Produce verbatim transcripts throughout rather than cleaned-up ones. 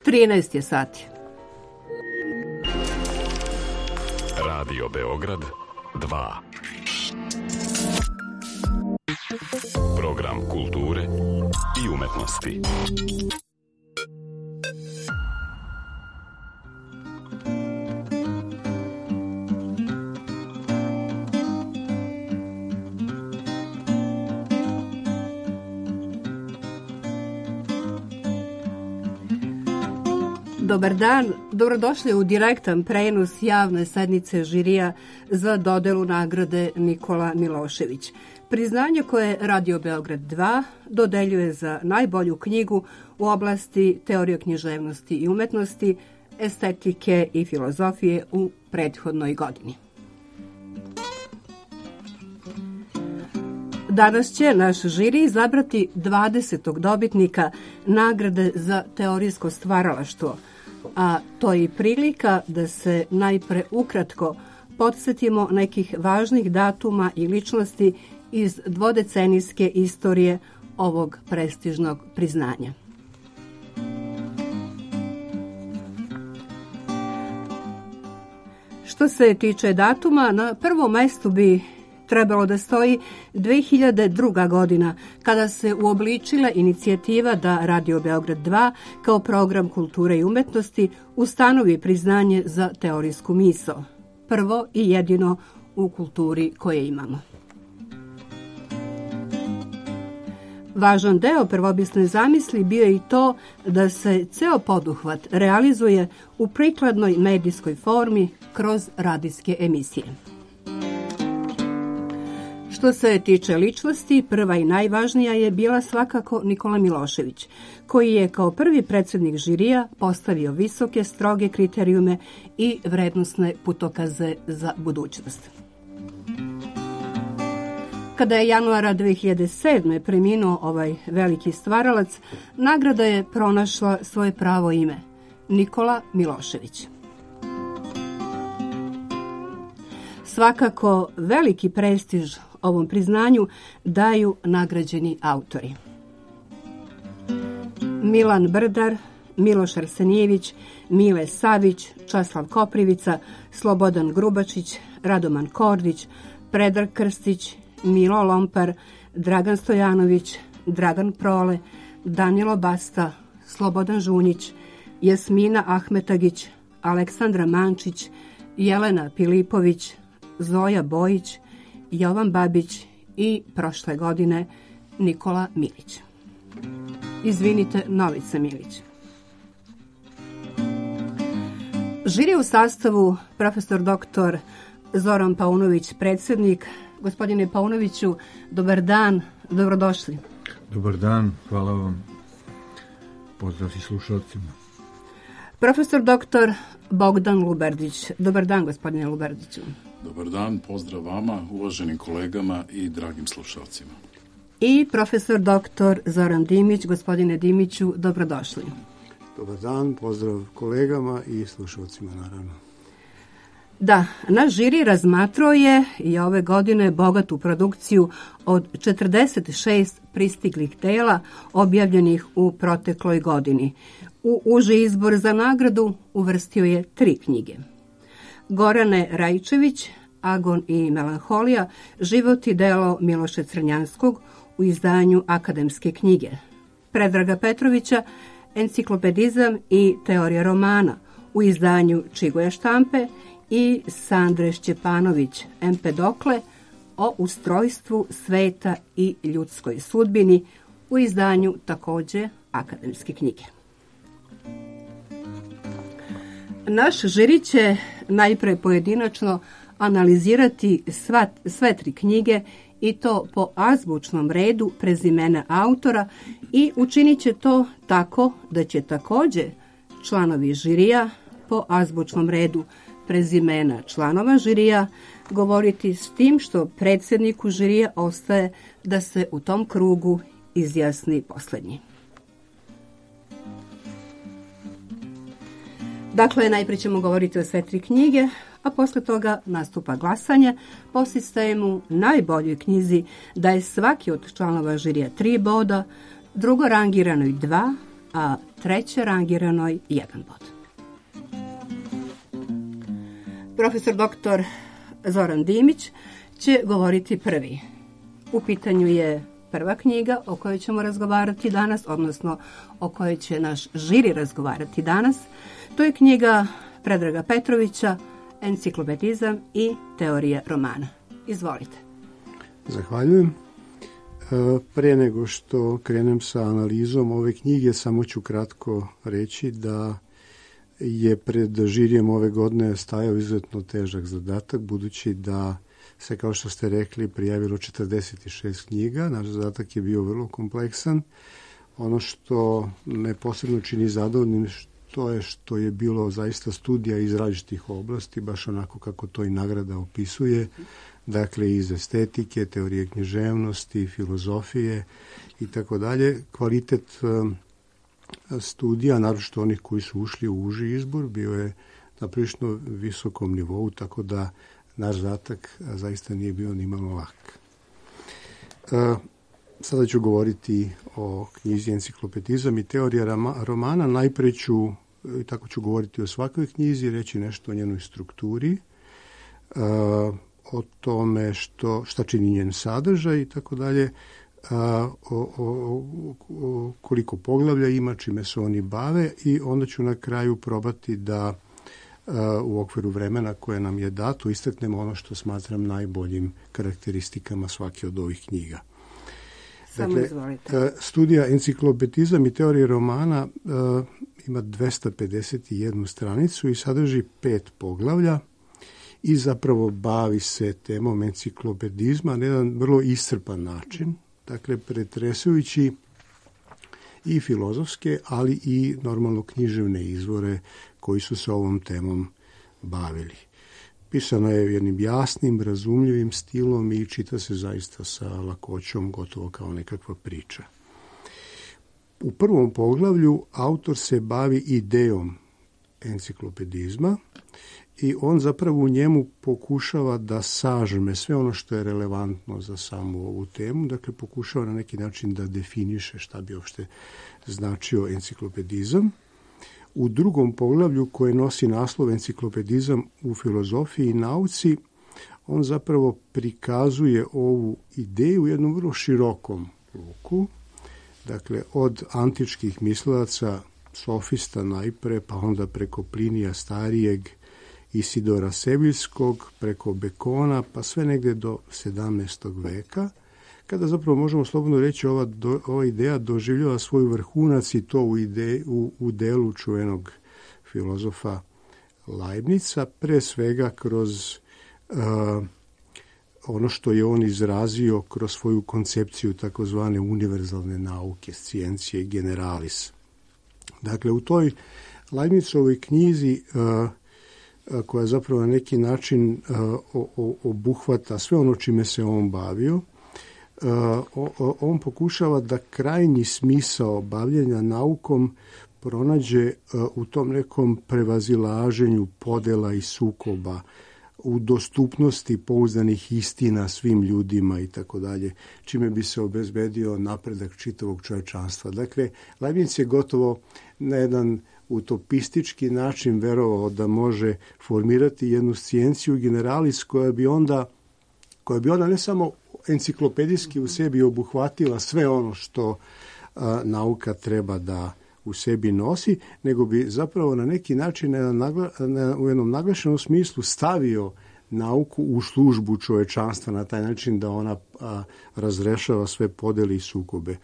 trinaest je sati. Radio Beograd dva. Program kulture i umetnosti. Dobar dan, dobrodošli u direktan prenos javne sednice žirija za dodelu nagrade Nikola Milošević. Priznanje koje Radio Beograd dva dodeljuje za najbolju knjigu u oblasti teorije književnosti i umetnosti, estetike i filozofije u prethodnoj godini. Danas će naš žiri izabrati dvadesetog dobitnika nagrade za teorijsko stvaralaštvo, a to je i prilika da se najpre ukratko podsjetimo nekih važnih datuma i ličnosti iz dvodecenijske istorije ovog prestižnog priznanja. Što se tiče datuma, na prvom mestu bi trebalo da stoji dve hiljade druga. godina, kada se uobličila inicijativa da Radio Beograd dva kao program kulture i umetnosti ustanovi priznanje za teorijsku misao. Prvo i jedino u kulturi koje imamo. Važan deo prvopisne zamisli bio je i to da se ceo poduhvat realizuje u prikladnoj medijskoj formi kroz radijske emisije. Što se tiče ličnosti, prva i najvažnija je bila svakako Nikola Milošević, koji je kao prvi predsjednik žirija postavio visoke, stroge kriterijume i vrednosne putokaze za budućnost. Kada je januara dve hiljade sedme. preminuo ovaj veliki stvaralac, nagrada je pronašla svoje pravo ime – Nikola Milošević. Svakako veliki prestiž ovom priznanju daju nagrađeni autori. Milan Brdar, Miloš Arsenijević, Mile Savić, Časlav Koprivica, Slobodan Grubačić, Radoman Kordić, Predrag Krstić, Milo Lompar, Dragan Stojanović, Dragan Prole, Danilo Basta, Slobodan Žunjić, Jasmina Ahmetagić, Aleksandra Mančić, Jelena Pilipović, Zoja Bojić, Jovan Babić i prošle godine Nikola Milić. Izvinite, Novica Milić. Žiri u sastavu profesor doktor Zoran Paunović, predsjednik. Gospodine Paunoviću, dobar dan, dobrodošli. Dobar dan, hvala vam. Pozdrav i slušalcima. Profesor doktor Bogdan Luberdić. Dobar dan, gospodine Luberdiću. Dobar dan, pozdrav vama, uvaženim kolegama i dragim slušalcima. I profesor doktor Zoran Dimić. Gospodine Dimiću, dobrodošli. Dobar dan, pozdrav kolegama i slušalcima, naravno. Da, naš žiri razmatrao je i ove godine bogatu produkciju od četrdeset šest pristiglih dela objavljenih u protekloj godini. U uži izbor za nagradu uvrstio je tri knjige. Gorane Rajčević, Agon i melanholija, život i delo Miloša Crnjanskog u izdanju Akademske knjige. Predraga Petrovića, Enciklopedizam i teorija romana u izdanju Čigoja štampe i Sandre Šćepanović, Empedokle, o ustrojstvu sveta i ljudskoj sudbini u izdanju takođe Akademske knjige. Naš žiri će najpre pojedinačno analizirati sva, sve tri knjige i to po azbučnom redu prezimena autora i učinit će to tako da će takođe članovi žirija po azbučnom redu prezimena članova žirija govoriti s tim što predsjedniku žirija ostaje da se u tom krugu izjasni posljednji. Dakle, najprije ćemo govoriti o sve tri knjige, a posle toga nastupa glasanje po sistemu najboljoj knjizi daje svaki od članova žirija tri boda, drugo rangiranoj dva, a treće rangiranoj jedan bod. Profesor doktor Zoran Dimić će govoriti prvi. U pitanju je prva knjiga o kojoj ćemo razgovarati danas, odnosno o kojoj će naš žiri razgovarati danas. To je knjiga Predraga Petrovića, Enciklopedizam i teorija romana. Izvolite. Zahvaljujem. Pre nego što krenem sa analizom ove knjige, samo ću kratko reći da je pred žirijem ove godine stajao izuzetno težak zadatak, budući da se, kao što ste rekli, prijavilo četrdeset šest knjiga. Naš zadatak je bio vrlo kompleksan. Ono što me posebno čini zadovoljnim to je što je bilo zaista studija iz različitih oblasti, baš onako kako to i nagrada opisuje. Dakle, iz estetike, teorije književnosti, filozofije i tako dalje. Kvalitet studija, naročito onih koji su ušli u uži izbor, bio je na prilično visokom nivou, tako da naš zadatak zaista nije bio ni malo lak. Sada ću govoriti o knjizi Enciklopedizam i teorija romana. Najpre ću, i tako ću govoriti o svakoj knjizi, reći nešto o njenoj strukturi, o tome što, šta čini njen sadržaj i tako dalje, o, o, o koliko poglavlja ima, čime se oni bave, i onda ću na kraju probati da u okviru vremena koje nam je dato istaknemo ono što smatram najboljim karakteristikama svake od ovih knjiga. Dakle, studija Enciklopedizam i teorija romana uh, ima dvesta pedeset jednu stranicu i sadrži pet poglavlja i zapravo bavi se temom enciklopedizma na jedan vrlo iscrpan način, dakle pretresujući i filozofske, ali i normalno književne izvore koji su se ovom temom bavili. Pisano je jednim jasnim, razumljivim stilom i čita se zaista sa lakoćom, gotovo kao nekakva priča. U prvom poglavlju autor se bavi idejom enciklopedizma i on zapravo u njemu pokušava da sažme sve ono što je relevantno za samu ovu temu, dakle pokušava na neki način da definiše šta bi uopšte značio enciklopedizam. U drugom poglavlju, koje nosi naslov Enciklopedizam u filozofiji i nauci, on zapravo prikazuje ovu ideju u jednom vrlo širokom luku, dakle od antičkih mislilaca, sofista najpre, pa onda preko Plinija Starijeg, Isidora Seviljskog, preko Bekona, pa sve negde do sedamnaestog veka, kada zapravo možemo slobodno reći ova, do, ova ideja doživljava svoj vrhunac i to u, ide, u, u delu čuvenog filozofa Leibnica, pre svega kroz uh, ono što je on izrazio kroz svoju koncepciju takozvane univerzalne nauke, sciencije generalis. Dakle, u toj Leibnicovoj knjizi uh, koja zapravo na neki način uh, o, o, obuhvata sve ono čime se on bavio, Uh, on pokušava da krajnji smisao bavljenja naukom pronađe uh, u tom nekom prevazilaženju podela i sukoba, u dostupnosti pouzdanih istina svim ljudima i tako dalje, čime bi se obezbedio napredak čitavog čovečanstva. Dakle, Leibniz je gotovo na jedan utopistički način verovao da može formirati jednu scijenciju generalis koja bi onda, koja bi onda ne samo enciklopedijski u sebi obuhvatila sve ono što a, nauka treba da u sebi nosi, nego bi zapravo na neki način na, na, u jednom naglašenom smislu stavio nauku u službu čovečanstva na taj način da ona a, razrešava sve podeli i sukobe.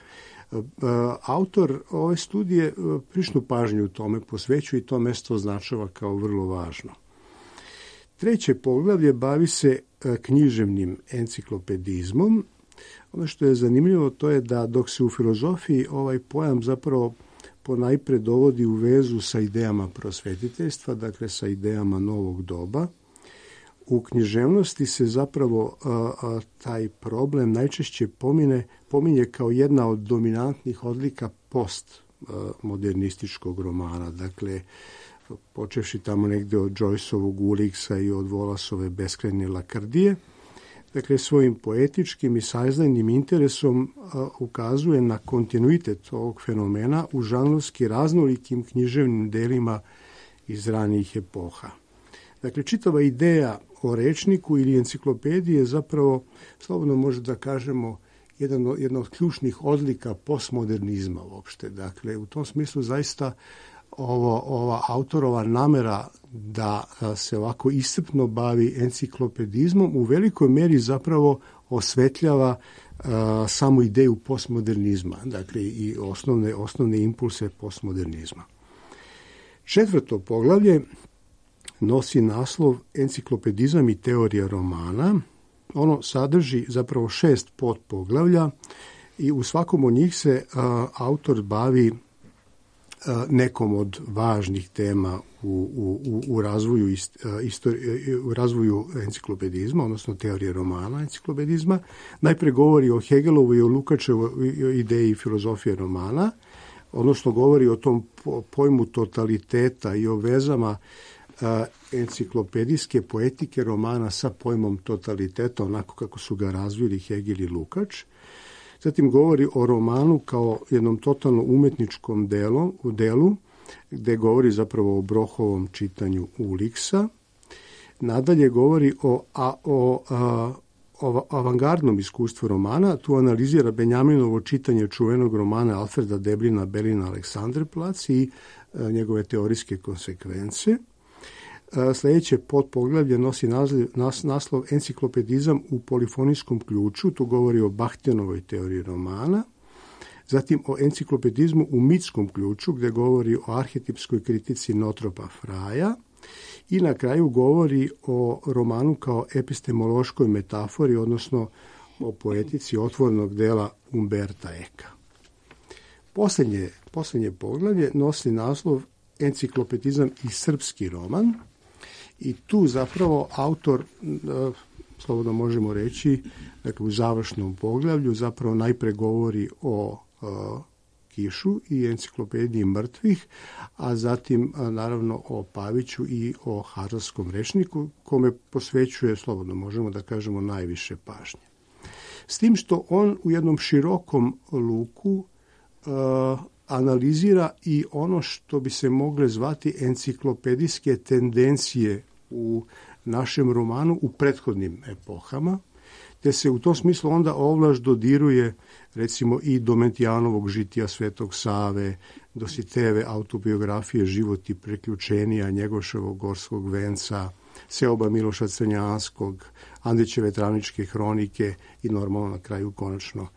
A, a, autor ove studije a, prišnu pažnju u tome posvećuje i to mesto označava kao vrlo važno. Treće poglavlje bavi se književnim enciklopedizmom. Ono što je zanimljivo to je da dok se u filozofiji ovaj pojam zapravo ponajpre dovodi u vezu sa idejama prosvetiteljstva, dakle sa idejama novog doba, u književnosti se zapravo a, a, taj problem najčešće pomine, pominje kao jedna od dominantnih odlika postmodernističkog romana. Dakle, počevši tamo negde od Joyceovog Uliksa i od Wallaceove beskrajne lakrdije. dakle svojim poetičkim i saznajnim interesom a, ukazuje na kontinuitet ovog fenomena u žanrovski raznolikim književnim delima iz ranijih epoha. Dakle, čitava ideja o rečniku ili enciklopediji je zapravo, slobodno može da kažemo, jedan, jedna od ključnih odlika postmodernizma uopšte. Dakle, u tom smislu zaista ovo, ova autorova namera da se ovako iscrpno bavi enciklopedizmom u velikoj meri zapravo osvetljava uh, samu ideju postmodernizma, dakle i osnovne, osnovne impulse postmodernizma. Četvrto poglavlje nosi naslov Enciklopedizam i teorija romana. Ono sadrži zapravo šest podpoglavlja i u svakom od njih se uh, autor bavi uh, nekom od važnih tema u, u, u, razvoju, ist, uh, istori, u razvoju enciklopedizma, odnosno teorije romana enciklopedizma. Najpre govori o Hegelovoj i o Lukačevoj ideji filozofije romana, odnosno govori o tom pojmu totaliteta i o vezama enciklopedijske poetike romana sa pojmom totaliteta, onako kako su ga razvili Hegel i Lukač. Zatim govori o romanu kao jednom totalno umetničkom delu, u delu, gde govori zapravo o Brohovom čitanju Uliksa. Nadalje govori o, a, o, a, o avangardnom iskustvu romana. Tu analizira Benjaminovo čitanje čuvenog romana Alfreda Deblina Belina Aleksandrplac i a, njegove teorijske konsekvence. Sljedeće podpoglavlje nosi naslov, nas, naslov Enciklopedizam u polifonijskom ključu. Tu govori o Bakhtianovoj teoriji romana. Zatim o enciklopedizmu u mitskom ključu, gdje govori o arhetipskoj kritici Notropa Fraja. I na kraju govori o romanu kao epistemološkoj metafori, odnosno o poetici otvornog dela Umberta Eka. Posljednje, posljednje poglavlje nosi naslov Enciklopedizam i srpski roman. I tu zapravo autor, slobodno možemo reći, dakle u završnom poglavlju zapravo najpre govori o uh, Kišu i enciklopediji mrtvih, a zatim a, naravno o Paviću i o Harzovskom rečniku, kome posvećuje, slobodno možemo da kažemo, najviše pažnje. S tim što on u jednom širokom luku uh, analizira i ono što bi se mogle zvati enciklopedijske tendencije u našem romanu u prethodnim epohama, te se u tom smislu onda ovlaš dodiruje recimo i Domentijanovog žitija Svetog Save, Dositejeve autobiografije Život i priključenija, Njegoševog Gorskog venca, Seoba Miloša Crnjanskog, Andrićeve Travničke hronike i normalno na kraju konačno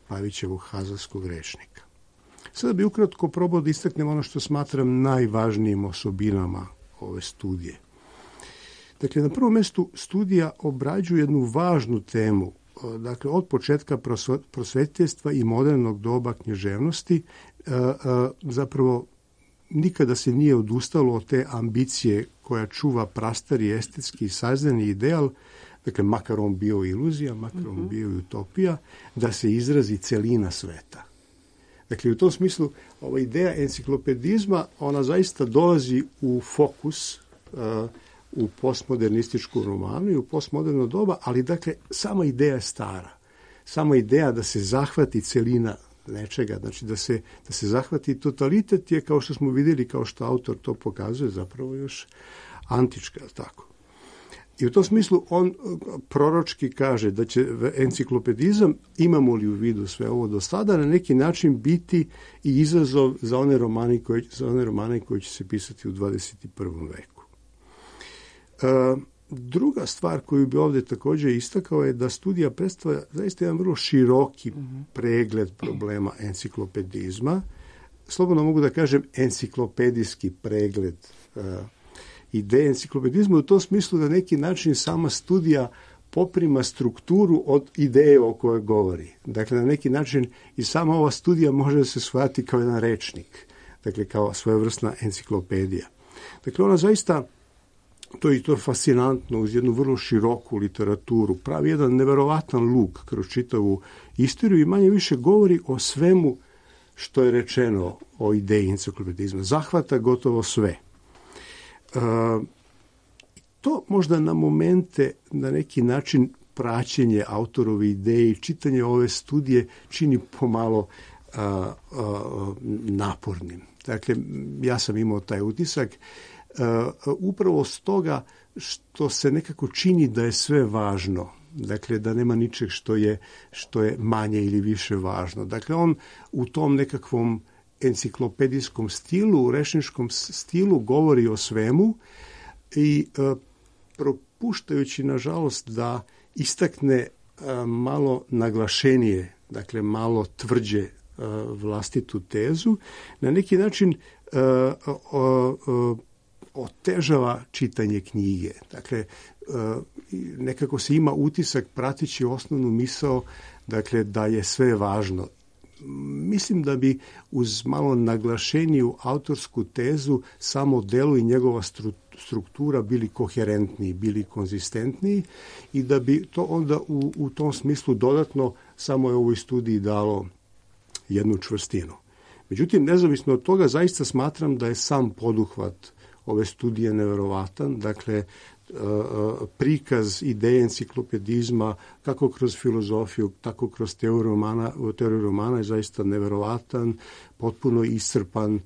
Pavićevog Harzovskog rečnika. Sada bi ukratko probao da istaknem ono što smatram najvažnijim osobinama ove studije. Dakle, na prvom mjestu studija obrađuje jednu važnu temu, dakle, od početka prosvetiteljstva i modernog doba književnosti, zapravo nikada se nije odustalo od te ambicije koja čuva prastari estetski i saznani ideal, dakle, makar on bio iluzija, makar on bio i utopija, da se izrazi celina sveta. Dakle, u tom smislu, ova ideja enciklopedizma, ona zaista dolazi u fokus uh, u postmodernističku romanu i u postmoderno doba, ali dakle, sama ideja je stara. Sama ideja da se zahvati celina nečega, znači da se, da se zahvati totalitet je, kao što smo vidjeli, kao što autor to pokazuje, zapravo još antička, tako. I u tom smislu on proročki kaže da će enciklopedizam, imamo li u vidu sve ovo do sada, na neki način biti i izazov za one romane koji, za one romane koji će se pisati u dvadeset prvom veku. E, druga stvar koju bi ovdje također istakao je da studija predstavlja zaista jedan vrlo široki pregled problema enciklopedizma. Slobodno mogu da kažem enciklopedijski pregled e, ideje enciklopedizma u tom smislu da neki način sama studija poprima strukturu od ideje o kojoj govori. Dakle, na neki način i sama ova studija može da se shvati kao jedan rečnik, dakle kao svojevrsna enciklopedija. Dakle, ona zaista, to je to je fascinantno, uz jednu vrlo široku literaturu, pravi jedan neverovatan luk kroz čitavu istoriju i manje više govori o svemu što je rečeno o ideji enciklopedizma. Zahvata gotovo sve. Uh, to možda na momente na neki način praćenje autorove ideje i čitanje ove studije čini pomalo a, a, napornim. Dakle, ja sam imao taj utisak a, upravo stoga što se nekako čini da je sve važno. Dakle, da nema ničeg što je, što je manje ili više važno. Dakle, on u tom nekakvom enciklopedijskom stilu, u rečničkom stilu govori o svemu i e, propuštajući, nažalost, da istakne e, malo naglašenije, dakle, malo tvrđe e, vlastitu tezu, na neki način e, o, o, otežava čitanje knjige. Dakle, nekako se ima utisak prateći osnovnu misao, dakle, da je sve važno. Mislim da bi uz malo naglašeniju autorsku tezu samo delo i njegova struktura bili koherentniji, bili konzistentniji i da bi to onda u, u tom smislu dodatno samo je ovoj studiji dalo jednu čvrstinu. Međutim, nezavisno od toga, zaista smatram da je sam poduhvat ove studije neverovatan, dakle, prikaz ideje enciklopedizma kako kroz filozofiju, tako kroz teoriju romana, teoriju romana je zaista neverovatan, potpuno iscrpan,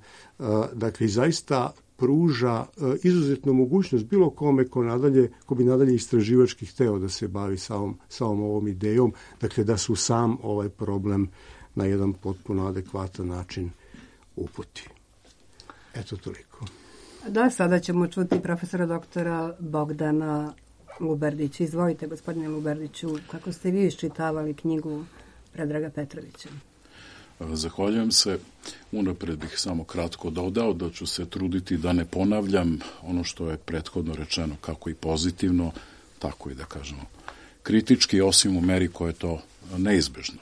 dakle, zaista pruža izuzetnu mogućnost bilo kome ko, nadalje, ko bi nadalje istraživački hteo da se bavi samom, samom ovom idejom, dakle, da su sam ovaj problem na jedan potpuno adekvatan način uputi. Eto toliko. Da, sada ćemo čuti profesora doktora Bogdana Luberdića. Izvolite, gospodine Luberdiću, kako ste vi iščitavali knjigu Predraga Petrovića? Zahvaljujem se. Unapred bih samo kratko dodao da ću se truditi da ne ponavljam ono što je prethodno rečeno, kako i pozitivno, tako i da kažemo kritički, osim u meri koje je to neizbežno.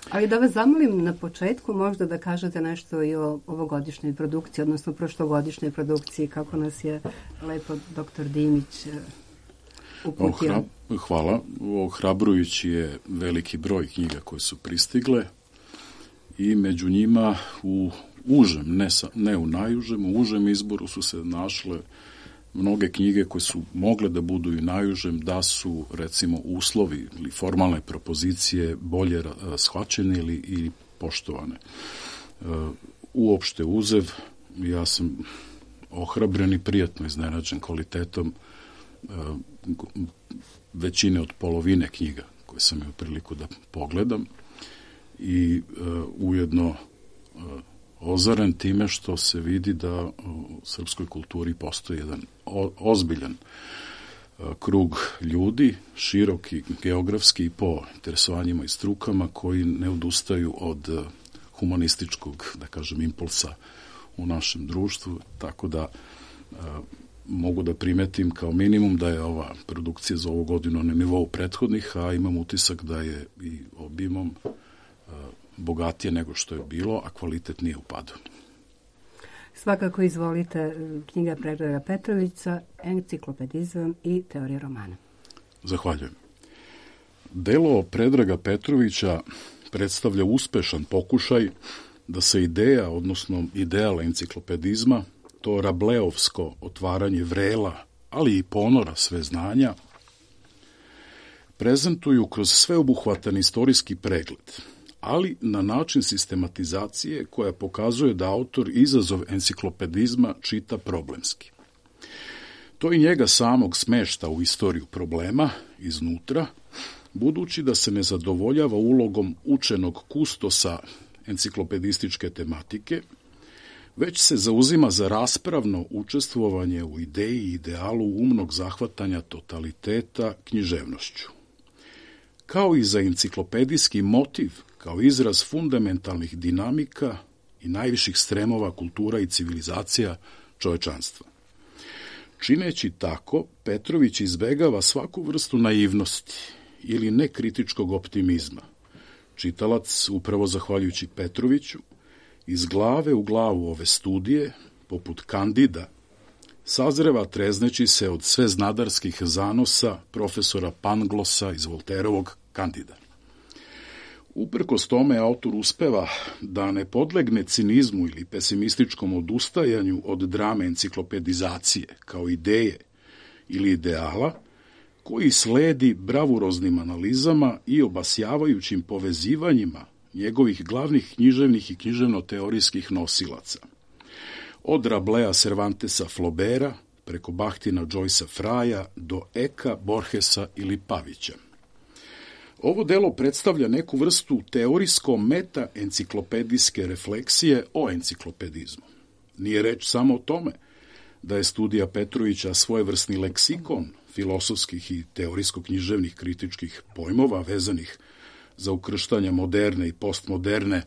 Ali da vas zamolim na početku možda da kažete nešto i o ovogodišnjoj produkciji, odnosno prošlogodišnjoj produkciji, kako nas je lepo doktor Dimić uputio. Ohra, hvala. Ohrabrujući je veliki broj knjiga koje su pristigle i među njima u užem, ne, sa, ne u najužem, u užem izboru su se našle mnoge knjige koje su mogle da budu i najužem, da su, recimo, uslovi ili formalne propozicije bolje shvaćene ili, ili poštovane. Uopšte uzev, ja sam ohrabren i prijatno iznenađen kvalitetom većine od polovine knjiga koje sam imao priliku da pogledam i ujedno ozaren time što se vidi da u srpskoj kulturi postoji jedan ozbiljan krug ljudi, široki geografski i po interesovanjima i strukama, koji ne odustaju od humanističkog, da kažem, impulsa u našem društvu, tako da mogu da primetim kao minimum da je ova produkcija za ovu godinu na nivou prethodnih, a imam utisak da je i obimom bogatije nego što je bilo, a kvalitet nije u padu. Svakako izvolite, knjiga Predraga Petrovića, Enciklopedizam i teorija romana. Zahvaljujem. Delo Predraga Petrovića predstavlja uspešan pokušaj da se ideja, odnosno ideal enciklopedizma, to rableovsko otvaranje vrela, ali i ponora sve znanja, prezentuju kroz sveobuhvatan istorijski pregled, ali na način sistematizacije koja pokazuje da autor izazov enciklopedizma čita problemski. To i njega samog smešta u istoriju problema iznutra, budući da se ne zadovoljava ulogom učenog kustosa enciklopedističke tematike, već se zauzima za raspravno učestvovanje u ideji i idealu umnog zahvatanja totaliteta književnošću. Kao i za enciklopedijski motiv, kao izraz fundamentalnih dinamika i najviših stremova kultura i civilizacija čovečanstva. Čineći tako, Petrović izbegava svaku vrstu naivnosti ili nekritičkog optimizma. Čitalac, upravo zahvaljujući Petroviću, iz glave u glavu ove studije, poput Kandida, sazreva trezneći se od sveznadarskih zanosa profesora Panglosa iz Volterovog Kandida. Uprkos tome, autor uspeva da ne podlegne cinizmu ili pesimističkom odustajanju od drame enciklopedizacije kao ideje ili ideala, koji sledi bravuroznim analizama i obasjavajućim povezivanjima njegovih glavnih književnih i književno-teorijskih nosilaca. Od Rablea Cervantesa Flaubera, preko Bahtina Joycea Fraja do Eka, Borgesa ili Pavića. Ovo delo predstavlja neku vrstu teorijsko-meta-enciklopedijske refleksije o enciklopedizmu. Nije reč samo o tome da je studija Petrovića svojevrsni leksikon filosofskih i teorijsko-književnih kritičkih pojmova vezanih za ukrštanje moderne i postmoderne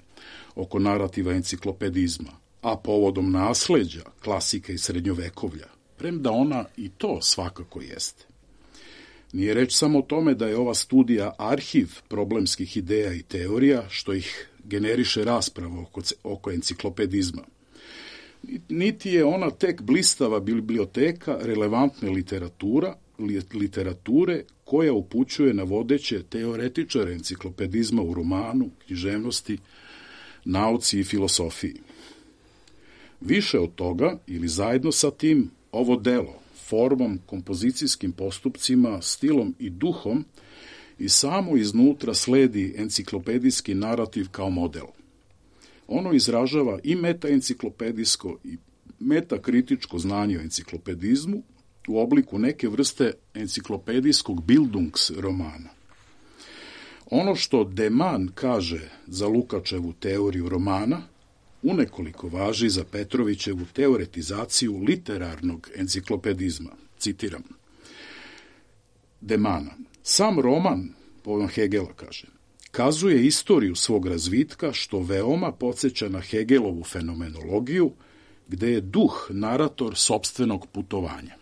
oko narativa enciklopedizma, a povodom nasleđa klasike i srednjovekovlja, premda ona i to svakako jeste. Nije reč samo o tome da je ova studija arhiv problemskih ideja i teorija, što ih generiše rasprava oko, oko enciklopedizma. Niti je ona tek blistava biblioteka relevantne literatura, literature koja upućuje na vodeće teoretičare enciklopedizma u romanu, književnosti, nauci i filosofiji. Više od toga, ili zajedno sa tim, ovo delo, formom, kompozicijskim postupcima, stilom i duhom, i samo iznutra sledi enciklopedijski narativ kao model. Ono izražava i metaenciklopedijsko i metakritičko znanje o enciklopedizmu u obliku neke vrste enciklopedijskog Bildungs romana. Ono što De Man kaže za Lukačevu teoriju romana, unekoliko važi za Petrovićevu teoretizaciju literarnog enciklopedizma. Citiram. De Mana. Sam roman, po Hegela kaže, kazuje istoriju svog razvitka što veoma podsjeća na Hegelovu fenomenologiju, gde je duh narator sopstvenog putovanja.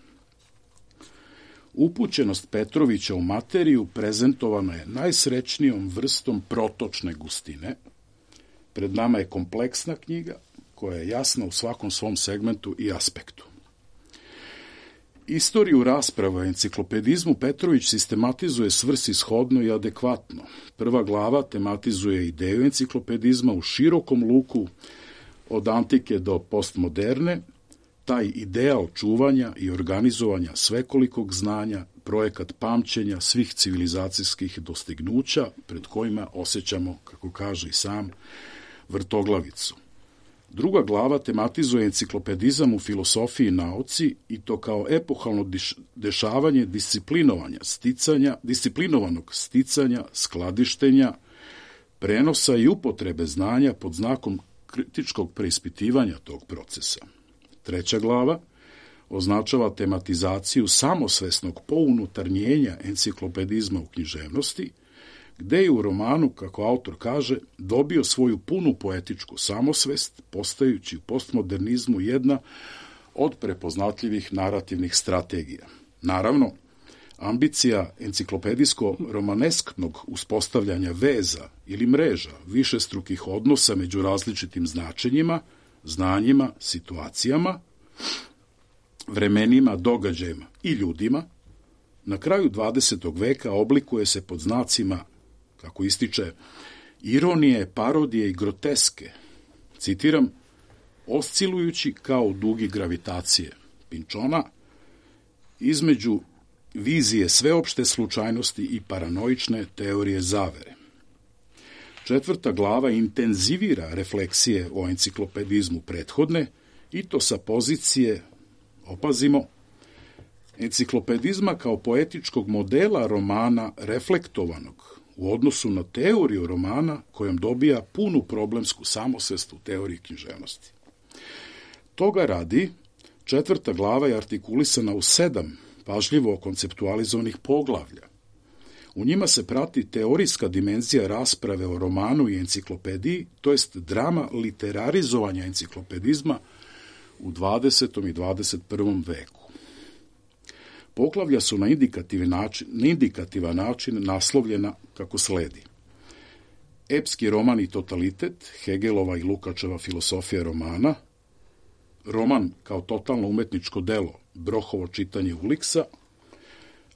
Upućenost Petrovića u materiju prezentovana je najsrećnijom vrstom protočne gustine. Pred nama je kompleksna knjiga koja je jasna u svakom svom segmentu i aspektu. Istoriju rasprava o enciklopedizmu Petrović sistematizuje svrsishodno i adekvatno. Prva glava tematizuje ideju enciklopedizma u širokom luku od antike do postmoderne, taj ideal čuvanja i organizovanja svekolikog znanja, projekat pamćenja svih civilizacijskih dostignuća pred kojima osjećamo, kako kaže i sam, vrtoglavicu. Druga glava tematizuje enciklopedizam u filosofiji i nauci i to kao epohalno dešavanje disciplinovanja, sticanja, disciplinovanog sticanja, skladištenja, prenosa i upotrebe znanja pod znakom kritičkog preispitivanja tog procesa. Treća glava označava tematizaciju samosvesnog pounutarnjenja enciklopedizma u književnosti, gde je u romanu, kako autor kaže, dobio svoju punu poetičku samosvest, postajući u postmodernizmu jedna od prepoznatljivih narativnih strategija. Naravno, ambicija enciklopedijsko-romanesknog uspostavljanja veza ili mreža višestrukih odnosa među različitim značenjima, znanjima, situacijama, vremenima, događajima i ljudima, na kraju dvadesetog veka oblikuje se pod znacima, kako ističe, ironije, parodije i groteske, citiram, oscilujući kao dugi gravitacije Pinčona, između vizije sveopšte slučajnosti i paranoične teorije zavere. Četvrta glava intenzivira refleksije o enciklopedizmu prethodne i to sa pozicije, opazimo, enciklopedizma kao poetičkog modela romana reflektovanog u odnosu na teoriju romana kojom dobija punu problemsku samosvest u teoriji književnosti. Toga radi, četvrta glava je artikulisana u sedam pažljivo konceptualizovanih poglavlja. U njima se prati teorijska dimenzija rasprave o romanu i enciklopediji, to jest drama literarizovanja enciklopedizma u dvadesetom i dvadeset prvom veku. Poglavlja su na indikativan način, na indikativan način naslovljena kako sledi. Epski roman i totalitet, Hegelova i Lukačeva filosofija romana, roman kao totalno umetničko delo, Brohovo čitanje Uliksa,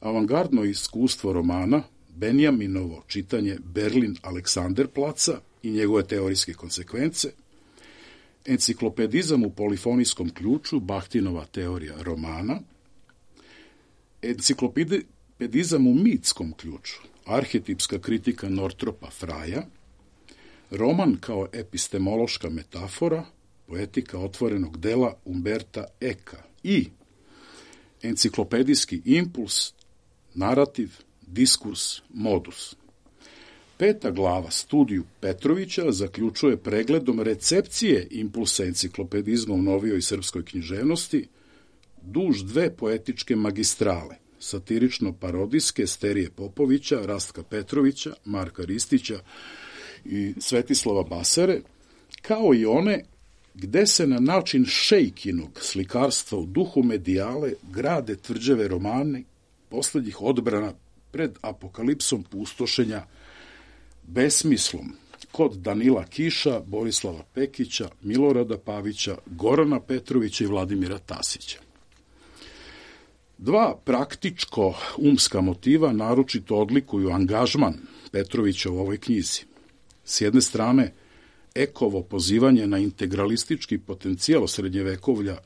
avangardno iskustvo romana, Benjaminovo čitanje Berlin Aleksanderplaca i njegove teorijske konsekvence, enciklopedizam u polifonijskom ključu, Bahtinova teorija romana, enciklopedi, enciklopedizam u mitskom ključu, arhetipska kritika Nortropa Fraja, roman kao epistemološka metafora, poetika otvorenog dela Umberta Eka i enciklopedijski impuls, narativ, diskurs, modus. Peta glava studiju Petrovića zaključuje pregledom recepcije impulsa enciklopedizma u novijoj srpskoj književnosti duž dve poetičke magistrale, satirično-parodijske Sterije Popovića, Rastka Petrovića, Marka Ristića i Svetislava Basare, kao i one gde se na način Šejkinog slikarstva u duhu medijale grade tvrđave romani poslednjih odbrana pred apokalipsom pustošenja, besmislom kod Danila Kiša, Borislava Pekića, Milorada Pavića, Gorana Petrovića i Vladimira Tasića. Dva praktičko-umska motiva naročito odlikuju angažman Petrovića u ovoj knjizi. S jedne strane, Ekovo pozivanje na integralistički potencijal srednjevekovlja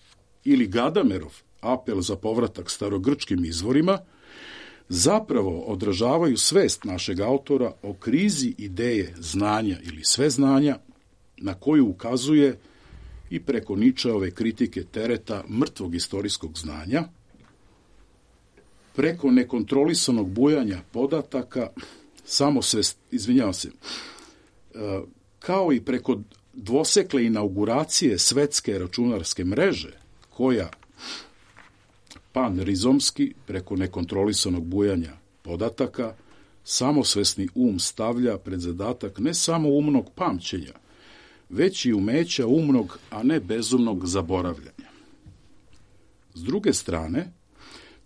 ili Gadamerov apel za povratak starogrčkim izvorima zapravo odražavaju svest našeg autora o krizi ideje znanja ili sveznanja na koju ukazuje i preko Ničeove kritike tereta mrtvog istorijskog znanja, preko nekontrolisanog bujanja podataka, samosvest, izvinjavam se, kao i preko dvosekle inauguracije svetske računarske mreže, koja panrizomski, preko nekontrolisanog bujanja podataka, samosvesni um stavlja pred zadatak ne samo umnog pamćenja, već i umeća umnog, a ne bezumnog zaboravljanja. S druge strane,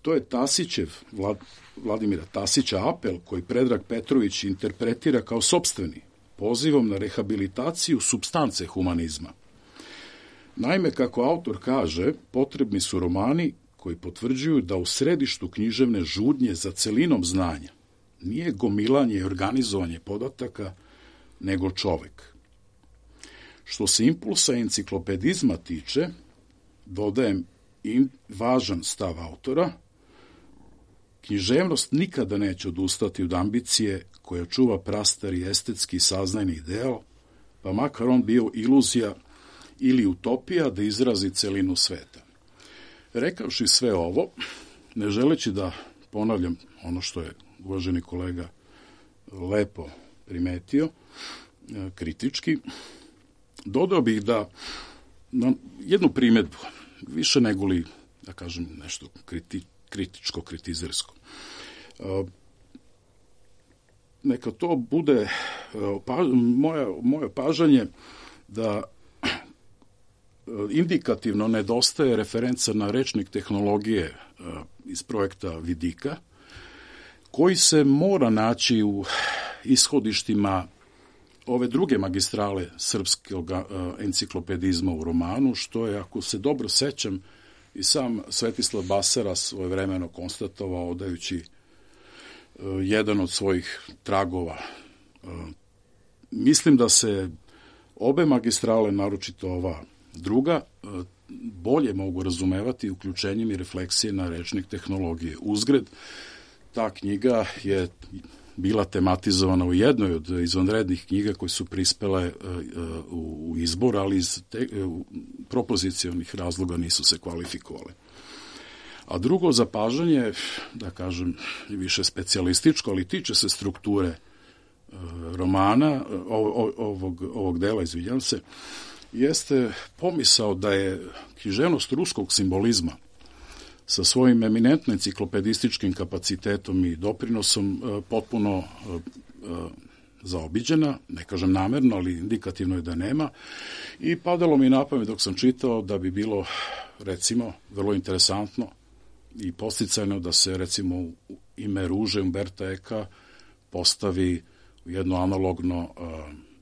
to je Tasićev, Vlad, Vladimira Tasića apel koji Predrag Petrović interpretira kao sopstveni, pozivom na rehabilitaciju supstance humanizma. Naime, kako autor kaže, potrebni su romani koji potvrđuju da u središtu književne žudnje za celinom znanja nije gomilanje i organizovanje podataka, nego čovek. Što se impulsa enciklopedizma tiče, dodajem i važan stav autora, književnost nikada neće odustati od ambicije koja čuva prastari estetski saznajni ideal, pa makar on bio iluzija ili utopija da izrazi celinu sveta. Rekavši sve ovo, ne želeći da ponavljam ono što je uvaženi kolega lepo primetio, kritički, dodao bih da na jednu primedbu, više nego li, da kažem, nešto kriti, kritičko, kritizersko. Neka to bude pa, moja, moje pažanje da indikativno nedostaje referenca na rečnik tehnologije iz projekta Vidika, koji se mora naći u ishodištima ove druge magistrale srpskog enciklopedizma u romanu, što je, ako se dobro sećam, i sam Svetislav Basara svojevremeno konstatovao odajući jedan od svojih tragova. Mislim da se obe magistrale, naročito ova druga, bolje mogu razumevati uključenjem i refleksije na rečnik tehnologije. Uzgred, ta knjiga je bila tematizovana u jednoj od izvanrednih knjiga koje su prispele u izbor, ali iz te, propozicionih razloga nisu se kvalifikovale. A drugo zapažanje, da kažem, je više specijalističko, ali tiče se strukture romana, ovog, ovog dela, izvinjam se, jeste pomisao da je književnost ruskog simbolizma sa svojim eminentno enciklopedističkim kapacitetom i doprinosom potpuno zaobiđena, ne kažem namerno, ali indikativno je da nema, i padalo mi na pamet dok sam čitao da bi bilo, recimo, vrlo interesantno i posticajno da se, recimo, u ime Ruže Umberta Eka postavi jedno analogno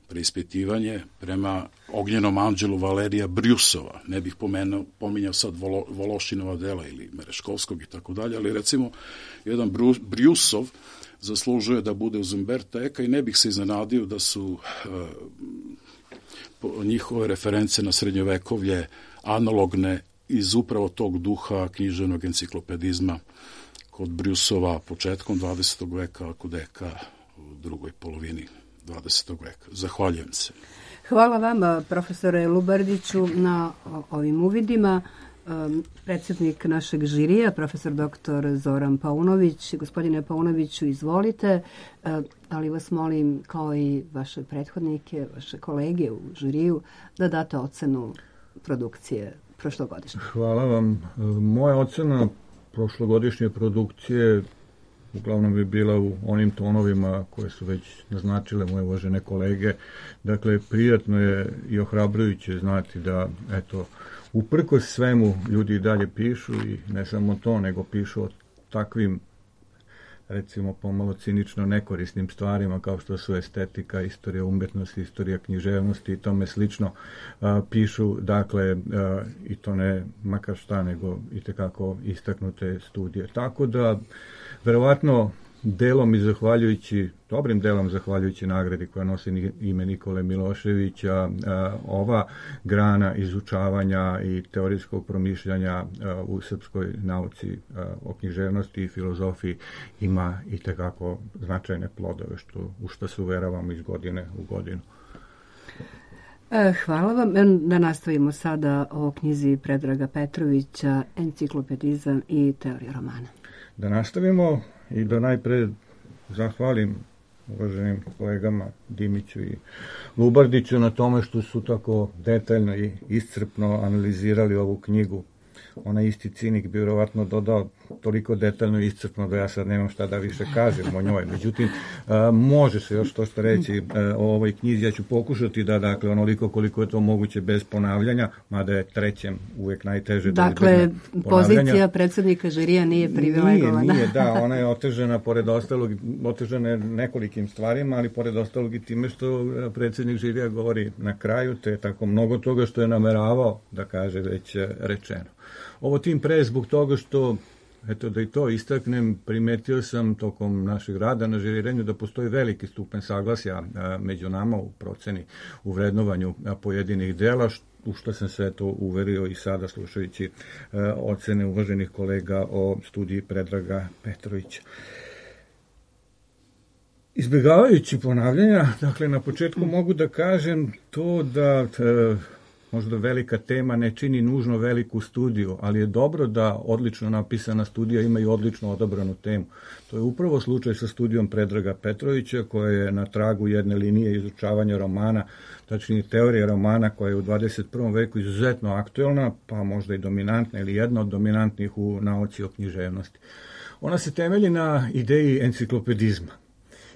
preispitivanje prema Ognjenom anđelu Valerija Brjusova. Ne bih pomenuo, pominjao sad Volo, Vološinova dela ili Mereškovskog i tako dalje, ali recimo jedan Brjusov zaslužuje da bude uz Umberta Eka i ne bih se iznenadio da su uh, njihove reference na srednjovekovlje analogne iz upravo tog duha književnog enciklopedizma kod Brusova početkom dvadesetog veka, a kod Eka u drugoj polovini dvadesetog veka. Zahvaljujem se. Hvala vama, profesore Lubardiću, na ovim uvidima. Predsjednik našeg žirija, profesor doktor Zoran Paunović. Gospodine Paunoviću, izvolite, ali vas molim, kao i vaše prethodnike, vaše kolege u žiriju, da date ocenu produkcije prošlogodišnje. Hvala vam. Moja ocena prošlogodišnje produkcije uglavnom bi bila u onim tonovima koje su već naznačile moje uvažene kolege. Dakle, prijatno je i ohrabrujuće znati da, eto, uprkos svemu ljudi i dalje pišu i ne samo to, nego pišu o takvim, recimo pomalo cinično nekorisnim stvarima kao što su estetika, istorija umjetnosti, istorija književnosti i tome slično. A, pišu, dakle, a, i to ne makar šta, nego i tekako istaknute studije. Tako da, verovatno, delom i zahvaljujući, dobrim delom zahvaljujući nagradi koja nosi ime Nikole Miloševića, a, ova grana izučavanja i teorijskog promišljanja a, u srpskoj nauci a, o književnosti i filozofiji ima i tekako značajne plodove, što, u što se uveravamo iz godine u godinu. Hvala vam. Da nastavimo sada o knjizi Predraga Petrovića, Enciklopedizam i teorija romana. Da nastavimo i da najpre zahvalim uvaženim kolegama Dimiću i Lubardiću na tome što su tako detaljno i iscrpno analizirali ovu knjigu. Onaj isti cinik bi vjerovatno dodao toliko detaljno i iscrpno da ja sad nemam šta da više kažem o njoj. Međutim, a, može se još to što reći a, o ovoj knjizi. Ja ću pokušati da, dakle, onoliko koliko je to moguće bez ponavljanja, mada je trećem uvijek najteže da dakle, pozicija predsjednika žirija nije privilegovana. Nije, nije, da, ona je otežena pored ostalog, otežena je nekolikim stvarima, ali pored ostalog i time što predsjednik žirija govori na kraju, te tako mnogo toga što je nameravao da kaže već rečeno. Ovo tim pre zbog toga što, eto da i to istaknem, primetio sam tokom našeg rada na žiriranju da postoji veliki stupen saglasja a, među nama u proceni, u vrednovanju a, pojedinih dela, što, u što sam se to uverio i sada slušajući a, ocene uvaženih kolega o studiji Predraga Petrovića. Izbjegavajući ponavljanja, dakle, na početku mogu da kažem to da a, možda velika tema ne čini nužno veliku studiju, ali je dobro da odlično napisana studija ima i odlično odabranu temu. To je upravo slučaj sa studijom Predraga Petrovića, koja je na tragu jedne linije izučavanja romana, tačnije teorije romana, koja je u dvadeset prvom veku izuzetno aktuelna, pa možda i dominantna ili jedna od dominantnih u nauci o književnosti. Ona se temelji na ideji enciklopedizma.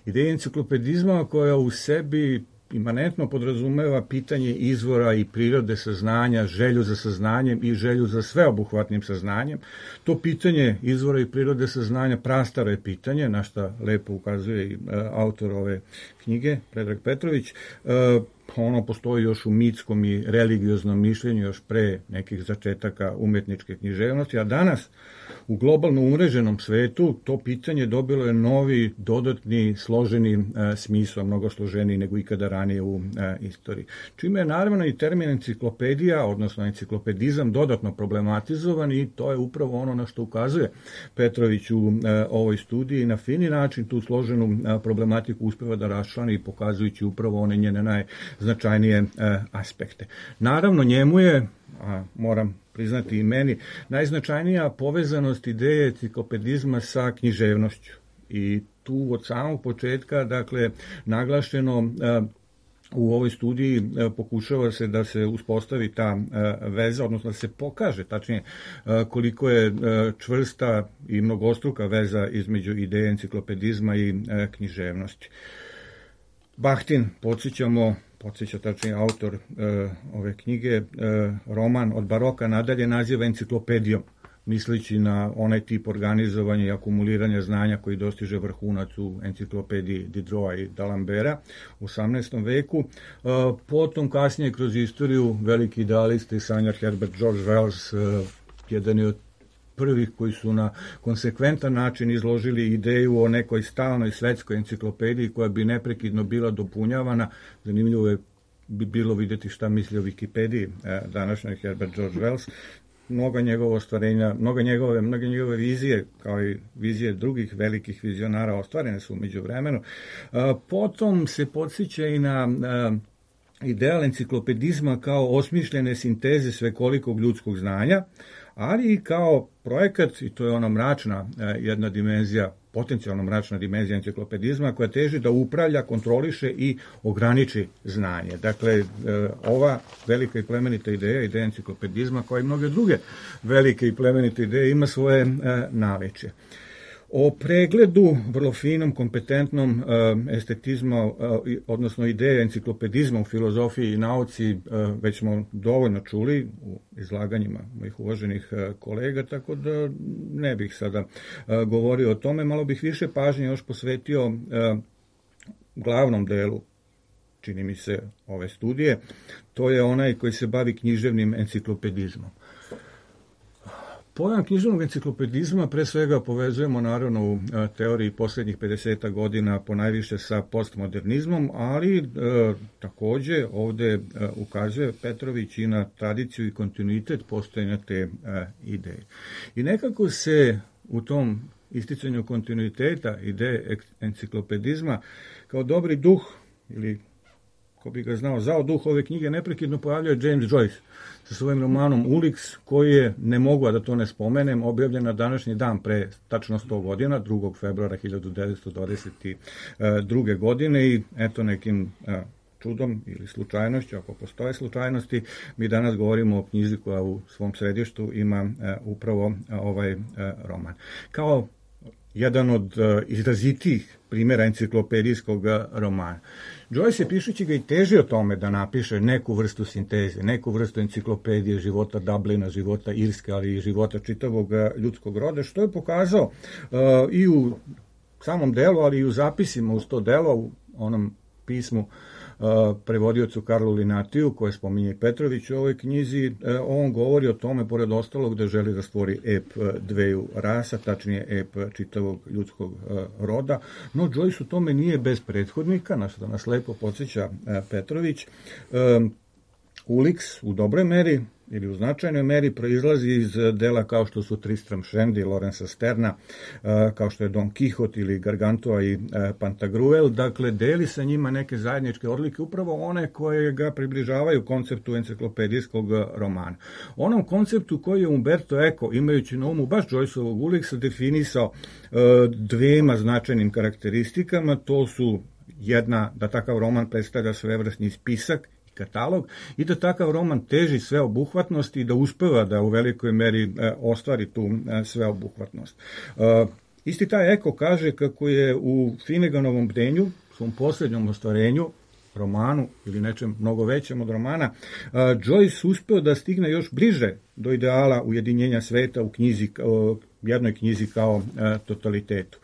Ideji enciklopedizma koja u sebi imanentno podrazumeva pitanje izvora i prirode saznanja, želju za saznanjem i želju za sveobuhvatnim saznanjem. To pitanje izvora i prirode saznanja prastaro je pitanje, na šta lepo ukazuje i e, autor ove knjige, Predrag Petrović. E, ono postoji još u mitskom i religioznom mišljenju još pre nekih začetaka umetničke književnosti, a danas u globalno umreženom svetu to pitanje dobilo je novi, dodatni, složeni e, smisao, mnogo složeniji nego ikada ranije u e, istoriji. Čime je naravno i termin enciklopedija, odnosno enciklopedizam, dodatno problematizovan i to je upravo ono na što ukazuje Petrović u e, ovoj studiji. Na fini način tu složenu e, problematiku uspeva da raščlani i pokazujući upravo one njene najznačajnije e, aspekte. Naravno, njemu je, a moram priznati i meni, najznačajnija povezanost ideje enciklopedizma sa književnošću. I tu od samog početka, dakle, naglašeno u ovoj studiji pokušava se da se uspostavi ta veza, odnosno da se pokaže, tačnije, koliko je čvrsta i mnogostruka veza između ideje enciklopedizma i književnosti. Bahtin, podsjećamo, podsjeća tačnije autor e, ove knjige, e, roman od baroka nadalje naziva enciklopedijom, misleći na onaj tip organizovanja i akumuliranja znanja koji dostiže vrhunac u enciklopediji Diderota i D'Alembera u osamnaestom veku. E, potom kasnije kroz istoriju veliki idealist i sanjar Herbert George Wells, e, jedan je od prvih koji su na konsekventan način izložili ideju o nekoj stalnoj svetskoj enciklopediji koja bi neprekidno bila dopunjavana. Zanimljivo je bi bilo vidjeti šta misli o Wikipediji današnjoj Herbert George Wells. mnoga njegova ostvarenja, mnoga njegove, mnoge njegove vizije, kao i vizije drugih velikih vizionara, ostvarene su umeđu vremenu. Potom se podsjeća i na ideal enciklopedizma kao osmišljene sinteze svekolikog ljudskog znanja, ali i kao projekat, i to je ona mračna jedna dimenzija, potencijalno mračna dimenzija enciklopedizma, koja teži da upravlja, kontroliše i ograniči znanje. Dakle, ova velika i plemenita ideja, ideja enciklopedizma, kao i mnoge druge velike i plemenite ideje, ima svoje naličje. O pregledu, vrlo finom, kompetentnom estetizma, odnosno ideje enciklopedizma u filozofiji i nauci, već smo dovoljno čuli u izlaganjima mojih uvaženih kolega, tako da ne bih sada govorio o tome. Malo bih više pažnje još posvetio glavnom delu, čini mi se, ove studije. To je onaj koji se bavi književnim enciklopedizmom. Pojam književnog enciklopedizma pre svega povezujemo naravno u teoriji posljednjih pedeset godina ponajviše sa postmodernizmom, ali e, takođe ovde e, ukazuje Petrović i na tradiciju i kontinuitet postojanja te e, ideje. I nekako se u tom isticanju kontinuiteta ideje enciklopedizma kao dobri duh, ili ko bi ga znao, zao duh ove knjige, neprekidno pojavljuje James Joyce sa svojim romanom Ulix, koji je, ne mogu da to ne spomenem, objavljen na današnji dan pre tačno sto godina, drugog februara hiljadu devetsto dvadeset druge. godine, i eto nekim čudom ili slučajnošću, ako postoje slučajnosti, mi danas govorimo o knjizi koja u svom središtu ima upravo ovaj roman. Kao jedan od izrazitijih primjera enciklopedijskog romana. Joyce je, pišući ga, i težio tome da napiše neku vrstu sinteze, neku vrstu enciklopedije života Dublina, života Irske, ali i života čitavog ljudskog roda, što je pokazao uh, i u samom delu, ali i u zapisima uz to delo, u onom pismu Uh, prevodiocu Karlu Linatiju, koje spominje Petrović u ovoj knjizi. Uh, on govori o tome, pored ostalog, da želi da stvori ep dveju rasa, tačnije ep čitavog ljudskog uh, roda, no Joyce u tome nije bez prethodnika, na što nas lepo podsjeća uh, Petrović. Um, Ulix u dobroj meri ili u značajnoj meri proizlazi iz dela kao što su Tristram Shandy, Lorenza Sterna, kao što je Don Quixote ili Gargantua i Pantagruel. Dakle, deli sa njima neke zajedničke odlike, upravo one koje ga približavaju konceptu enciklopedijskog romana. Onom konceptu koji je Umberto Eco, imajući na umu baš Joyceovog Ulixa, definisao dvema značajnim karakteristikama. To su jedna, da takav roman predstavlja svevrsni spisak, katalog, i da takav roman teži sveobuhvatnost i da uspeva da u velikoj meri e, ostvari tu e, sveobuhvatnost. E, isti taj Eko kaže kako je u Finneganovom bdenju, svom posljednjom ostvarenju, romanu ili nečem mnogo većem od romana, e, Joyce uspeo da stigne još bliže do ideala ujedinjenja sveta u knjizi, o, jednoj knjizi kao e, totalitetu.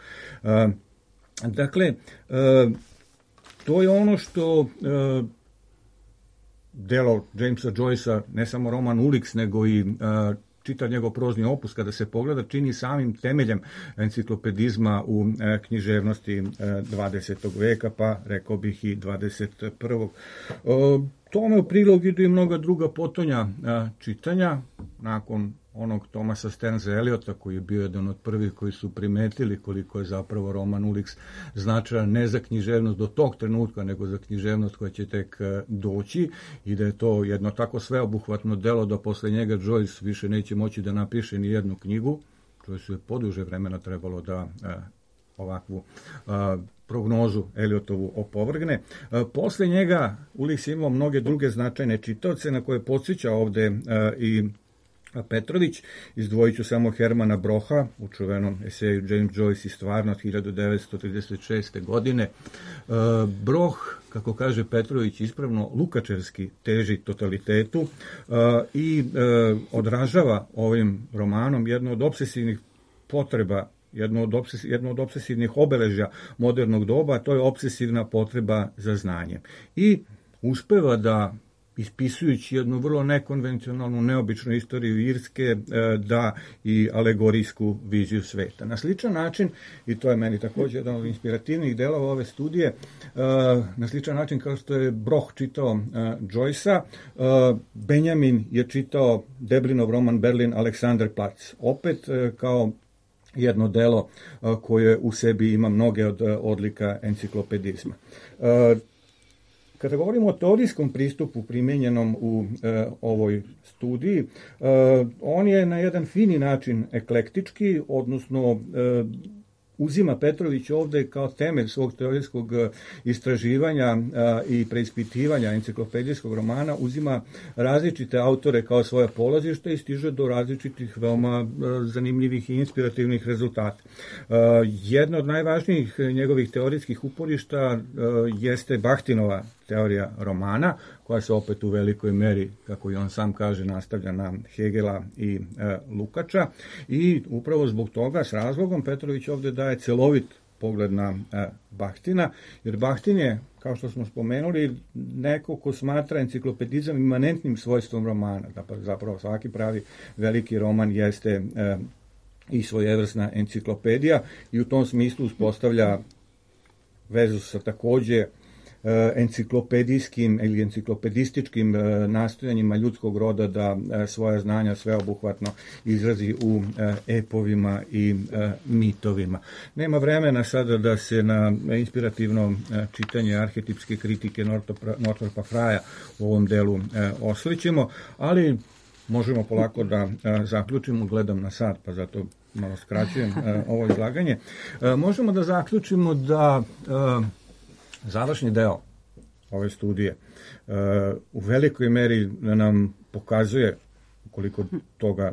E, dakle, e, to je ono što e, delo Jamesa Joycea, ne samo roman Ulix, nego i uh, čitav njegov prozni opus, kada se pogleda, čini samim temeljem enciklopedizma u uh, književnosti uh, dvadesetog veka, pa rekao bih i dvadeset prvog. Uh, tome u prilog idu i mnoga druga potonja uh, čitanja, nakon onog Thomasa Stearnsa Eliota, koji je bio jedan od prvih koji su primetili koliko je zapravo roman Ulix značajan ne za književnost do tog trenutka, nego za književnost koja će tek doći, i da je to jedno tako sveobuhvatno delo da posle njega Joyce više neće moći da napiše ni jednu knjigu. Joyce je poduže vremena trebalo da a, ovakvu a, prognozu Eliotovu opovrgne. A, posle njega Ulix je imao mnoge druge značajne čitaoce na koje podsjeća ovde a, i Petrović. Izdvojit ću samo Hermana Broha u čuvenom eseju James Joyce i stvarnost hiljadu devetsto trideset šeste. godine. Broh, kako kaže Petrović ispravno, lukačevski teži totalitetu i odražava ovim romanom jedno od obsesivnih potreba, jedno od, obses, jedno od obsesivnih obeležja modernog doba, a to je obsesivna potreba za znanjem. I uspeva da ispisujući jednu vrlo nekonvencionalnu, neobičnu istoriju Irske, da i alegorijsku viziju sveta. Na sličan način, i to je meni također jedan od inspirativnih delova ove studije, na sličan način kao što je Broh čitao Joyce-a, Benjamin je čitao Deblinov roman Berlin Alexanderplatz. Opet kao jedno delo koje u sebi ima mnoge od odlika enciklopedizma. Kada govorimo o teorijskom pristupu primjenjenom u e, ovoj studiji, e, on je na jedan fini način eklektički, odnosno e, uzima Petrović ovde kao temelj svog teorijskog istraživanja a, i preispitivanja enciklopedijskog romana, uzima različite autore kao svoje polazište i stiže do različitih veoma a, zanimljivih i inspirativnih rezultata. A, jedna od najvažnijih njegovih teorijskih uporišta a, jeste Bachtinova teorija romana, koja se opet u velikoj meri, kako i on sam kaže, nastavlja na Hegela i e, Lukača, i upravo zbog toga, s razlogom, Petrović ovde daje celovit pogled na e, Bachtina, jer Bachtin je, kao što smo spomenuli, neko ko smatra enciklopedizam imanentnim svojstvom romana. Zapravo svaki pravi veliki roman jeste e, i svojevrsna enciklopedija, i u tom smislu uspostavlja vezu sa takođe enciklopedijskim ili enciklopedističkim nastojanjima ljudskog roda da svoja znanja sveobuhvatno izrazi u epovima i mitovima. Nema vremena sada da se na inspirativno čitanje arhetipske kritike Northrapa Frya u ovom delu oslićemo, ali možemo polako da zaključimo, gledam na sat, pa zato malo skraćujem ovo izlaganje. Možemo da zaključimo da završni deo ove studije uh, u velikoj meri nam pokazuje, koliko toga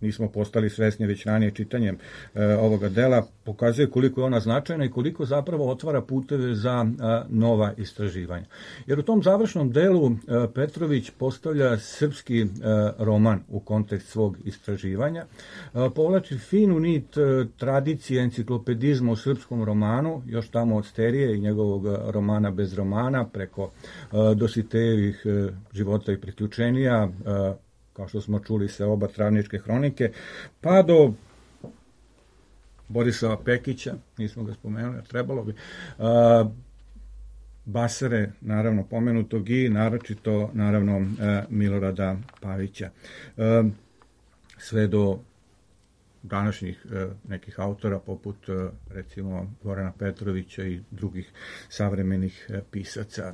nismo postali svesni već ranije čitanjem uh, ovoga dela, pokazuje koliko je ona značajna i koliko zapravo otvara puteve za uh, nova istraživanja. Jer u tom završnom delu uh, Petrović postavlja srpski uh, roman u kontekst svog istraživanja, uh, povlači finu nit uh, tradicije enciklopedizma u srpskom romanu, još tamo od Sterije i njegovog uh, romana bez romana, preko uh, Dositejevih uh, života i priključenija, uh, kao što smo čuli se oba Travničke hronike, pa do Borisova Pekića, nismo ga spomenuli, trebalo bi, a, Basare, naravno pomenutog, i naročito, naravno, a, Milorada Pavića. A, sve do današnjih e, nekih autora, poput, e, recimo, Gorana Petrovića i drugih savremenih e, pisaca. E,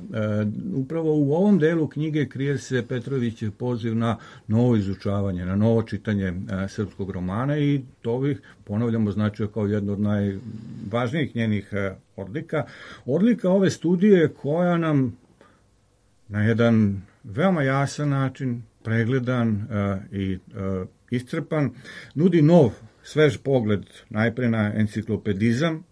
upravo u ovom delu knjige krije se Petrovićev poziv na novo izučavanje, na novo čitanje e, srpskog romana, i to bih, ponavljamo, značio kao jedno od najvažnijih njenih e, odlika. Odlika ove studije koja nam na jedan veoma jasan način, pregledan e, i e, iscrpan, nudi nov, svež pogled najpre na enciklopedizam,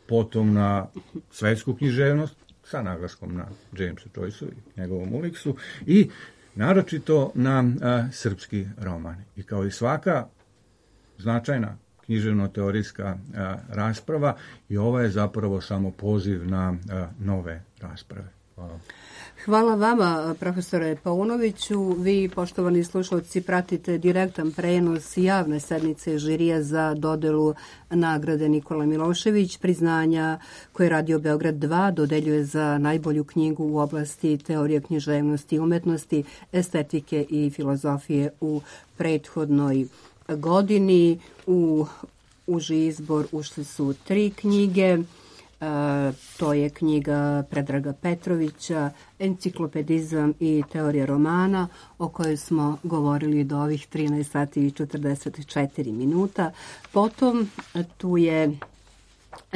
potom na svetsku književnost, sa naglaskom na Jamesa Joyceu i njegovom Uliksu, i naročito na a, srpski roman. I kao i svaka značajna književno-teorijska a, rasprava, i ova je zapravo samo poziv na a, nove rasprave. Hvala. Hvala vama, profesore Paunoviću. Vi, poštovani slušalci, pratite direktan prenos javne sednice žirija za dodelu nagrade Nikola Milošević, priznanja koje Radio Beograd dva dodeljuje za najbolju knjigu u oblasti teorije književnosti i umetnosti, estetike i filozofije u prethodnoj godini. U uži izbor ušli su tri knjige. Uh, to je knjiga Predraga Petrovića, Enciklopedizam i teorija romana, o kojoj smo govorili do ovih trinaest sati i četrdeset četiri minuta. Potom tu je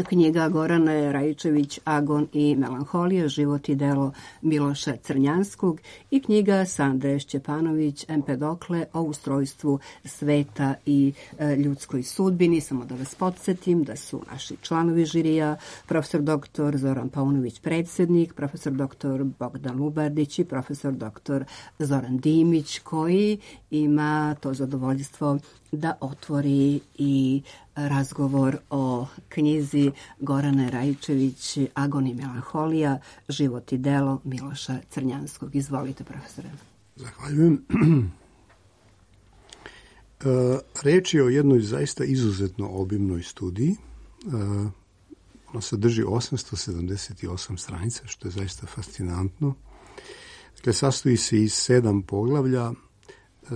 knjiga Gorane Rajičević Agon i melanholija, život i delo Miloša Crnjanskog, i knjiga Sande Šćepanović Empedokle o ustrojstvu sveta i e, ljudskoj sudbini. Samo da vas podsjetim da su naši članovi žirija profesor doktor Zoran Paunović predsjednik, profesor doktor Bogdan Lubardić i profesor doktor Zoran Dimić, koji ima to zadovoljstvo da otvori i razgovor o knjizi Gorane Raičević Agon i melanholija, život i delo Miloša Crnjanskog. Izvolite, profesore. Zahvaljujem. Reč je o jednoj zaista izuzetno obimnoj studiji. Ona sadrži osamsto sedamdeset osam stranica, što je zaista fascinantno. Dakle, sastoji se iz sedam poglavlja,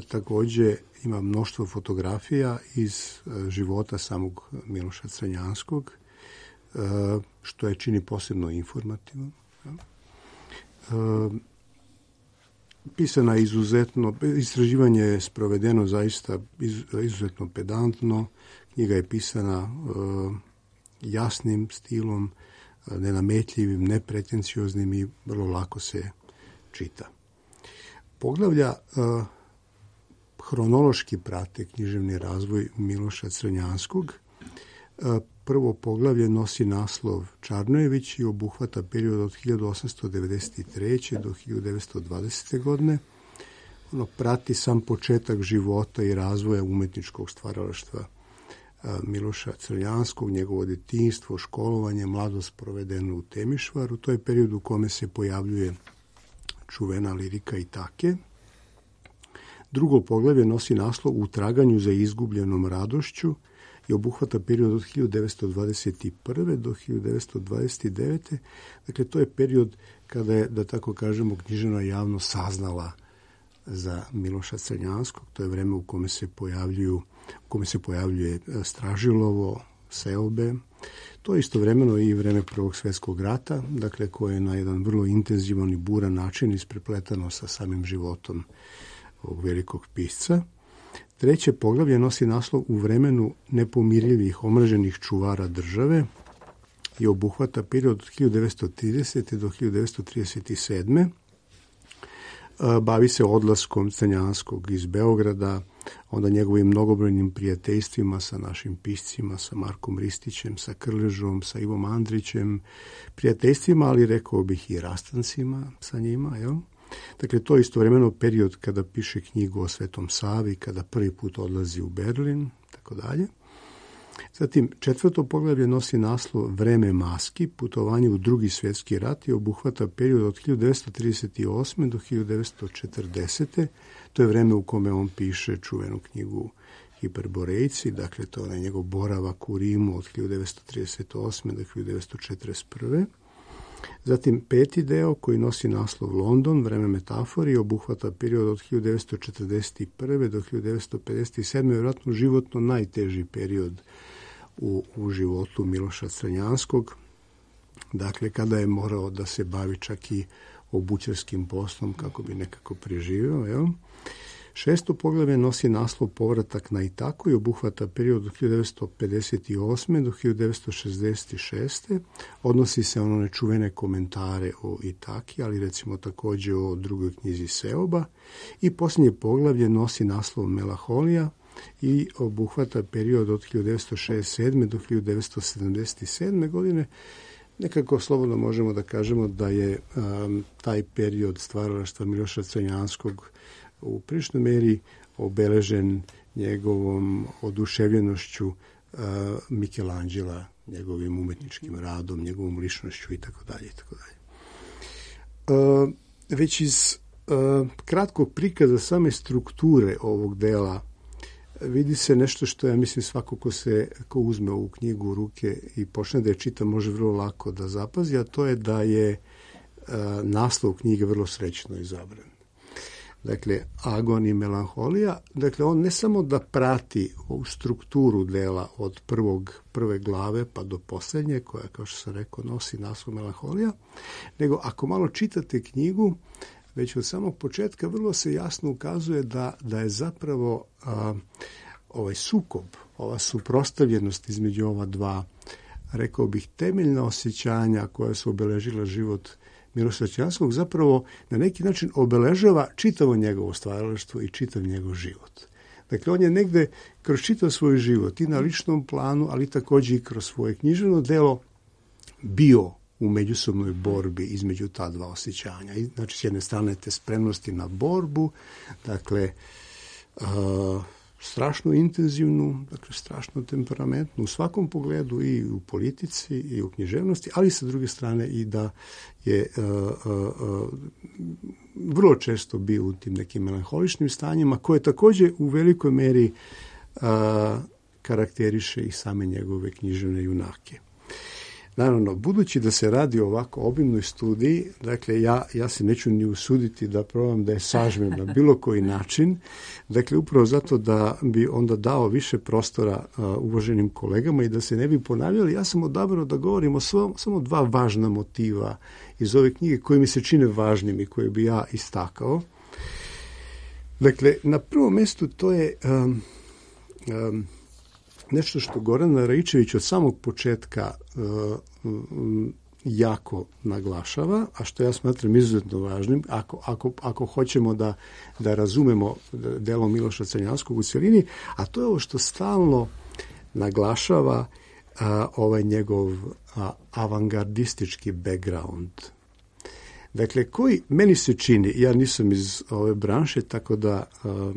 također ima mnoštvo fotografija iz života samog Miloša Crnjanskog, što je čini posebno informativno. Pisana je izuzetno, istraživanje je sprovedeno zaista izuzetno pedantno, knjiga je pisana jasnim stilom, nenametljivim, nepretencioznim i vrlo lako se čita. Poglavlja hronološki prate književni razvoj Miloša Crnjanskog. Prvo poglavlje nosi naslov Čarnojević i obuhvata period od hiljadu osamsto devedeset treće. do hiljadu devetsto dvadesete. godine. Ono prati sam početak života i razvoja umetničkog stvaralaštva Miloša Crnjanskog, njegovo djetinjstvo, školovanje, mladost provedenu u Temišvaru. To je period u kome se pojavljuje čuvena lirika Itake. Drugo poglavlje nosi naslov U traganju za izgubljenom radošću i obuhvata period od hiljadu devetsto dvadeset prve. do hiljadu devetsto dvadeset devete. Dakle, to je period kada je, da tako kažemo, književna javnost saznala za Miloša Crnjanskog. To je vreme u kome se pojavljuju, u kome se pojavljuje Stražilovo, Seobe. To je istovremeno i vreme Prvog svjetskog rata, dakle, koje je na jedan vrlo intenzivan i buran način isprepletano sa samim životom ovog velikog pisca. Treće poglavlje nosi naslov U vremenu nepomirljivih omraženih čuvara države i obuhvata period od hiljadu devetsto tridesete. do hiljadu devetsto trideset sedme. Bavi se odlaskom Crnjanskog iz Beograda, onda njegovim mnogobrojnim prijateljstvima sa našim piscima, sa Markom Ristićem, sa Krležom, sa Ivom Andrićem, prijateljstvima, ali rekao bih i rastancima sa njima, jel? Dakle, to je istovremeno period kada piše knjigu o Svetom Savi, kada prvi put odlazi u Berlin, tako dalje. Zatim, četvrto poglavlje nosi naslov Vreme maski, putovanje u drugi svjetski rat i obuhvata period od hiljadu devetsto trideset osme. do hiljadu devetsto četrdesete. To je vreme u kome on piše čuvenu knjigu Hiperborejci, dakle to je njegov boravak u Rimu od hiljadu devetsto trideset osme. do hiljadu devetsto četrdeset prve. Zatim peti deo koji nosi naslov London, vreme metafori i obuhvata period od hiljadu devetsto četrdeset prve. do hiljadu devetsto pedeset sedme. Vjerojatno životno najteži period u, u životu Miloša Crnjanskog. Dakle, kada je morao da se bavi čak i obućarskim poslom kako bi nekako preživio. Jel? Šesto poglavlje nosi naslov Povratak na Itaku i obuhvata period od hiljadu devetsto pedeset osme. do hiljadu devetsto šezdeset šeste. Odnosi se ono nečuvene komentare o Itaki, ali recimo također o drugoj knjizi Seoba. I posljednje poglavlje nosi naslov Melanholija i obuhvata period od hiljadu devetsto šezdeset sedme. do hiljadu devetsto sedamdeset sedme. godine. Nekako slobodno možemo da kažemo da je um, taj period stvaralaštva Miloša Crnjanskog u priličnoj meri obeležen njegovom oduševljenošću uh, Michelangela, njegovim umetničkim radom, njegovom ličnošću i tako dalje i tako dalje. Uh, već iz uh, kratkog prikaza same strukture ovog dela vidi se nešto što ja mislim svako ko se ko uzme ovu knjigu u ruke i počne da je čita može vrlo lako da zapazi, a to je da je uh, naslov knjige vrlo srećno izabran. Dakle, Agon i melanholija, dakle, on ne samo da prati ovu strukturu dela od prvog, prve glave pa do posljednje, koja, kao što sam rekao, nosi naslov melanholija, nego ako malo čitate knjigu, već od samog početka vrlo se jasno ukazuje da, da je zapravo a, ovaj sukob, ova suprotstavljenost između ova dva, rekao bih, temeljna osjećanja koja su obeležila život Miloša Crnjanskog, zapravo na neki način obeležava čitavo njegovo stvaralaštvo i čitav njegov život. Dakle, on je negde kroz čitav svoj život i na ličnom planu, ali također i kroz svoje književno delo bio u međusobnoj borbi između ta dva osjećanja. I, znači, s jedne strane te spremnosti na borbu, dakle, uh, strašno intenzivnu, dakle strašno temperamentnu u svakom pogledu i u politici i u književnosti, ali sa druge strane i da je uh, uh, vrlo često bio u tim nekim melanholičnim stanjima koje također u velikoj meri uh, karakteriše i same njegove književne junake. Naravno, budući da se radi o ovako obimnoj studiji, dakle, ja, ja se neću ni usuditi da probam da je sažmem na bilo koji način, dakle, upravo zato da bi onda dao više prostora uh, uvaženim kolegama i da se ne bi ponavljali, ja sam odabrao da govorim o svom, samo dva važna motiva iz ove knjige koje mi se čine važnim i koje bi ja istakao. Dakle, na prvom mjestu to je um, um, nešto što Goran Raičević od samog početka uh, um, jako naglašava, a što ja smatram izuzetno važnim, ako, ako, ako hoćemo da, da razumemo delo Miloša Crnjanskog u cjelini, a to je ovo što stalno naglašava uh, ovaj njegov uh, avangardistički background. Dakle, koji meni se čini, ja nisam iz ove branše, tako da uh,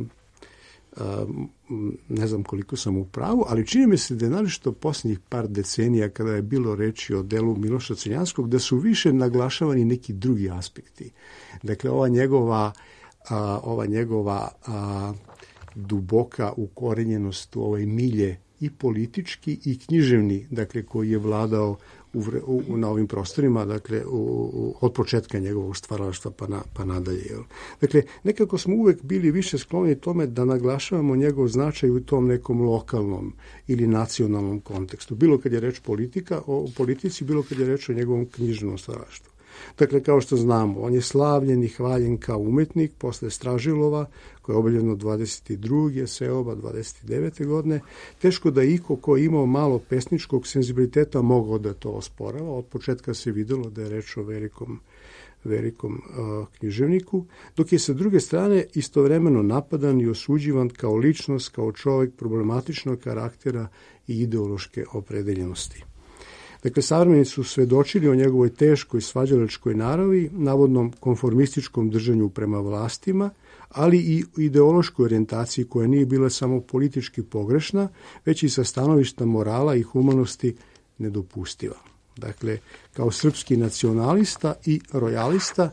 ne znam koliko sam u pravu, ali čini mi se da je naročito posljednjih par decenija kada je bilo reči o delu Miloša Crnjanskog da su više naglašavani neki drugi aspekti. Dakle, ova njegova, a, ova njegova a, duboka ukorenjenost u ovoj milje i politički i književni, dakle, koji je vladao u, u, na ovim prostorima, dakle, u, u, od početka njegovog stvaralaštva pa, na, pa nadalje. Jel? Dakle, nekako smo uvek bili više skloni tome da naglašavamo njegov značaj u tom nekom lokalnom ili nacionalnom kontekstu. Bilo kad je reč politika, o politici, bilo kad je reč o njegovom književnom stvaralaštvu. Dakle, kao što znamo, on je slavljen i hvaljen kao umetnik posle Stražilova, koje je objavljeno dvadeset druge Seoba dvadeset devete godine. Teško da iko ko je imao malo pesničkog senzibiliteta mogao da to osporava. Od početka se videlo da je reč o velikom, velikom uh, književniku, dok je sa druge strane istovremeno napadan i osuđivan kao ličnost, kao čovjek problematičnog karaktera i ideološke opredeljenosti. Dakle, savremenici su svedočili o njegovoj teškoj svađalačkoj naravi, navodnom konformističkom držanju prema vlastima, ali i ideološkoj orijentaciji koja nije bila samo politički pogrešna, već i sa stanovišta morala i humanosti nedopustiva. Dakle, kao srpski nacionalista i rojalista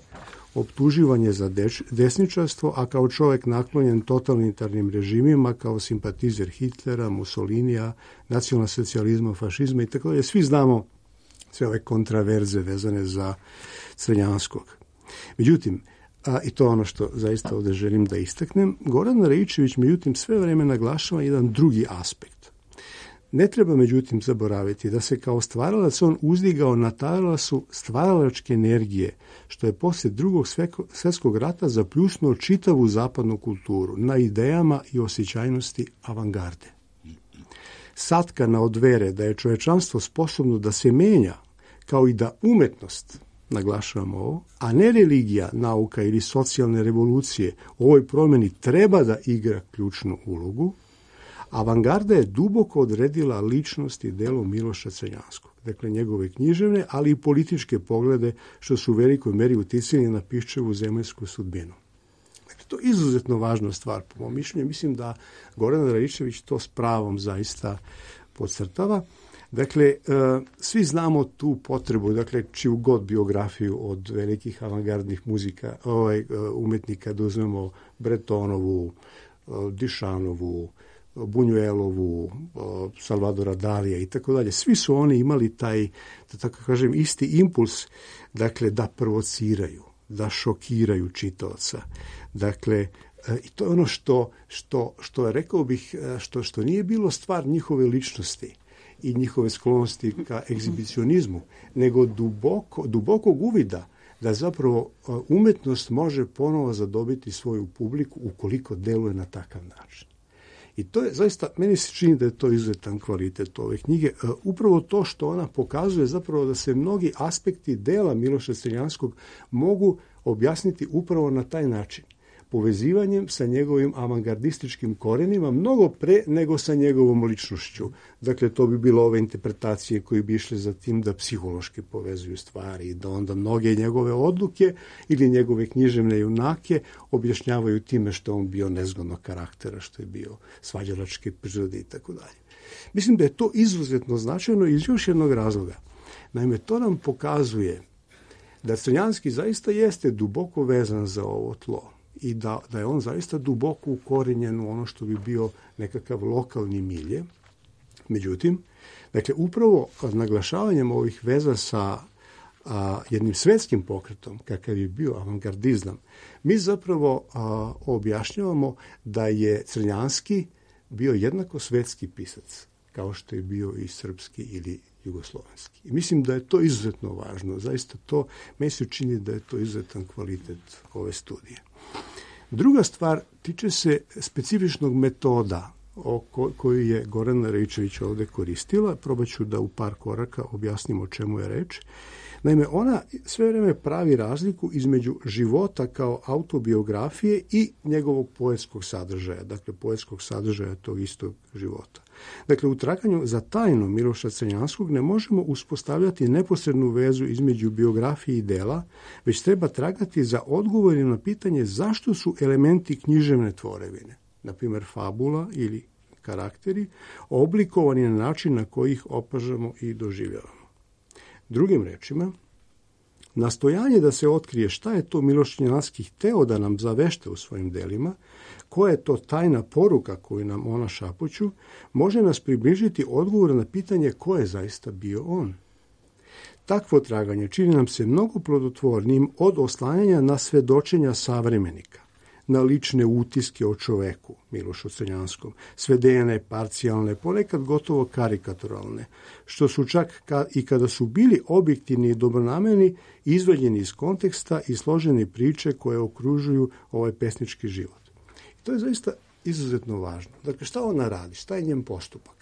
optuživan je za desničarstvo, a kao čovjek naklonjen totalitarnim režimima, kao simpatizer Hitlera, Mussolinija, nacionalnog socijalizma, fašizma i tako dalje. Svi znamo sve ove kontraverze vezane za Crnjanskog. Međutim, a, i to je ono što zaista ovdje želim da istaknem, Goran Raičević međutim sve vreme naglašava jedan drugi aspekt. Ne treba međutim zaboraviti da se kao stvaralac on uzdigao na talasu stvaralačke energije, što je poslije drugog svjetskog rata zapljusnuo čitavu zapadnu kulturu na idejama i osjećajnosti avangarde. Satkana od vere da je čovječanstvo sposobno da se menja, kao i da umetnost, naglašavamo ovo, a ne religija, nauka ili socijalne revolucije u ovoj promjeni treba da igra ključnu ulogu, avangarda je duboko odredila ličnost i delo Miloša Crnjanskog. Dakle, njegove književne, ali i političke poglede, što su u velikoj meri uticali na Piščevu zemaljsku sudbinu. Dakle, to je izuzetno važna stvar, po mom mišljenju. Mislim da Goran Raičević to s pravom zaista podcrtava. Dakle, svi znamo tu potrebu, dakle, čiju god biografiju od velikih avangardnih muzika, ovaj, umetnika, da uzmemo Bretonovu, Dišanovu, Bunjuelovu, Salvadora Dalija i tako dalje. Svi su oni imali taj, da tako kažem, isti impuls, dakle, da provociraju, da šokiraju čitaoca. Dakle, i to je ono što, što, što rekao bih, što, što nije bilo stvar njihove ličnosti i njihove sklonosti ka egzibicionizmu, nego duboko, dubokog uvida da zapravo umetnost može ponovo zadobiti svoju publiku ukoliko deluje na takav način. I to je zaista, meni se čini da je to izuzetan kvalitet ove knjige. Upravo to što ona pokazuje zapravo da se mnogi aspekti dela Miloša Crnjanskog mogu objasniti upravo na taj način. povezivanjem sa njegovim avangardističkim korenima mnogo pre nego sa njegovom ličnošću. Dakle, to bi bilo ove interpretacije koje bi išle za tim da psihološki povezuju stvari i da onda mnoge njegove odluke ili njegove književne junake objašnjavaju time što on bio nezgodnog karaktera, što je bio svađalačke prirode i tako dalje. Mislim da je to izuzetno značajno iz još jednog razloga. Naime, to nam pokazuje da Crnjanski zaista jeste duboko vezan za ovo tlo i da, da je on zaista duboko ukorenjen u ono što bi bio nekakav lokalni milje. Međutim, dakle, upravo naglašavanjem ovih veza sa a, jednim svetskim pokretom, kakav je bio avangardizam, mi zapravo a, objašnjavamo da je Crnjanski bio jednako svetski pisac, kao što je bio i srpski ili jugoslovenski. I mislim da je to izuzetno važno. Zaista to, meni se čini da je to izuzetan kvalitet ove studije. Druga stvar tiče se specifičnog metoda o koju je Gorana Raičević ovde koristila. Probat ću da u par koraka objasnim o čemu je reč. Naime, ona sve vreme pravi razliku između života kao autobiografije i njegovog poetskog sadržaja, dakle poetskog sadržaja tog istog života. Dakle, u traganju za tajnu Miloša Crnjanskog ne možemo uspostavljati neposrednu vezu između biografije i dela, već treba tragati za odgovore na pitanje zašto su elementi književne tvorevine, na primjer fabula ili karakteri, oblikovani na način na koji ih opažamo i doživljavamo. Drugim rečima, nastojanje da se otkrije šta je to Miloš Crnjanski hteo da nam zavešte u svojim delima, koja je to tajna poruka koju nam ona šapuću, može nas približiti odgovor na pitanje ko je zaista bio on. Takvo traganje čini nam se mnogo plodotvornijim od oslanjanja na svedočenja savremenika, na lične utiske o čoveku, Milošu Crnjanskom, svedene, parcijalne, ponekad gotovo karikaturalne, što su čak ka, i kada su bili objektivni i dobronamerni, izvađeni iz konteksta i složene priče koje okružuju ovaj pesnički život. I to je zaista izuzetno važno. Dakle, šta ona radi? Šta je njen postupak?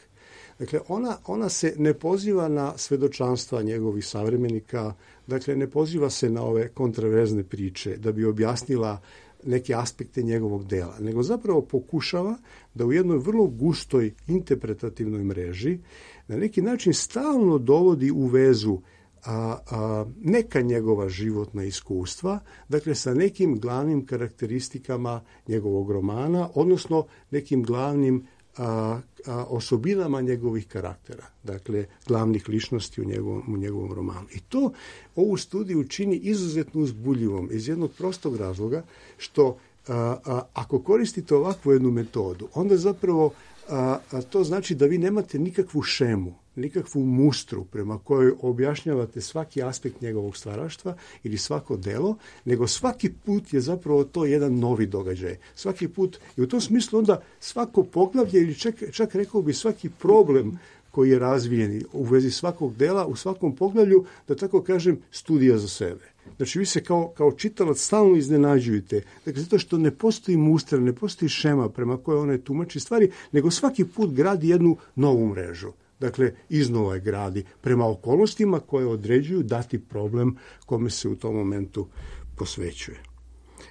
Dakle, ona, ona se ne poziva na svedočanstva njegovih savremenika, dakle, ne poziva se na ove kontraverzne priče da bi objasnila neke aspekte njegovog dela, nego zapravo pokušava da u jednoj vrlo gustoj interpretativnoj mreži na neki način stalno dovodi u vezu a, a, neka njegova životna iskustva, dakle sa nekim glavnim karakteristikama njegovog romana, odnosno nekim glavnim a, a, osobinama njegovih karaktera, dakle glavnih ličnosti u njegovom, u njegovom romanu. I to ovu studiju čini izuzetno uzbudljivom iz jednog prostog razloga što a, a, ako koristite ovakvu jednu metodu, onda zapravo a, a, to znači da vi nemate nikakvu šemu, nikakvu mustru prema kojoj objašnjavate svaki aspekt njegovog stvaraštva ili svako delo, nego svaki put je zapravo to jedan novi događaj. Svaki put, i u tom smislu onda svako poglavlje ili čak, čak rekao bi svaki problem koji je razvijen u vezi svakog dela, u svakom poglavlju, da tako kažem, studija za sebe. Znači, vi se kao, kao čitalac stalno iznenađujete. Dakle, zato što ne postoji mustra, ne postoji šema prema kojoj one tumači stvari, nego svaki put gradi jednu novu mrežu. Dakle, iznova je gradi prema okolnostima koje određuju dati problem kome se u tom momentu posvećuje.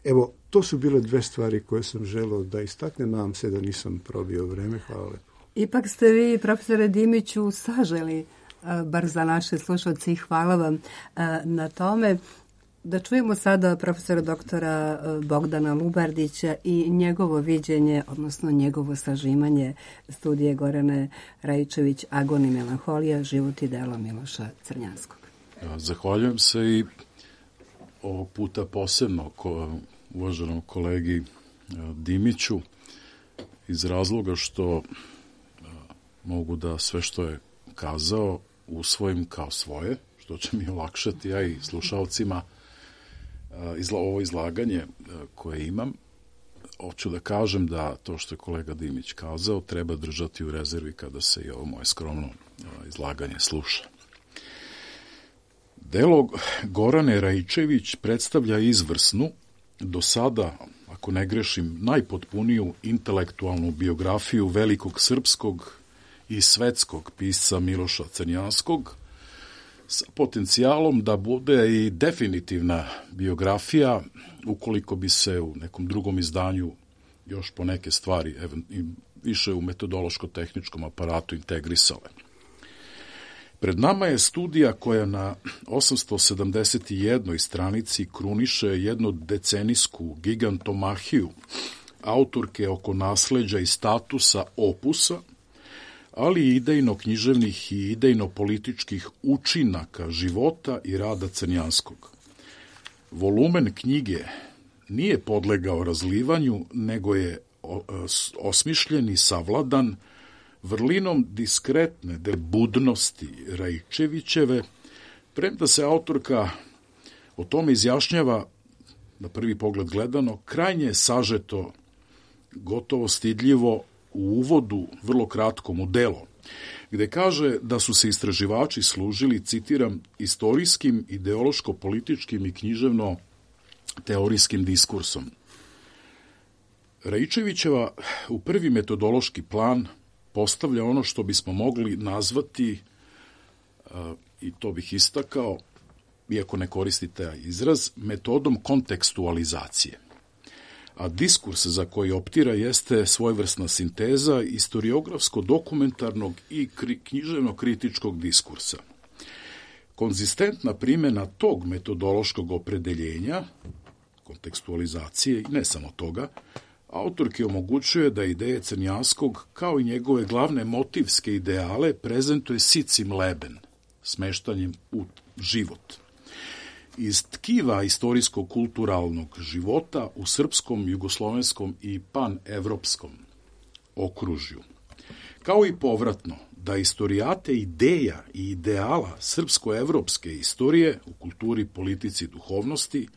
Evo, to su bile dve stvari koje sam želeo da istaknem. Nadam se da nisam probio vreme. Hvala lepo. Ipak ste vi, profesore Dimiću, saželi, bar za naše slušalce, i hvala vam na tome. Da čujemo sada profesora doktora Bogdana Lubardića i njegovo viđenje, odnosno njegovo sažimanje studije Gorane Raičević Agon i melanholija, život i delo Miloša Crnjanskog. Zahvaljujem se i ovog puta posebno ko, uvaženom kolegi Dimiću iz razloga što mogu da sve što je kazao usvojim kao svoje, što će mi olakšati ja i slušalcima izla, ovo izlaganje koje imam. Hoću da kažem da to što je kolega Dimić kazao treba držati u rezervi kada se i ovo moje skromno izlaganje sluša. Delo Gorane Raičević predstavlja izvrsnu, do sada, ako ne grešim, najpotpuniju intelektualnu biografiju velikog srpskog i svetskog pisca Miloša Crnjanskog, sa potencijalom da bude i definitivna biografija, ukoliko bi se u nekom drugom izdanju još po neke stvari više u metodološko-tehničkom aparatu integrisale. Pred nama je studija koja na osamsto sedamdeset jednoj stranici kruniše jednu decenijsku gigantomahiju autorke oko nasleđa i statusa opusa, ali i idejno-književnih i idejno-političkih učinaka života i rada Crnjanskog. Volumen knjige nije podlegao razlivanju, nego je osmišljen i savladan vrlinom diskretne budnosti Raičevićeve, premda se autorka o tome izjašnjava, na prvi pogled gledano, krajnje sažeto, gotovo stidljivo u uvodu, vrlo kratkom u delo, gde kaže da su se istraživači služili, citiram, istorijskim, ideološko-političkim i književno-teorijskim diskursom. Raičevićeva u prvi metodološki plan postavlja ono što bismo mogli nazvati, i to bih istakao, iako ne koristi taj izraz, metodom kontekstualizacije. A diskurs za koji optira jeste svojevrsna sinteza istoriografsko-dokumentarnog i književno-kritičkog diskursa. Konzistentna primjena tog metodološkog opredeljenja, kontekstualizacije i ne samo toga, autorki omogućuje da ideje Crnjanskog, kao i njegove glavne motivske ideale, prezentuje sicim leben, smeštanjem u život. Iz tkiva istorijsko-kulturalnog života u srpskom, jugoslovenskom i panevropskom okružju. Kao i povratno, da istorijate ideja i ideala srpsko-evropske istorije u kulturi, politici i duhovnosti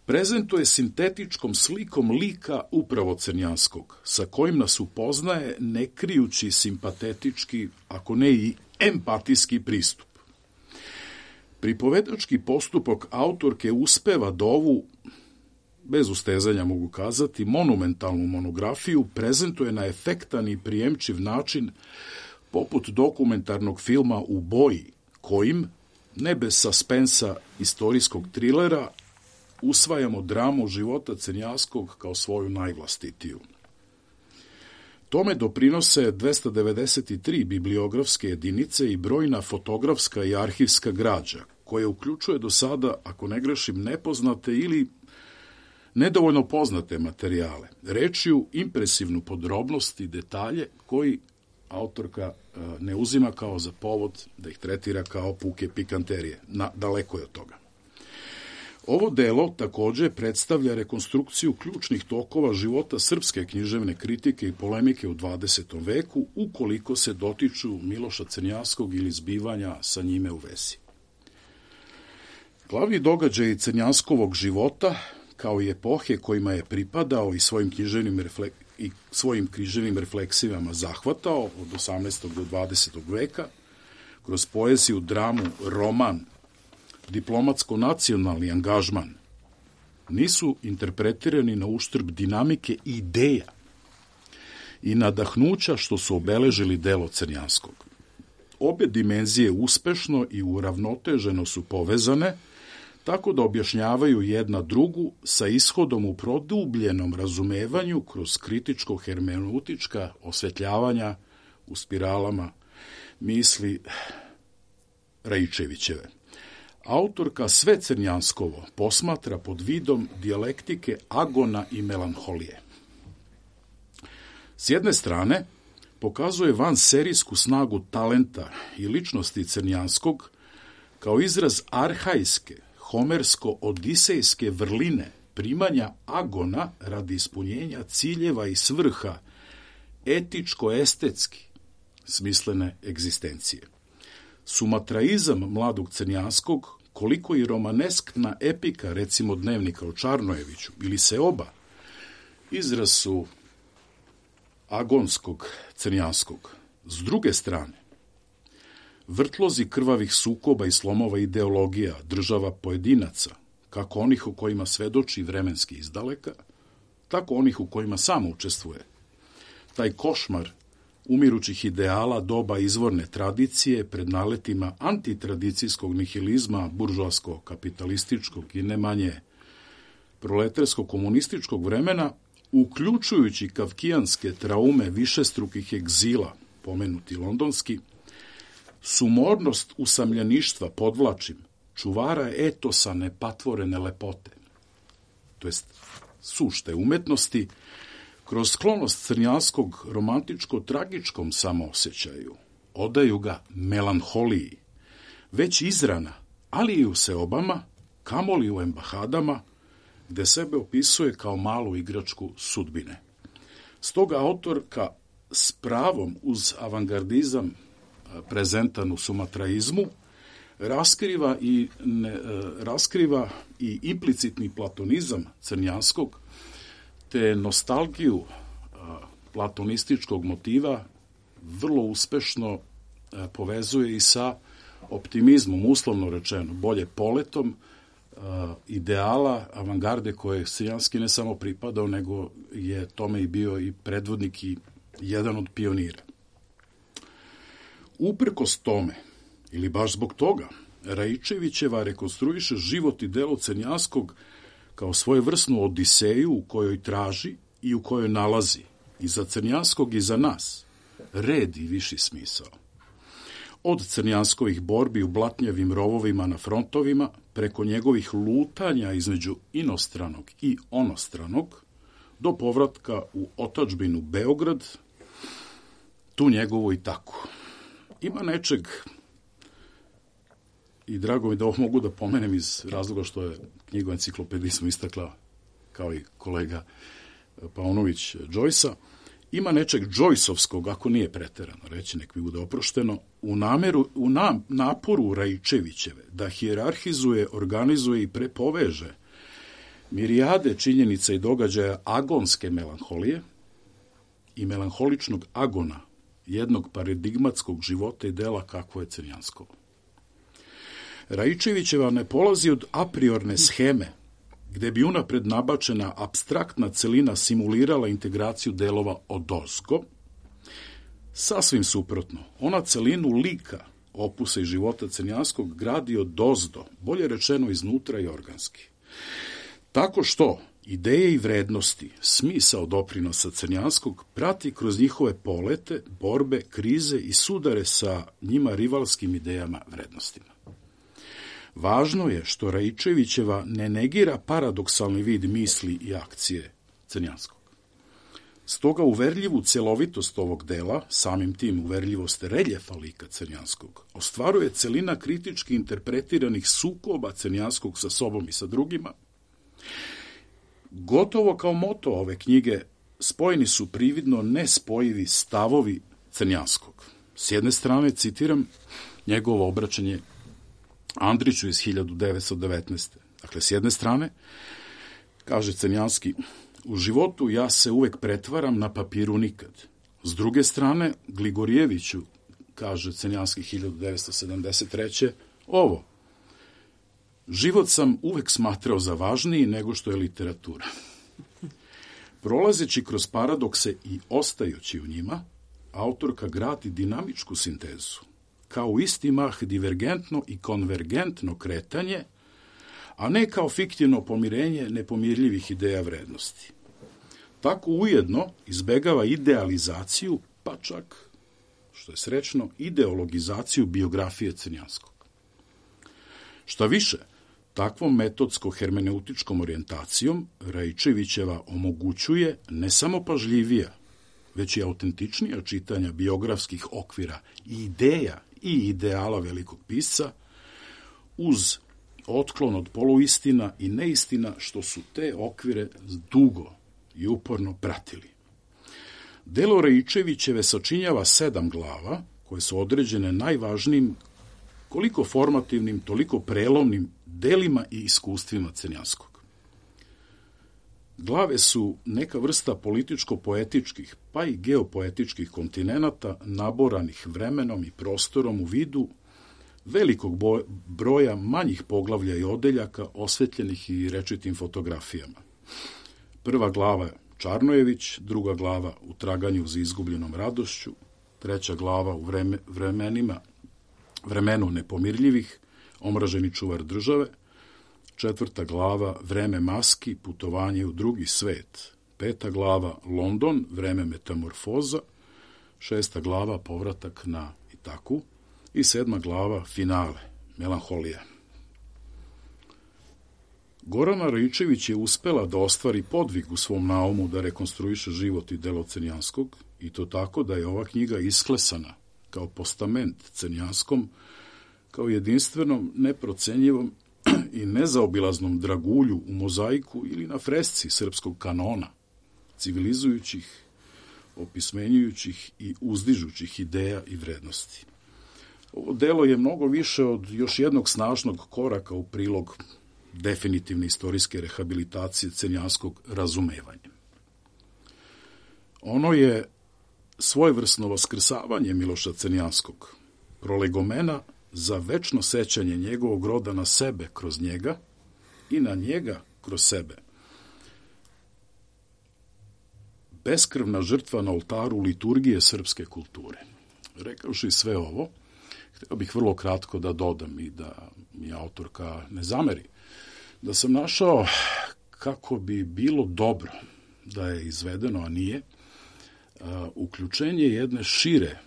prezentuje sintetičkom slikom lika upravo Crnjanskog, sa kojim nas upoznaje ne krijući simpatetički, ako ne i empatijski pristup. Pripovedački postupak autorke uspeva da ovu, bez ustezanja mogu kazati, monumentalnu monografiju prezentuje na efektan i prijemčiv način, poput dokumentarnog filma u boji, kojim, ne bez suspensa istorijskog trilera, usvajamo dramu života Crnjanskog kao svoju najvlastitiju. Tome doprinose dvesta devedeset tri bibliografske jedinice i brojna fotografska i arhivska građa, koja uključuje do sada, ako ne grešim, nepoznate ili nedovoljno poznate materijale, rečju impresivnu podrobnost i detalje koji autorka ne uzima kao za povod da ih tretira kao puke pikanterije. Na, daleko je od toga. Ovo delo takođe predstavlja rekonstrukciju ključnih tokova života srpske književne kritike i polemike u dvadesetom veku, ukoliko se dotiču Miloša Crnjanskog ili zbivanja sa njime u vezi. Glavni događaj Crnjanskovog života, kao i epohe kojima je pripadao i svojim književnim, refle... i svojim književnim refleksivama zahvatao od osamnaestog do dvadesetog veka, kroz poeziju, dramu, roman, diplomatsko-nacionalni angažman, nisu interpretirani na uštrb dinamike ideja i nadahnuća što su obeležili delo Crnjanskog. Obe dimenzije uspešno i uravnoteženo su povezane, tako da objašnjavaju jedna drugu sa ishodom u produbljenom razumevanju kroz kritičko-hermeneutička osvetljavanja u spiralama misli Raičevićeve. Autorka sve Crnjanskovo posmatra pod vidom dijalektike agona i melanholije. S jedne strane, pokazuje vanserijsku snagu talenta i ličnosti Crnjanskog kao izraz arhajske, homersko-odisejske vrline primanja agona radi ispunjenja ciljeva i svrha etičko-estetski smislene egzistencije. Sumatraizam mladog Crnjanskog, koliko i romaneskna epika, recimo Dnevnika o Čarnojeviću ili Seoba, izraz su agonskog Crnjanskog. S druge strane, vrtlozi krvavih sukoba i slomova ideologija, država pojedinaca, kako onih u kojima svedoči vremenski izdaleka, tako onih u kojima samo učestvuje. Taj košmar umirućih ideala doba izvorne tradicije pred naletima antitradicijskog nihilizma buržoasko-kapitalističkog i ne manje proletarsko-komunističkog vremena, uključujući kafkijanske traume višestrukih egzila, pomenuti londonski, sumornost usamljeništva, podvlačim, čuvara etosa nepatvorene lepote, to jest sušte umetnosti, kroz sklonost crnjanskog romantičko-tragičkom samoosjećaju, odaju ga melanholiji, već izrana, ali i u seobama, kamoli u embahadama, gde sebe opisuje kao malu igračku sudbine. Stoga autorka s pravom uz avangardizam prezentan u sumatraizmu raskriva i, ne, raskriva i implicitni platonizam crnjanskog, te nostalgiju platonističkog motiva vrlo uspešno povezuje i sa optimizmom, uslovno rečeno, bolje poletom, ideala avangarde koje Crnjanski ne samo pripadao, nego je tome i bio i predvodnik i jedan od pionira. Uprkos tome, ili baš zbog toga, Raičevićeva rekonstruiše život i delo Crnjanskog kao svojevrsnu odiseju u kojoj traži i u kojoj nalazi, i za Crnjanskog i za nas, red i viši smisao. Od Crnjanskovih borbi u blatnjavim rovovima na frontovima, preko njegovih lutanja između inostranog i onostranog, do povratka u otadžbinu Beograd, tu njegovo i tako. Ima nečeg, i drago mi da ovo mogu da pomenem iz razloga što je knjigu Enciklopedizmu istakla, kao i kolega Paunović Joyce-a, ima nečeg Joyceovskog, ako nije preterano reći, nek mi bude oprošteno, u, nameru, u nam, naporu Raičevićeve da hijerarhizuje, organizuje i prepoveže mirijade činjenica i događaja agonske melanholije i melanholičnog agona jednog paradigmatskog života i dela kakvo je Crnjanskovo. Raičevićeva ne polazi od apriorne sheme, gde bi unapred nabačena apstraktna celina simulirala integraciju delova odozgo. Sasvim suprotno, ona celinu lika, opusa i života Crnjanskog gradi odozdo, bolje rečeno iznutra i organski. Tako što ideje i vrednosti, smisao doprinosa Crnjanskog prati kroz njihove polete, borbe, krize i sudare sa njima rivalskim idejama vrednostima. Važno je što Raičevićeva ne negira paradoksalni vid misli i akcije Crnjanskog. Stoga uverljivu celovitost ovog dela, samim tim uverljivost reljefa lika Crnjanskog, ostvaruje celina kritički interpretiranih sukoba Crnjanskog sa sobom i sa drugima. Gotovo kao moto ove knjige spojeni su prividno nespojivi stavovi Crnjanskog. S jedne strane, citiram njegovo obraćanje Andriću iz hiljadu devetsto devetnaeste. Dakle, s jedne strane, kaže Crnjanski, u životu ja se uvek pretvaram, na papiru nikad. S druge strane, Gligorijeviću, kaže Crnjanski hiljadu devetsto sedamdeset treće. ovo, život sam uvek smatrao za važniji nego što je literatura. Prolazeći kroz paradokse i ostajući u njima, autorka gradi dinamičku sintezu, kao isti mah divergentno i konvergentno kretanje, a ne kao fiktivno pomirenje nepomirljivih ideja vrednosti. Tako ujedno izbegava idealizaciju, pa čak, što je srećno, ideologizaciju biografije Crnjanskog. Šta više, takvom metodsko-hermeneutičkom orijentacijom Raičevićeva omogućuje ne samo pažljivija, već i autentičnija čitanja biografskih okvira i ideja i ideala velikog pisca, uz otklon od poluistina i neistina što su te okvire dugo i uporno pratili. Delo Raičevićeve sačinjava sedam glava, koje su određene najvažnijim, koliko formativnim, toliko prelomnim delima i iskustvima Crnjanskog. Glave su neka vrsta političko-poetičkih, pa i geopoetičkih kontinenata naboranih vremenom i prostorom u vidu velikog broja manjih poglavlja i odeljaka osvetljenih i rečitim fotografijama. Prva glava je Čarnojević, druga glava U traganju za izgubljenom radošću, treća glava u vreme, vremenima, vremenu nepomirljivih, omraženi čuvar države, četvrta glava vreme maski, putovanje u drugi svet, peta glava London, vreme metamorfoza, šesta glava povratak na Itaku i sedma glava finale, melanholija. Gorana Raičević je uspela da ostvari podvig u svom naumu da rekonstruiše život i delo Crnjanskog, i to tako da je ova knjiga isklesana kao postament Crnjanskom, kao jedinstvenom, neprocenjivom i nezaobilaznom dragulju u mozaiku ili na fresci srpskog kanona, civilizujućih, opismenjujućih i uzdižućih ideja i vrednosti. Ovo delo je mnogo više od još jednog snažnog koraka u prilog definitivne istorijske rehabilitacije crnjanskog razumevanja. Ono je svojevrsno vaskrsavanje Miloša Crnjanskog, prolegomena za večno sećanje njegovog roda na sebe kroz njega i na njega kroz sebe. Beskrvna žrtva na oltaru liturgije srpske kulture. Rekavši sve ovo, htio bih vrlo kratko da dodam i da mi autorka ne zameri, da sam našao kako bi bilo dobro da je izvedeno, a nije, uključenje jedne šire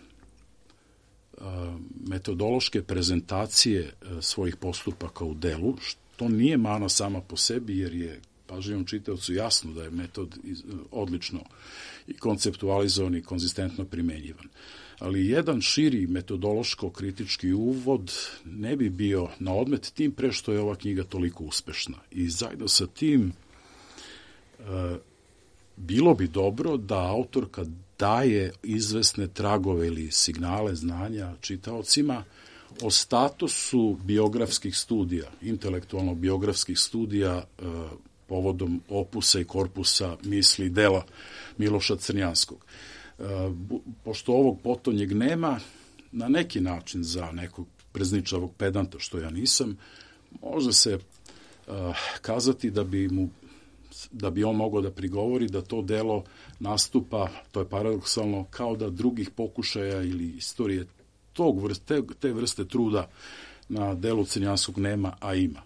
metodološke prezentacije svojih postupaka u delu, što nije mana sama po sebi, jer je pažljivom čitaocu jasno da je metod odlično i konceptualizovan i konzistentno primenjivan. Ali jedan širi metodološko-kritički uvod ne bi bio na odmet, tim pre što je ova knjiga toliko uspešna. I zajedno sa tim e, bilo bi dobro da autorka daje izvesne tragove ili signale znanja čitaocima o statusu biografskih studija, intelektualno-biografskih studija e, povodom opusa i korpusa misli dela Miloša Crnjanskog. E, pošto ovog potonjeg nema, na neki način za nekog prezničavog pedanta, što ja nisam, može se e, kazati da bi mu da bi on mogao da prigovori da to delo nastupa, to je paradoksalno, kao da drugih pokušaja ili istorije tog vrste, te vrste truda na delu Crnjanskog nema, a ima.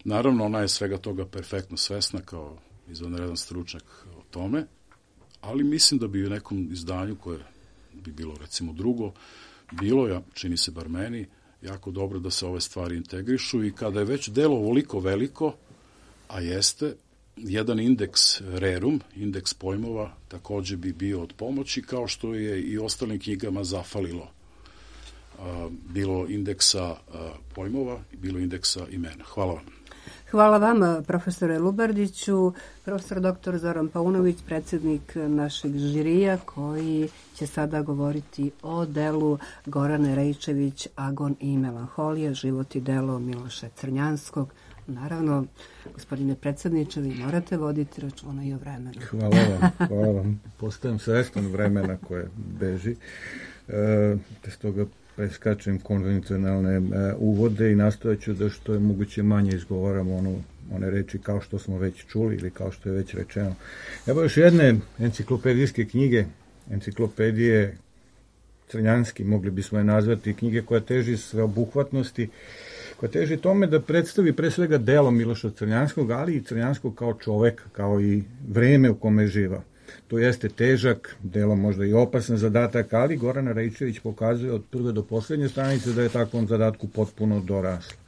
Naravno, ona je svega toga perfektno svesna kao izvanredan stručnjak o tome, ali mislim da bi u nekom izdanju koje bi bilo recimo drugo, bilo je, čini se bar meni, jako dobro da se ove stvari integrišu i kada je već delo ovoliko veliko, a jeste, jedan indeks rerum, indeks pojmova, takođe bi bio od pomoći, kao što je i ostalim knjigama zafalilo. Bilo indeksa pojmova, bilo indeksa imena. Hvala vam. Hvala vama, profesore Lubardiću. Profesor doktor Zoran Paunović, predsjednik našeg žirija, koji će sada govoriti o delu Gorane Raičević, Agon i melanholija, život i delo Miloša Crnjanskog. Naravno, gospodine predsjedniče, vi morate voditi računa i o vremenu. Hvala vam, hvala vam. Postajem svestan vremena koje beži. E, bez toga preskačem konvencionalne e, uvode i nastojaću da što je moguće manje izgovaram onu, one reči kao što smo već čuli ili kao što je već rečeno. Evo još jedne enciklopedijske knjige, enciklopedije Crnjanski, mogli bismo je nazvati, knjige koja teži sveobuhvatnosti, koja teži tome da predstavi pre svega delo Miloša Crnjanskog, ali i Crnjanskog kao čoveka, kao i vreme u kome živa. To jeste težak, delo možda i opasan zadatak, ali Gorana Raičević pokazuje od prve do poslednje stranice da je takvom zadatku potpuno dorasla.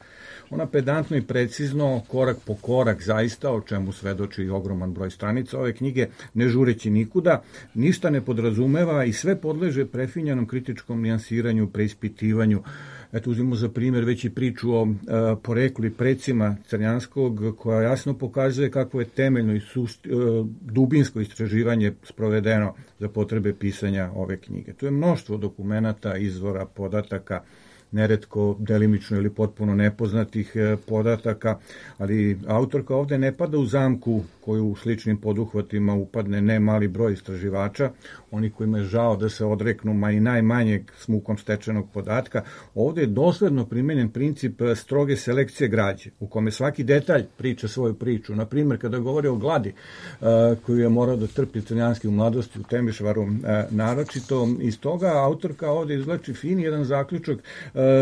Ona pedantno i precizno, korak po korak zaista, o čemu svedoči ogroman broj stranica ove knjige, ne žureći nikuda, ništa ne podrazumeva i sve podleže prefinjanom kritičkom nijansiranju, preispitivanju. Eto, uzmimo za primjer već i priču o e, poreklu i precima Crnjanskog, koja jasno pokazuje kako je temeljno i sušt, e, dubinsko istraživanje sprovedeno za potrebe pisanja ove knjige. Tu je mnoštvo dokumenata, izvora, podataka, neretko delimično ili potpuno nepoznatih podataka, ali autorka ovde ne pada u zamku koju u sličnim poduhvatima upadne ne mali broj istraživača, oni kojima je žao da se odreknu ma i najmanjeg s mukom stečenog podatka. Ovde je dosledno primenjen princip stroge selekcije građe, u kome svaki detalj priča svoju priču. Na primjer, kada govori o gladi koju je morao da trpi Crnjanski u mladosti u Temišvaru naročito, iz toga autorka ovde izvlači fin jedan zaključak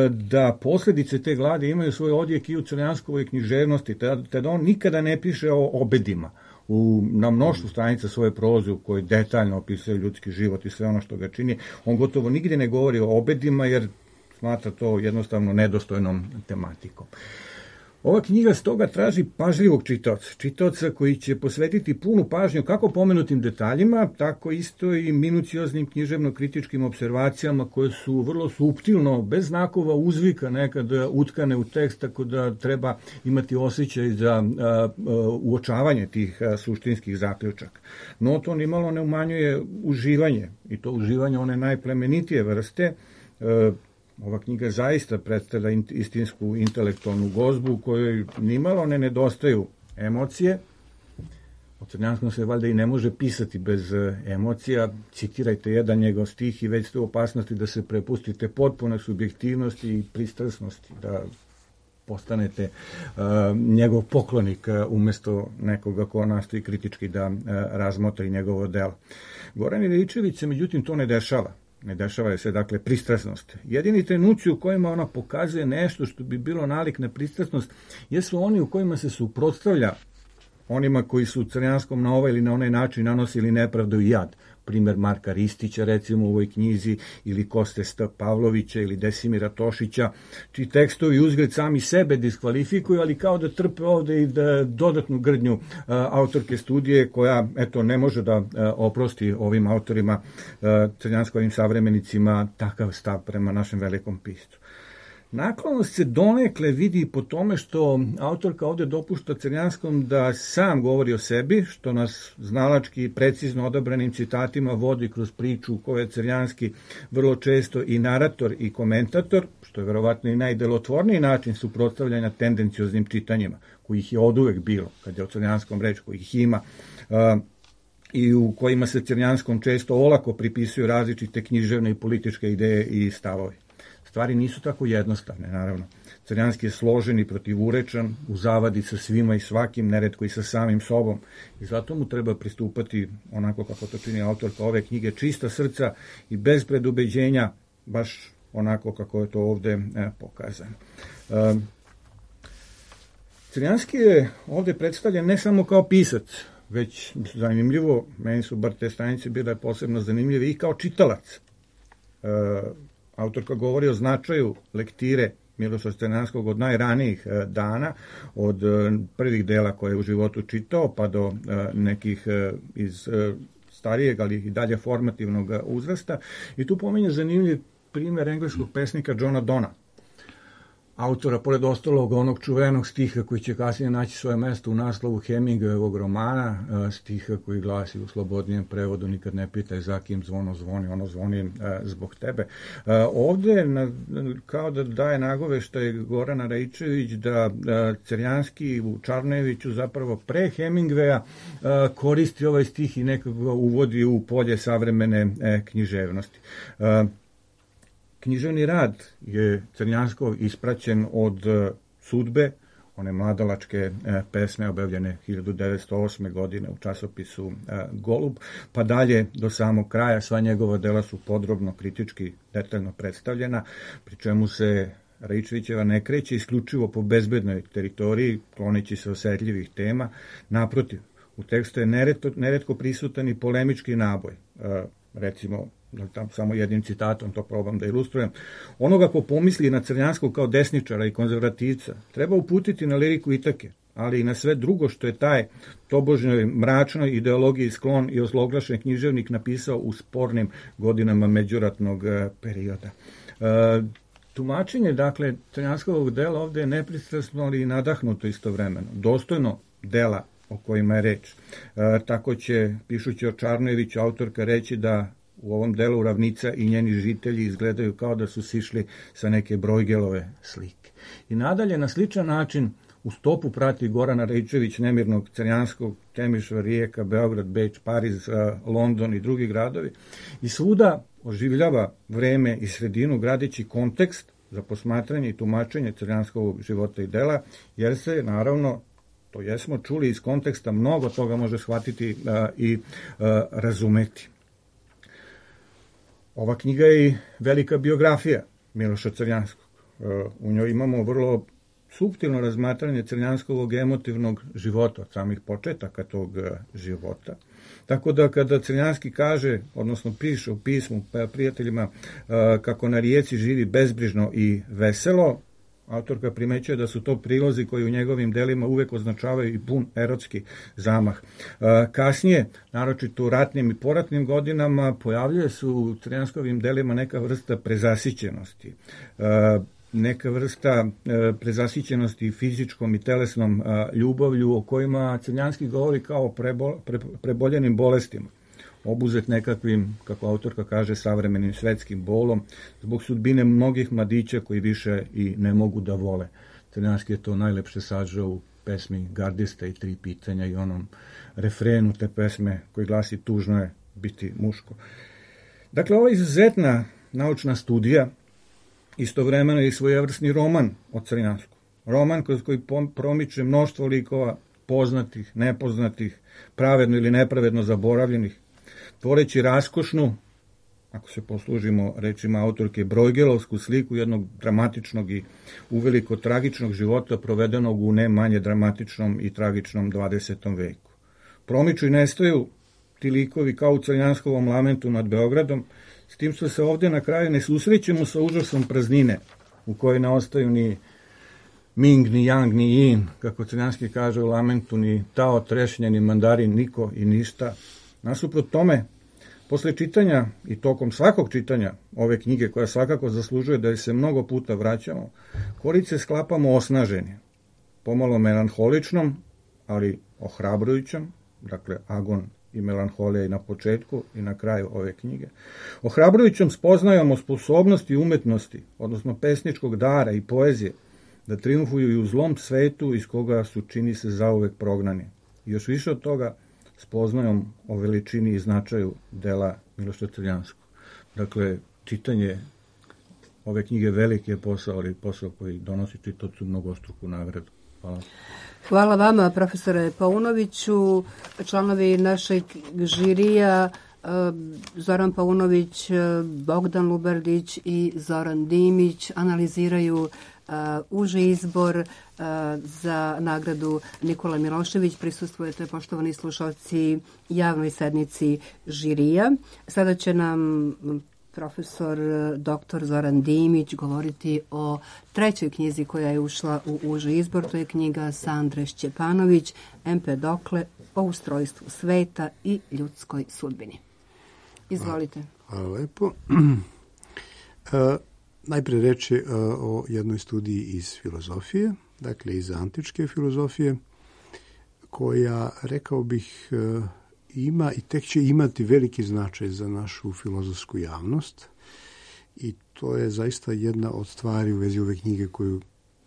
da posledice te gladi imaju svoj odjek i u crnjanskovoj književnosti, te da on nikada ne piše o obedima. U, na mnoštvu stranica svoje proze u kojoj detaljno opisuje ljudski život i sve ono što ga čini, on gotovo nigdje ne govori o obedima jer smatra to jednostavno nedostojnom tematikom. Ova knjiga stoga traži pažljivog čitaoca, čitaoca koji će posvetiti punu pažnju kako pomenutim detaljima, tako isto i minucioznim književno-kritičkim observacijama koje su vrlo suptilno, bez znakova uzvika nekad utkane u tekst, tako da treba imati osjećaj za a, a, uočavanje tih a, suštinskih zaključaka. No to nimalo ne umanjuje uživanje, i to uživanje one najplemenitije vrste. A, Ova knjiga zaista predstavlja istinsku intelektualnu gozbu u kojoj nimalo ne nedostaju emocije. O Crnjanskom se valjda i ne može pisati bez emocija. Citirajte jedan njegov stih i već ste u opasnosti da se prepustite potpune subjektivnosti i pristrasnosti, da postanete uh, njegov poklonik uh, umjesto nekoga ko nastoji kritički da uh, razmotri njegovo delo. Goran Iličević se međutim to ne dešava. Ne dešava se, dakle, pristrasnost. Jedini trenuci u kojima ona pokazuje nešto što bi bilo nalik na pristrasnost jesu oni u kojima se suprotstavlja onima koji su Crnjanskom na ovaj ili na onaj način nanosili nepravdu i jad. Primer Marka Ristića, recimo, u ovoj knjizi, ili Koste St. Pavlovića, ili Desimira Tošića, čiji tekstovi uzgled sami sebe diskvalifikuju, ali kao da trpe ovde i da dodatnu grdnju a, autorke studije, koja, eto, ne može da a, oprosti ovim autorima, a, crnjanskovim savremenicima, takav stav prema našem velikom piscu. Naklonost se donekle vidi po tome što autorka ovde dopušta Crnjanskom da sam govori o sebi, što nas znalački precizno odabranim citatima vodi kroz priču u kojoj je Crnjanski vrlo često i narator i komentator, što je verovatno i najdelotvorniji način suprotstavljanja tendencioznim čitanjima, kojih je oduvek bilo, kad je o Crnjanskom reč, kojih ima, uh, i u kojima se Crnjanskom često olako pripisuju različite književne i političke ideje i stavovi. Stvari nisu tako jednostavne, naravno. Crnjanski je složen i protivurečan, u zavadi sa svima i svakim, neretko i sa samim sobom. I zato mu treba pristupati, onako kako to čini autorka ove knjige, čista srca i bez predubeđenja, baš onako kako je to ovde e, pokazano. E, Crnjanski je ovde predstavljen ne samo kao pisac, već zanimljivo, meni su bar te stranice bile posebno zanimljive, i kao čitalac. E, Autorka govori o značaju lektire Miloša Crnjanskog od najranijih dana, od prvih dela koje je u životu čitao, pa do nekih iz starijeg, ali i dalje formativnog uzrasta. I tu pominje zanimljiv primjer engleskog pesnika Johna Donna, autora, pored ostalog, onog čuvenog stiha koji će kasnije naći svoje mesto u naslovu Hemingwayevog romana, stiha koji glasi u slobodnijem prevodu: nikad ne pitaj za kim zvono zvoni, ono zvoni zbog tebe. Ovde kao da daje nagoveštaj Gorana Raičević da Crnjanski u Čarnejeviću zapravo pre Hemingwaya koristi ovaj stih i nekako ga uvodi u polje savremene književnosti. Književni rad je Crnjanskov ispraćen od Sudbe, one mladalačke pesme objavljene hiljadu devetsto osme. godine u časopisu Golub, pa dalje do samog kraja. Sva njegova dela su podrobno, kritički, detaljno predstavljena, pri čemu se Raičevićeva ne kreće isključivo po bezbednoj teritoriji, kloneći se osetljivih tema. Naprotiv, u tekstu je neretko, neretko prisutan i polemički naboj. Recimo, tam samo jednim citatom to probam da ilustrujem: onoga ko pomisli na Crnjanskog kao desničara i konzervativca treba uputiti na liriku Itake, ali i na sve drugo što je taj tobožnjoj mračnoj ideologiji sklon i ozloglašen književnik napisao u spornim godinama međuratnog perioda. E, tumačenje, dakle, Crnjanskovog dela ovde je nepristrasno, ali i nadahnuto istovremeno, dostojno dela o kojima je reč. E, tako će, pišući o Čarnojeviću, autorka reći da u ovom delu ravnica i njeni žitelji izgledaju kao da su sišli sa neke Brojgelove slike. I nadalje, na sličan način, u stopu prati Gorana Rejčević, Nemirnog, Crnjanskog, Temišvar, Rijeka, Beograd, Beč, Pariz, London i drugi gradovi. I svuda oživljava vreme i sredinu gradeći kontekst za posmatranje i tumačenje crnjanskog života i dela, jer se, naravno, to jesmo čuli iz konteksta, mnogo toga može shvatiti a, i a, razumeti. Ova knjiga je i velika biografija Miloša Crnjanskog. A, u njoj imamo vrlo suptilno razmatranje crnjanskog emotivnog života, od samih početaka tog života. Tako da kada Crnjanski kaže, odnosno piše u pismu prijateljima kako na Rijeci živi bezbrižno i veselo, autorka primećuje da su to prilozi koji u njegovim delima uvek označavaju i pun erotski zamah. Kasnije, naročito u ratnim i poratnim godinama, pojavljuje se u Crnjanskovim delima neka vrsta prezasićenosti, neka vrsta e, prezasićenosti fizičkom i telesnom a, ljubavlju o kojima Crnjanski govori kao prebo, pre, preboljenim bolestima, obuzet nekakvim, kako autorka kaže, savremenim svetskim bolom, zbog sudbine mnogih mladića koji više i ne mogu da vole. Crnjanski je to najlepše sažao u pesmi Gardista i tri pitanja i onom refrenu te pesme koji glasi tužno je biti muško. Dakle, ova izuzetna naučna studija istovremeno je i svojevrsni roman o Crnjansku. Roman kroz koji promiče mnoštvo likova, poznatih, nepoznatih, pravedno ili nepravedno zaboravljenih, tvoreći raskošnu, ako se poslužimo rečima autorke, brojgelovsku sliku jednog dramatičnog i uveliko tragičnog života provedenog u ne manje dramatičnom i tragičnom dvadesetom veku. Promiču i nestaju ti likovi kao u Crnjanskovom lamentu nad Beogradom, s tim što se ovdje na kraju ne susrećemo sa užasom praznine, u kojoj ne ostaju ni Ming, ni Yang, ni Yin, kako Crnjanski kaže u lamentu, ni Tao, trešnje, ni mandarin, niko i ništa. Nasuprot tome, posle čitanja i tokom svakog čitanja ove knjige, koja svakako zaslužuje da se mnogo puta vraćamo, korice sklapamo osnaženi, pomalo melanholičnom, ali ohrabrujućom, dakle agon i melanholija i na početku i na kraju ove knjige. Ohrabrujućom spoznajom o sposobnosti umetnosti, odnosno pesničkog dara i poezije, da triumfuju i u zlom svetu iz koga su, čini se, zauvek prognani. I još više od toga, spoznajom o veličini i značaju dela Miloša Crnjanskog. Dakle, čitanje ove knjige veliki je posao, ali posao koji donosi čitaocu mnogostruku nagradu. Hvala. Hvala vama, profesore Paunoviću. Članovi našeg žirija Zoran Paunović, Bogdan Lubardić i Zoran Dimić analiziraju Uh, uži izbor uh, za nagradu Nikola Milošević. Prisustvujete, poštovani slušalci, javnoj sednici žirija. Sada će nam profesor doktor Zoran Dimić govoriti o trećoj knjizi koja je ušla u uži izbor. To je knjiga Sandre Šćepanović, Empedokle, o ustrojstvu sveta i ljudskoj sudbini. Izvolite. Hvala lepo. uh, Najprije reći uh, o jednoj studiji iz filozofije, dakle iz antičke filozofije, koja, rekao bih, uh, ima i tek će imati veliki značaj za našu filozofsku javnost. I to je zaista jedna od stvari u vezi ove knjige koju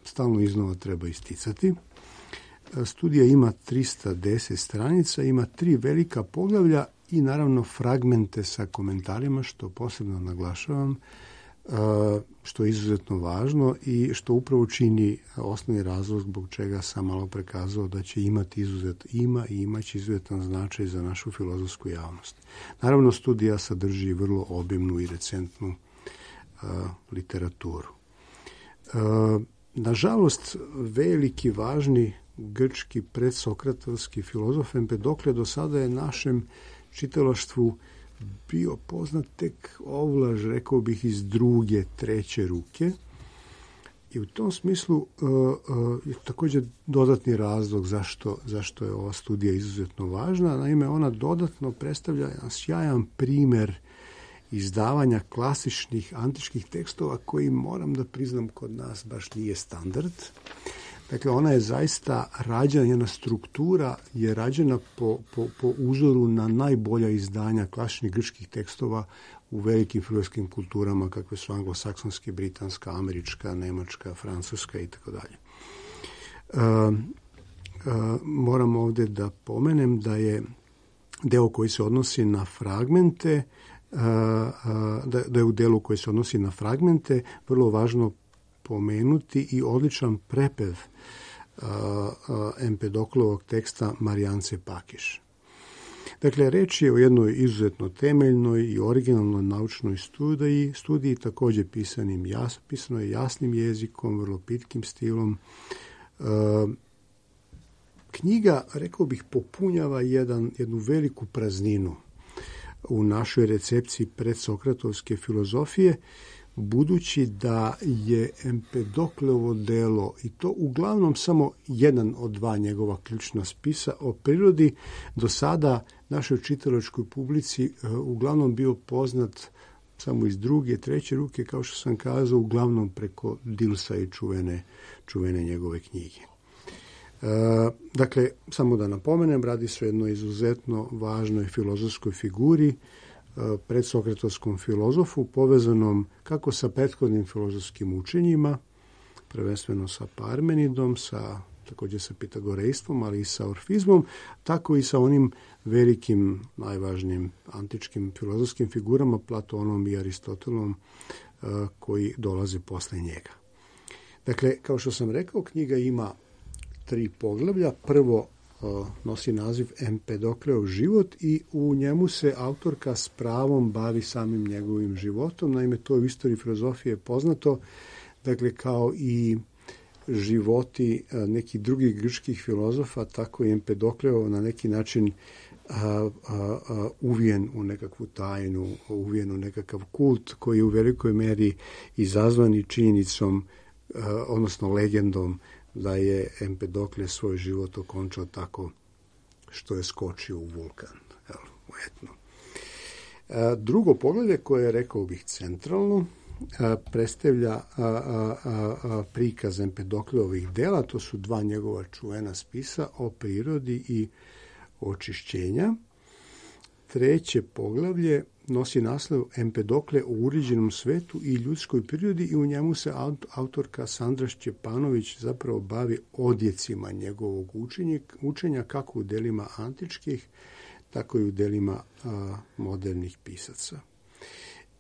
stalno iznova treba isticati. Uh, studija ima trista deset stranica, ima tri velika poglavlja i naravno fragmente sa komentarima, što posebno naglašavam, što je izuzetno važno i što upravo čini osnovni razlog zbog čega sam malo prekazao da će imati izuzet, ima i imaće izuzetan značaj za našu filozofsku javnost. Naravno, studija sadrži vrlo obimnu i recentnu uh, literaturu. Uh, nažalost, veliki, važni grčki predsokratovski filozof Empedokle do sada je našem čitalaštvu bio poznat tek ovlaž, rekao bih, iz druge, treće ruke. I u tom smislu uh, uh, je također dodatni razlog zašto, zašto je ova studija izuzetno važna. Naime, ona dodatno predstavlja jedan sjajan primjer izdavanja klasičnih antičkih tekstova koji, moram da priznam, kod nas baš nije standard. Dakle, ona je zaista rađena, njena struktura je rađena po, po, po uzoru na najbolja izdanja klasičnih grčkih tekstova u velikim filozofskim kulturama kakve su anglosaksonske, britanska, američka, nemačka, francuska i tako dalje. Moram ovdje da pomenem da je deo koji se odnosi na fragmente, da, da je u delu koji se odnosi na fragmente vrlo važno pomenuti i odličan prepev Empedoklovog teksta Marijance Pakiš. Dakle, reč je o jednoj izuzetno temeljnoj i originalnoj naučnoj studiji, studiji također pisanim jas, pisano je jasnim jezikom, vrlo pitkim stilom. E, knjiga, rekao bih, popunjava jedan, jednu veliku prazninu u našoj recepciji predsokratovske filozofije, budući da je Empedokleovo delo, i to uglavnom samo jedan od dva njegova ključna spisa o prirodi, do sada našoj čitalačkoj publici uglavnom bio poznat samo iz druge, treće ruke, kao što sam kazao, uglavnom preko Dilsa i čuvene, čuvene njegove knjige. E, dakle, samo da napomenem, radi se o jednoj izuzetno važnoj filozofskoj figuri, predsokratovskom filozofu, povezanom kako sa prethodnim filozofskim učenjima, prvenstveno sa Parmenidom, sa, također sa pitagorejstvom, ali i sa orfizmom, tako i sa onim velikim, najvažnijim antičkim filozofskim figurama, Platonom i Aristotelom, koji dolaze posle njega. Dakle, kao što sam rekao, knjiga ima tri poglavlja. Prvo nosi naziv Empedokleov život i u njemu se autorka s pravom bavi samim njegovim životom. Naime, to u istoriji filozofije poznato, dakle, kao i životi nekih drugih grčkih filozofa, tako i Empedokleov na neki način a, a, a, uvijen u nekakvu tajnu, uvijen u nekakav kult koji je u velikoj meri izazvan i činjenicom, a, odnosno legendom, da je Empedokle svoj život okončao tako što je skočio u vulkan, jel, u Etnu. A, drugo poglavlje, koje je, rekao bih, centralno, a, predstavlja a, a, a, prikaz Empedokleovih dela. To su dva njegova čuvena spisa o prirodi i očišćenja. Treće poglavlje nosi naslov Empedokle o uređenom svetu i ljudskoj prirodi i u njemu se autorka Sandra Šćepanović zapravo bavi odjecima njegovog učenja, učenja kako u delima antičkih, tako i u delima a, modernih pisaca.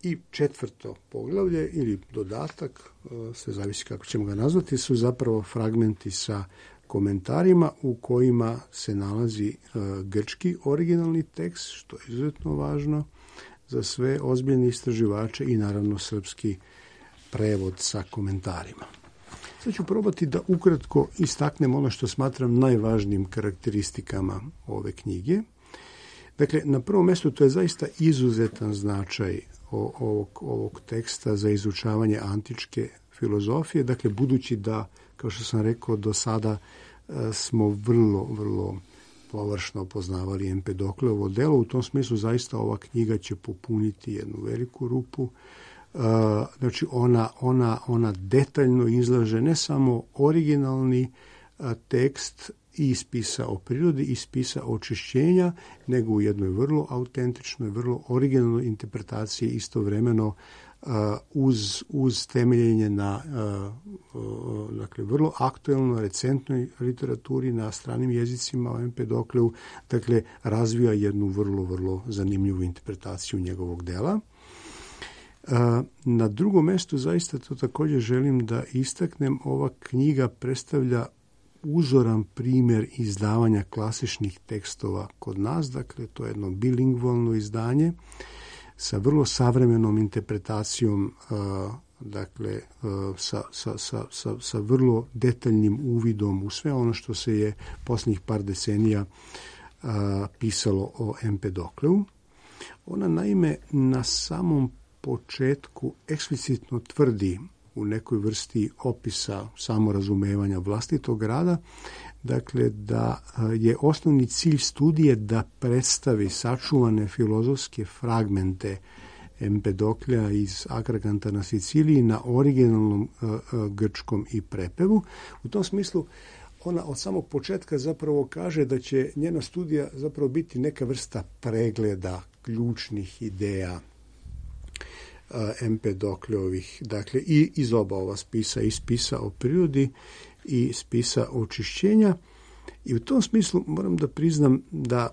I četvrto poglavlje ili dodatak, a, sve zavisi kako ćemo ga nazvati, su zapravo fragmenti sa komentarima u kojima se nalazi a, grčki originalni tekst, što je izuzetno važno za sve ozbiljne istraživače, i naravno srpski prevod sa komentarima. Sad ću probati da ukratko istaknem ono što smatram najvažnijim karakteristikama ove knjige. Dakle, na prvom mjestu to je zaista izuzetan značaj ovog, ovog teksta za izučavanje antičke filozofije. Dakle, budući da, kao što sam rekao, do sada smo vrlo, vrlo površno poznavali Empedokleovo delo, u tom smislu zaista ova knjiga će popuniti jednu veliku rupu. Znači, ona, ona, ona detaljno izlaže ne samo originalni tekst i spisa o prirodi i spisa očišćenja, nego u jednoj vrlo autentičnoj, vrlo originalnoj interpretaciji, istovremeno uz, uz temeljenje na dakle, vrlo aktuelnoj, recentnoj literaturi na stranim jezicima o Empedokleu, dakle, razvija jednu vrlo, vrlo zanimljivu interpretaciju njegovog dela. Na drugom mjestu, zaista to također želim da istaknem, ova knjiga predstavlja uzoran primjer izdavanja klasičnih tekstova kod nas, dakle, to je jedno bilingvalno izdanje sa vrlo savremenom interpretacijom, dakle, sa, sa, sa, sa, sa vrlo detaljnim uvidom u sve ono što se je posljednjih par decenija pisalo o Empedokleu. Ona, naime, na samom početku eksplicitno tvrdi u nekoj vrsti opisa samorazumevanja vlastitog rada, dakle, da je osnovni cilj studije da predstavi sačuvane filozofske fragmente Empedoklja iz Akraganta na Siciliji na originalnom uh, uh, grčkom i prepevu. U tom smislu ona od samog početka zapravo kaže da će njena studija zapravo biti neka vrsta pregleda ključnih ideja uh, Empedokljovih, dakle i iz oba ova spisa, i spisa o prirodi i spisa očišćenja. I u tom smislu moram da priznam da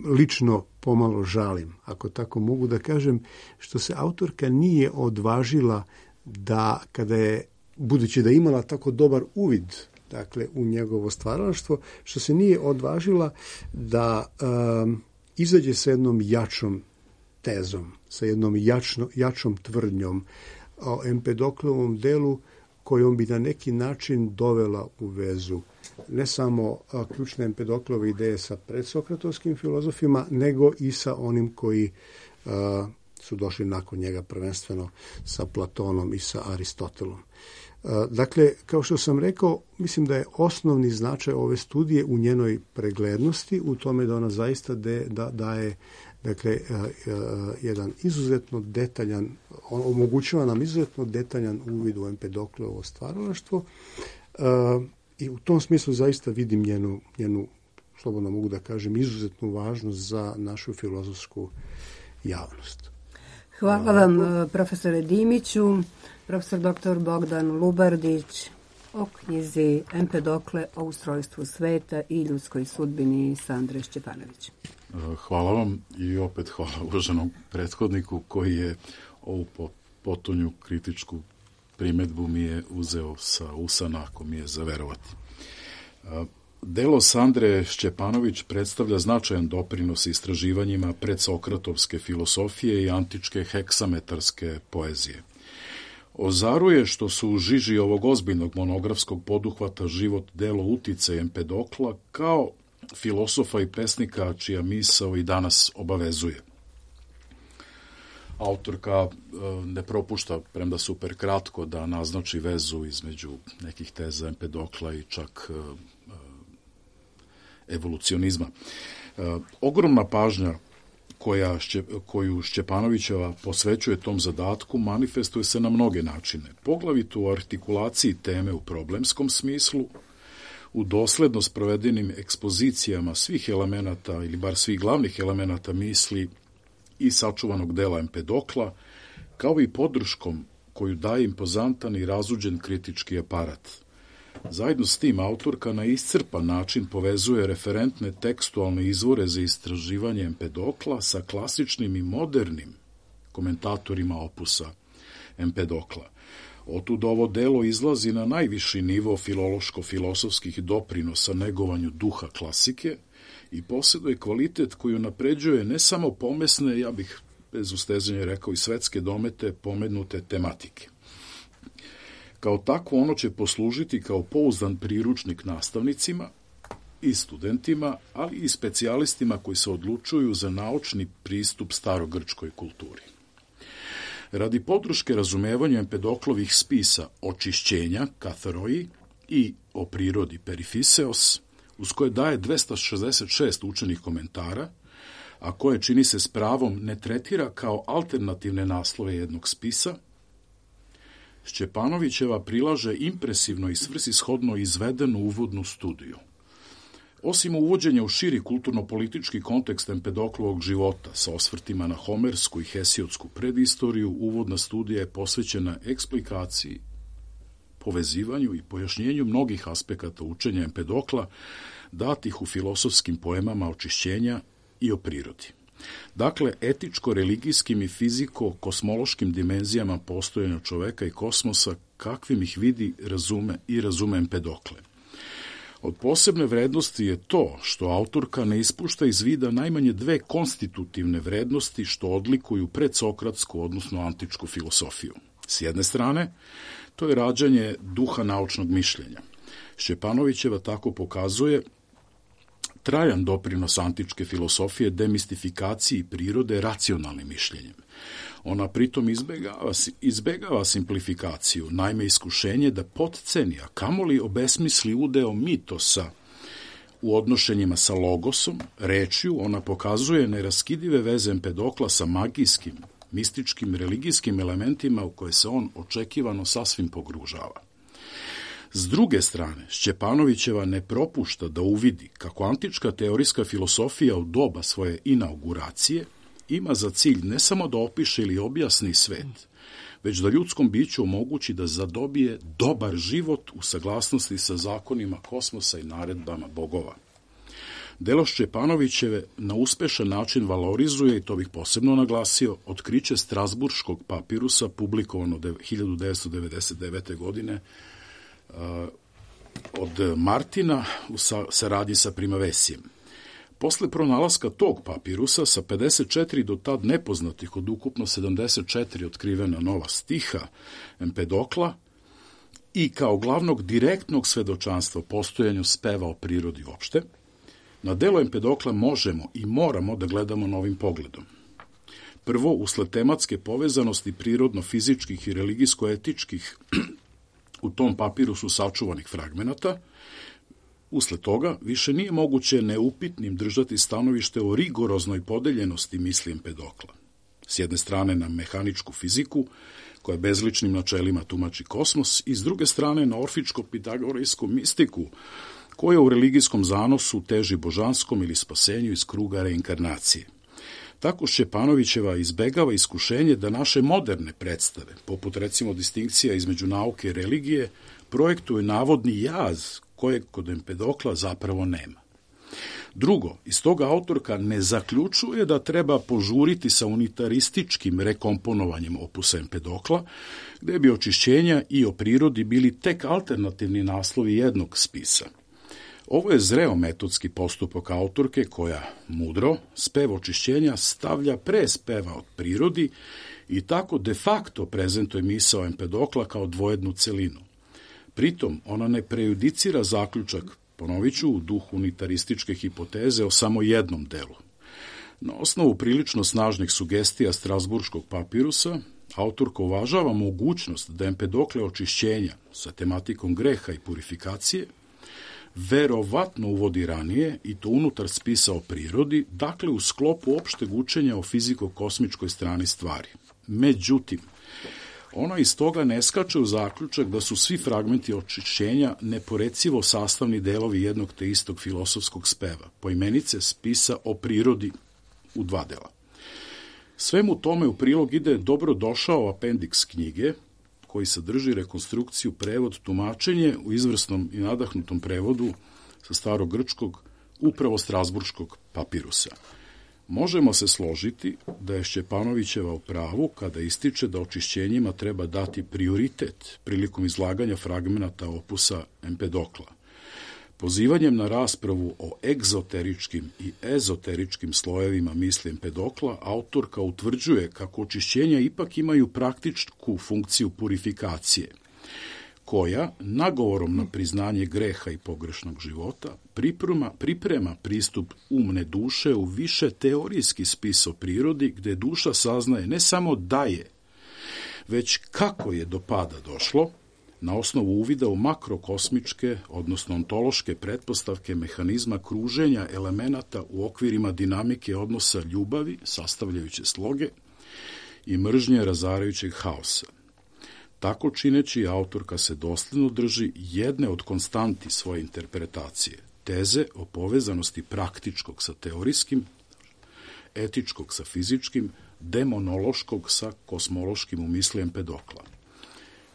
lično pomalo žalim, ako tako mogu da kažem, što se autorka nije odvažila da, kada je, budući da je imala tako dobar uvid, dakle, u njegovo stvaralaštvo, što se nije odvažila da um, izađe sa jednom jačom tezom, sa jednom jačno, jačom tvrdnjom o Empedoklovom delu, kojom bi na neki način dovela u vezu ne samo a, ključne Empedoklove ideje sa predsokratovskim filozofima, nego i sa onim koji a, su došli nakon njega, prvenstveno sa Platonom i sa Aristotelom. A, dakle, kao što sam rekao, mislim da je osnovni značaj ove studije u njenoj preglednosti, u tome da ona zaista de, da, daje dakle, a, a, jedan izuzetno detaljan, omogućava nam izuzetno detaljan uvid u Empedoklovo stvaralaštvo. A, I u tom smislu zaista vidim njenu, njenu, slobodno mogu da kažem, izuzetnu važnost za našu filozofsku javnost. Hvala vam, profesore Dimiću, profesor doktor Bogdan Lubardić o knjizi Empedokle o ustrojstvu sveta i ljudskoj sudbini Sandre Šćepanović. Hvala vam i opet hvala uvaženom prethodniku koji je ovu potonju kritičku primedbu mi je uzeo sa usana, ako mi je zaverovati. Delo Sandre Šćepanović predstavlja značajan doprinos istraživanjima predsokratovske filosofije i antičke heksametarske poezije. Ozaruje što su u žiži ovog ozbiljnog monografskog poduhvata život, delo, uticaj Empedokla kao filosofa i pesnika čija misao i danas obavezuje. Autorka ne propušta, premda super kratko, da naznači vezu između nekih teza Empedokla i čak evolucionizma. Ogromna pažnja koja, koju Šćepanovićeva posvećuje tom zadatku manifestuje se na mnoge načine. Poglavito u artikulaciji teme u problemskom smislu, u dosledno sprovedenim ekspozicijama svih elemenata ili bar svih glavnih elemenata misli i sačuvanog dela Empedokla, kao i podrškom koju daje impozantan i razuđen kritički aparat. Zajedno s tim autorka na iscrpan način povezuje referentne tekstualne izvore za istraživanje Empedokla sa klasičnim i modernim komentatorima opusa Empedokla. Otud ovo delo izlazi na najviši nivo filološko-filosofskih doprinosa negovanju duha klasike i posjeduje kvalitet koji napređuje ne samo pomesne, ja bih bez ustezanja rekao i svetske domete pomenute tematike. Kao takvo ono će poslužiti kao pouzdan priručnik nastavnicima i studentima, ali i specijalistima koji se odlučuju za naučni pristup starogrčkoj kulturi. Radi podrške razumevanju Empedoklovih spisa Očišćenja, Katharoi, i o prirodi Perifiseos, uz koje daje dvesta šezdeset šest učenih komentara, a koje, čini se s pravom, ne tretira kao alternativne naslove jednog spisa, Šćepanovićeva prilaže impresivno i svrsishodno izvedenu uvodnu studiju. Osim uvođenja u širi kulturno-politički kontekst Empedoklovog života sa osvrtima na homersku i hesiodsku predistoriju, uvodna studija je posvećena eksplikaciji, povezivanju i pojašnjenju mnogih aspekata učenja Empedokla datih u filosofskim poemama Očišćenja i o prirodi. Dakle, etičko-religijskim i fiziko-kosmološkim dimenzijama postojanja čoveka i kosmosa, kakvim ih vidi, razume i razume Empedokle. Od posebne vrednosti je to što autorka ne ispušta iz vida najmanje dve konstitutivne vrednosti što odlikuju predsokratsku, odnosno antičku filosofiju. S jedne strane, to je rađanje duha naučnog mišljenja. Šćepanovićeva tako pokazuje trajan doprinos antičke filosofije demistifikaciji prirode racionalnim mišljenjem. Ona pritom izbegava, izbegava simplifikaciju, naime iskušenje da potceni, a kamoli obesmisli udeo mitosa U odnošenjima sa logosom, rečju, ona pokazuje neraskidive veze Empedokla sa magijskim, mističkim, religijskim elementima u koje se on očekivano sasvim pogružava. S druge strane, Šćepanovićeva ne propušta da uvidi kako antička teorijska filosofija u doba svoje inauguracije ima za cilj ne samo da opiše ili objasni svet, već da ljudskom biću omogući da zadobije dobar život u saglasnosti sa zakonima kosmosa i naredbama bogova. Delo Šćepanovićeve na uspešan način valorizuje, i to bih posebno naglasio, otkriće Strasburškog papirusa publikovano hiljadu devetsto devedeset devete. godine od Martina u saradnji sa Primavesijem. Posle pronalaska tog papirusa sa pedeset četiri do tad nepoznatih od ukupno sedamdeset četiri otkrivena nova stiha Empedokla i kao glavnog direktnog svedočanstva postojanju speva o prirodi uopšte, na delo Empedokla možemo i moramo da gledamo novim pogledom. Prvo, usled tematske povezanosti prirodno-fizičkih i religijsko-etičkih u tom papirusu sačuvanih fragmenata, usled toga više nije moguće neupitnim držati stanovište o rigoroznoj podeljenosti misli Empedokla. S jedne strane na mehaničku fiziku, koja bezličnim načelima tumači kosmos, i s druge strane na orfičko-pitagorejsku mistiku, koja u religijskom zanosu teži božanskom ili spasenju iz kruga reinkarnacije. Tako Šćepanovićeva izbegava iskušenje da naše moderne predstave, poput recimo distinkcija između nauke i religije, projektuje navodni jaz kojeg kod Empedokla zapravo nema. Drugo, iz toga autorka ne zaključuje da treba požuriti sa unitarističkim rekomponovanjem opusa Empedokla, gde bi očišćenja i o prirodi bili tek alternativni naslovi jednog spisa. Ovo je zreo metodski postupak autorke koja, mudro, spev očišćenja stavlja pre speva od prirodi i tako de facto prezentuje misao Empedokla kao dvojednu celinu. Pritom, ona ne prejudicira zaključak, ponovit ću, u duhu unitarističke hipoteze o samo jednom delu. Na osnovu prilično snažnih sugestija Strasburškog papirusa, autorka uvažava mogućnost da Empedokle očišćenja sa tematikom greha i purifikacije verovatno uvodi ranije, i to unutar spisa o prirodi, dakle u sklopu opšteg učenja o fiziko-kosmičkoj strani stvari. Međutim, ona iz toga ne skače u zaključak da su svi fragmenti očišćenja neporecivo sastavni delovi jednog te istog filosofskog speva, poimenice spisa o prirodi u dva dela. Svemu tome u prilog ide dobro došao apendiks knjige, koji sadrži rekonstrukciju, prevod, tumačenje u izvrsnom i nadahnutom prevodu sa starogrčkog, upravo Strasburškog papirusa. Možemo se složiti da je Šćepanovićeva u pravu kada ističe da očišćenjima treba dati prioritet prilikom izlaganja fragmenata opusa Empedokla. Pozivanjem na raspravu o egzoteričkim i ezoteričkim slojevima misli Empedokla, autorka utvrđuje kako očišćenja ipak imaju praktičku funkciju purifikacije, koja, nagovorom na priznanje greha i pogrešnog života, priprema, priprema pristup umne duše u više teorijski spis o prirodi, gde duša saznaje ne samo da je, već kako je do pada došlo, na osnovu uvida u makrokosmičke, odnosno ontološke pretpostavke mehanizma kruženja elemenata u okvirima dinamike odnosa ljubavi, sastavljajuće sloge, i mržnje razarajućeg haosa. Tako čineći, autorka se dosledno drži jedne od konstanti svoje interpretacije, teze o povezanosti praktičkog sa teorijskim, etičkog sa fizičkim, demonološkog sa kosmološkim u misli Empedokla.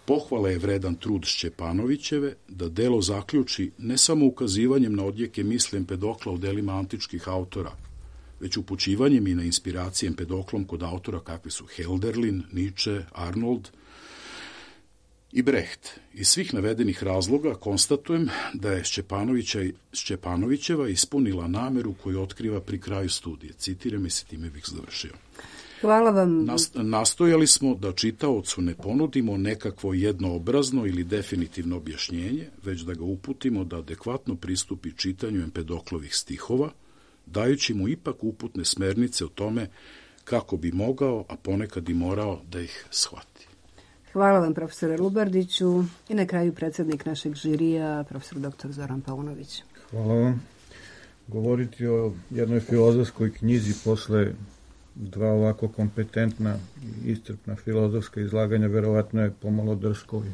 Pohvala je vredan trud Šćepanovićeve da delo zaključi ne samo ukazivanjem na odjeke misli Empedokla u delima antičkih autora, već upućivanjem i na inspiracije Empedoklom kod autora kakvi su Hölderlin, Nietzsche, Arnold i Brecht. Iz svih navedenih razloga konstatujem da je Šćepanovićeva ispunila nameru koju otkriva pri kraju studije. Citiram i se time bih završio. Hvala vam. Nastojali smo da čitaocu ne ponudimo nekakvo jednoobrazno ili definitivno objašnjenje, već da ga uputimo da adekvatno pristupi čitanju Empedoklovih stihova, dajući mu ipak uputne smernice o tome kako bi mogao, a ponekad i morao, da ih shvati. Hvala vam, profesore Lubardiću. I na kraju predsjednik našeg žirija, profesor doktor Zoran Paunović. Hvala vam. govoriti o jednoj filozofskoj knjizi posle dva ovako kompetentna i iscrpna filozofska izlaganja, verovatno je pomalo drsko i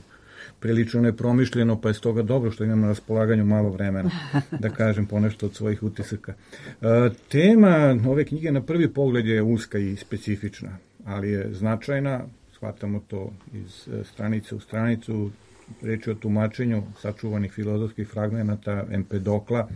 prilično nepromišljeno, pa je stoga dobro što imam na raspolaganju malo vremena da kažem ponešto od svojih utisaka. E, tema ove knjige na prvi pogled je uska i specifična, ali je značajna, shvatamo to iz stranice u stranicu, reč je o tumačenju sačuvanih filozofskih fragmenata Empedokla,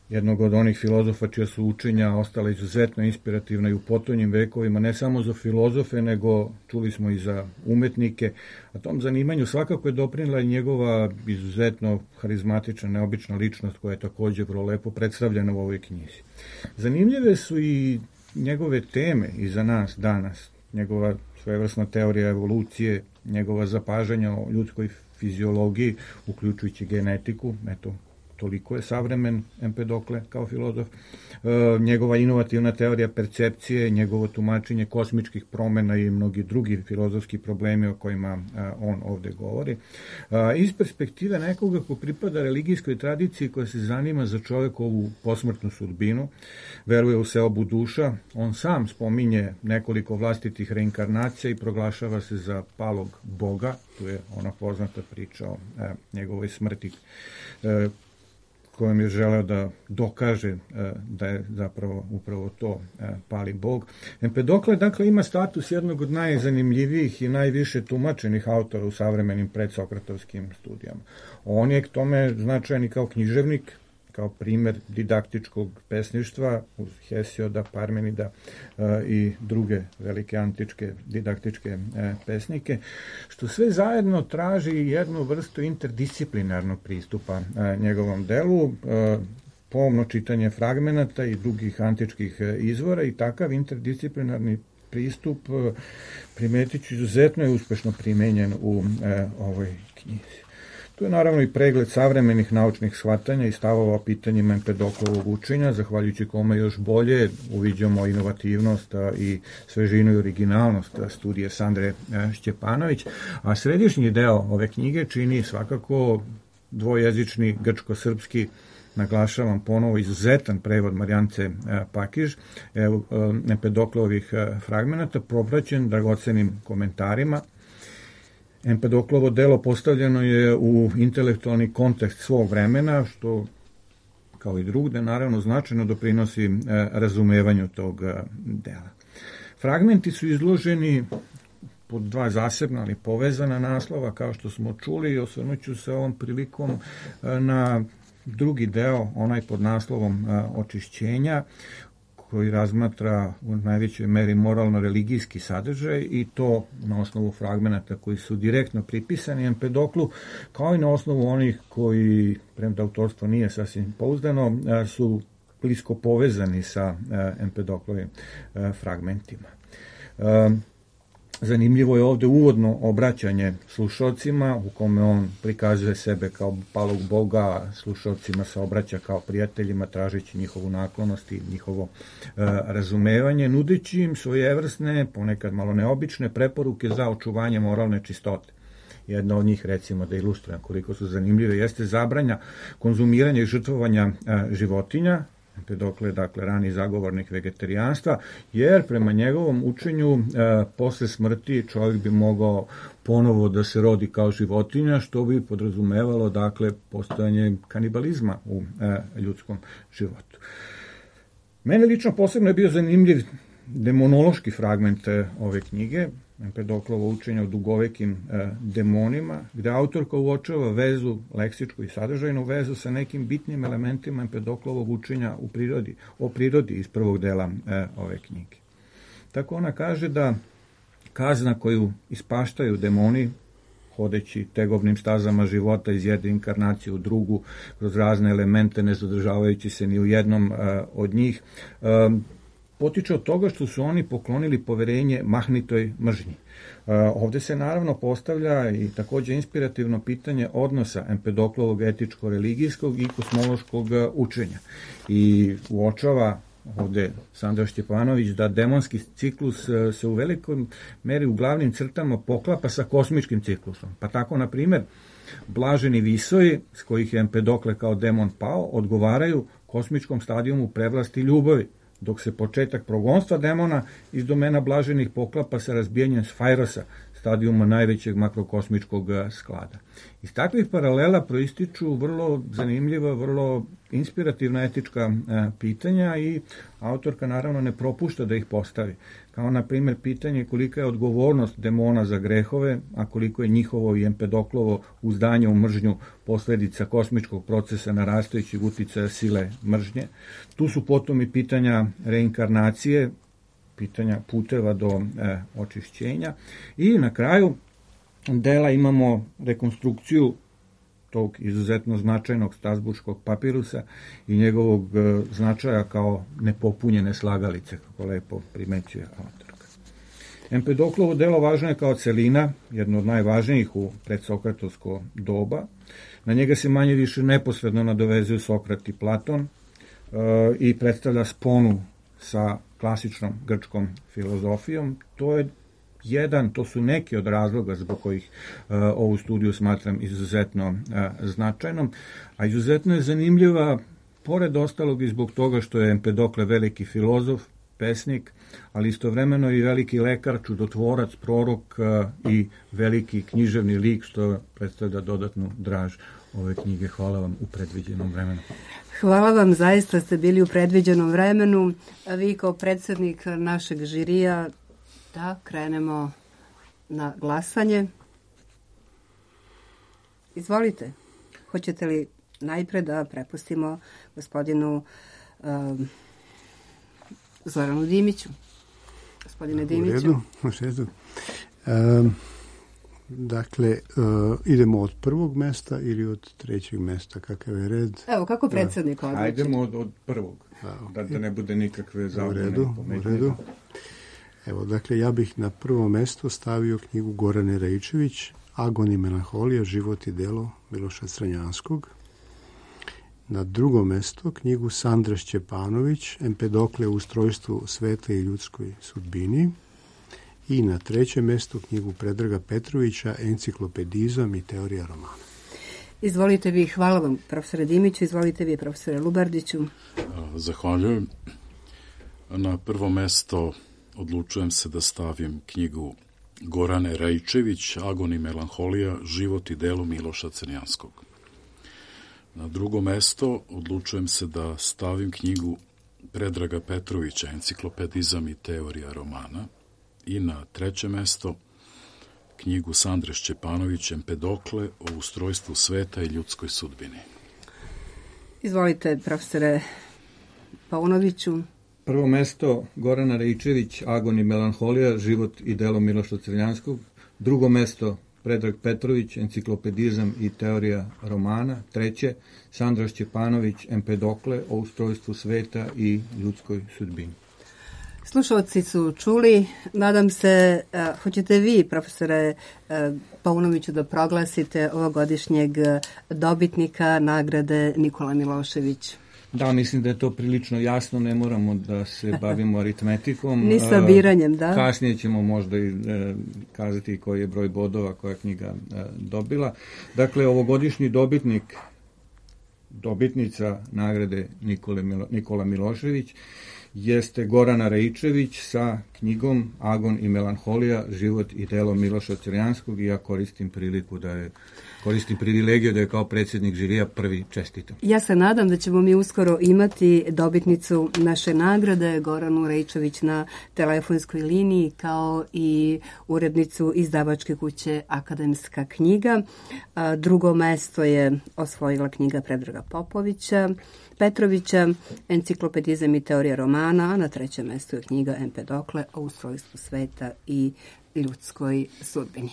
jednog od onih filozofa čija su učenja ostala izuzetno inspirativna i u potonjim vekovima, ne samo za filozofe, nego čuli smo i za umetnike. A tom zanimanju svakako je doprinela i njegova izuzetno harizmatična, neobična ličnost koja je također vrlo lepo predstavljena u ovoj knjizi. Zanimljive su i njegove teme i za nas danas, njegova svojevrsna teorija evolucije, njegova zapažanja o ljudskoj fiziologiji, uključujući genetiku, eto, toliko je savremen Empedokle kao filozof, e, njegova inovativna teorija percepcije, njegovo tumačenje kosmičkih promena i mnogi drugi filozofski problemi o kojima a, on ovde govori. A, iz perspektive nekoga ko pripada religijskoj tradiciji koja se zanima za čovekovu posmrtnu sudbinu, veruje u seobu duša, on sam spominje nekoliko vlastitih reinkarnacija i proglašava se za palog Boga, tu je ona poznata priča o a, njegovoj smrti, a, kojom je želeo da dokaže da je zapravo upravo to pali Bog. Empedokle, dakle, ima status jednog od najzanimljivijih i najviše tumačenih autora u savremenim predsokratovskim studijama. On je k tome značajan i kao književnik, kao primer didaktičkog pesništva uz Hesioda, Parmenida e, i druge velike antičke didaktičke e, pesnike, što sve zajedno traži jednu vrstu interdisciplinarnog pristupa e, njegovom delu, e, pomno čitanje fragmenata i drugih antičkih e, izvora i takav interdisciplinarni pristup e, primetit ću izuzetno je uspešno primenjen u e, ovoj knjizi. Tu je naravno i pregled savremenih naučnih shvatanja i stavova o pitanjima Empedoklovog učenja, zahvaljujući kome još bolje uviđamo inovativnost i svežinu i originalnost studije Sandre Šćepanović, a središnji deo ove knjige čini svakako dvojezični grčko-srpski, naglašavam ponovo, izuzetan prevod Marijance Pakiž, Empedoklovih fragmenata, propraćen dragocenim komentarima. Empedoklovo delo postavljeno je u intelektualni kontekst svog vremena, što, kao i drugde, naravno značajno doprinosi razumevanju tog dela. Fragmenti su izloženi pod dva zasebna, ali povezana naslova, kao što smo čuli, i osvrnuću se ovom prilikom na drugi deo, onaj pod naslovom očišćenja, koji razmatra u najvećoj meri moralno-religijski sadržaj i to na osnovu fragmenata koji su direktno pripisani Empedoklu, kao i na osnovu onih koji, premda autorstvo nije sasvim pouzdano, su blisko povezani sa Empedoklovim fragmentima. Zanimljivo je ovde uvodno obraćanje slušalcima u kome on prikazuje sebe kao palog Boga, slušalcima se obraća kao prijateljima, tražeći njihovu naklonost i njihovo e, razumevanje, nudeći im svojevrsne, ponekad malo neobične preporuke za očuvanje moralne čistote. Jedna od njih, recimo, da ilustrujem koliko su zanimljive, jeste zabranja konzumiranja i žrtvovanja e, životinja. Empedokle je, dakle, rani zagovornik vegetarijanstva, jer prema njegovom učenju e, posle smrti čovjek bi mogao ponovo da se rodi kao životinja, što bi podrazumevalo, dakle, postojanje kanibalizma u e, ljudskom životu. Mene lično posebno je bio zanimljiv demonološki fragment e, ove knjige, Empedoklovo učenje o dugovekim e, demonima, gde autorka uočava vezu, leksičku i sadržajnu vezu sa nekim bitnim elementima Empedoklovog učenja u prirodi, o prirodi iz prvog dela e, ove knjige. Tako ona kaže da kazna koju ispaštaju demoni, hodeći tegobnim stazama života iz jedne inkarnacije u drugu, kroz razne elemente, ne zadržavajući se ni u jednom e, od njih, e, potiče od toga što su oni poklonili poverenje mahnitoj mržnji. Ovde se naravno postavlja i takođe inspirativno pitanje odnosa Empedoklovog etičko-religijskog i kosmološkog učenja. I uočava ovde Sandra Šćepanović da demonski ciklus se u velikoj meri u glavnim crtama poklapa sa kosmičkim ciklusom. Pa tako, na primjer, blaženi visoji, s kojih je Empedokle kao demon pao, odgovaraju kosmičkom stadijumu prevlasti ljubavi, dok se početak progonstva demona iz domena blaženih poklapa sa razbijanjem Sfajrosa, stadijuma najvećeg makrokosmičkog sklada. Iz takvih paralela proističu vrlo zanimljiva, vrlo inspirativna etička pitanja i autorka naravno ne propušta da ih postavi. Kao na primjer pitanje kolika je odgovornost demona za grehove, a koliko je njihovo i Empedoklovo uzdanje u mržnju posledica kosmičkog procesa narastajućeg uticaja sile mržnje. Tu su potom i pitanja reinkarnacije, pitanja puteva do e, očišćenja i na kraju dela imamo rekonstrukciju tog izuzetno značajnog Strasburškog papirusa i njegovog e, značaja kao nepopunjene slagalice, kako lepo primećuje autorka. Empedoklovo delo važno je kao celina, jedno od najvažnijih u predsokratovsko doba. Na njega se manje više neposredno nadovezuju Sokrat i Platon e, i predstavlja sponu sa klasičnom grčkom filozofijom. To je jedan, to su neki od razloga zbog kojih uh, ovu studiju smatram izuzetno uh, značajnom, a izuzetno je zanimljiva pored ostalog i zbog toga što je Empedokle veliki filozof, pesnik, ali istovremeno i veliki lekar, čudotvorac, prorok uh, i veliki književni lik, što predstavlja dodatnu draž ove knjige. Hvala vam u predviđenom vremenu. Hvala vam, zaista ste bili u predviđenom vremenu. A vi kao predsjednik našeg žirija, da krenemo na glasanje. Izvolite. Hoćete li najpre da prepustimo gospodinu um, Zoranu Dimiću? Gospodine Dimiću. U redu, u redu. Um, Dakle, uh, idemo od prvog mesta ili od trećeg mesta, kakav je red? Evo, kako predsjednik odluči? Hajdemo od, od prvog, da, da ne bude nikakve zabune. U redu, u redu. Evo, dakle, ja bih na prvo mesto stavio knjigu Gorane Raičević, Agon i melanholija, život i delo Miloša Crnjanskog. Na drugo mesto knjigu Sandre Šćepanović, Empedokle u ustrojstvu sveta i ljudskoj sudbini. I na trećem mjestu knjigu Predraga Petrovića, Enciklopedizam i teorija romana. Izvolite vi, hvala vam profesore Dimiću, izvolite vi profesore Lubardiću. Zahvaljujem. Na prvo mjesto odlučujem se da stavim knjigu Gorane Raičević, Agon i melanholija, život i delo Miloša Crnjanskog. Na drugo mjesto odlučujem se da stavim knjigu Predraga Petrovića, Enciklopedizam i teorija romana. I na treće mesto knjigu Sandre Šćepanović, Empedokle o ustrojstvu sveta i ljudskoj sudbini. Izvolite, profesore Paunoviću. Prvo mesto Gorana Raičević, Agon i melanholija, život i delo Miloša Crnjanskog. Drugo mesto Predrag Petrović, Enciklopedizam i teorija romana. Treće Sandra Šćepanović, Empedokle o ustrojstvu sveta i ljudskoj sudbini. Slušalci su čuli, nadam se, uh, hoćete vi, profesore uh, Paunoviću, da proglasite ovogodišnjeg dobitnika nagrade Nikola Milošević. Da, mislim da je to prilično jasno, ne moramo da se bavimo aritmetikom. Ni sabiranjem, da. Kasnije ćemo možda i e, kazati koji je broj bodova koja knjiga e, dobila. Dakle, ovogodišnji dobitnik, dobitnica nagrade Nikole Milo, Nikola Milošević, jeste Gorana Raičević sa knjigom Agon i melanholija, život i delo Miloša Crnjanskog, i ja koristim priliku da je, koristim privilegiju da je kao predsjednik žirija prvi čestitam. Ja se nadam da ćemo mi uskoro imati dobitnicu naše nagrade, Goranu Raičević, na telefonskoj liniji, kao i urednicu izdavačke kuće Akademska knjiga. Drugo mesto je osvojila knjiga Predraga Popovića, Petrovića, Enciklopedizam i teorija romana, a na trećem mjestu je knjiga Empedokle o ustrojstvu sveta i ljudskoj sudbini.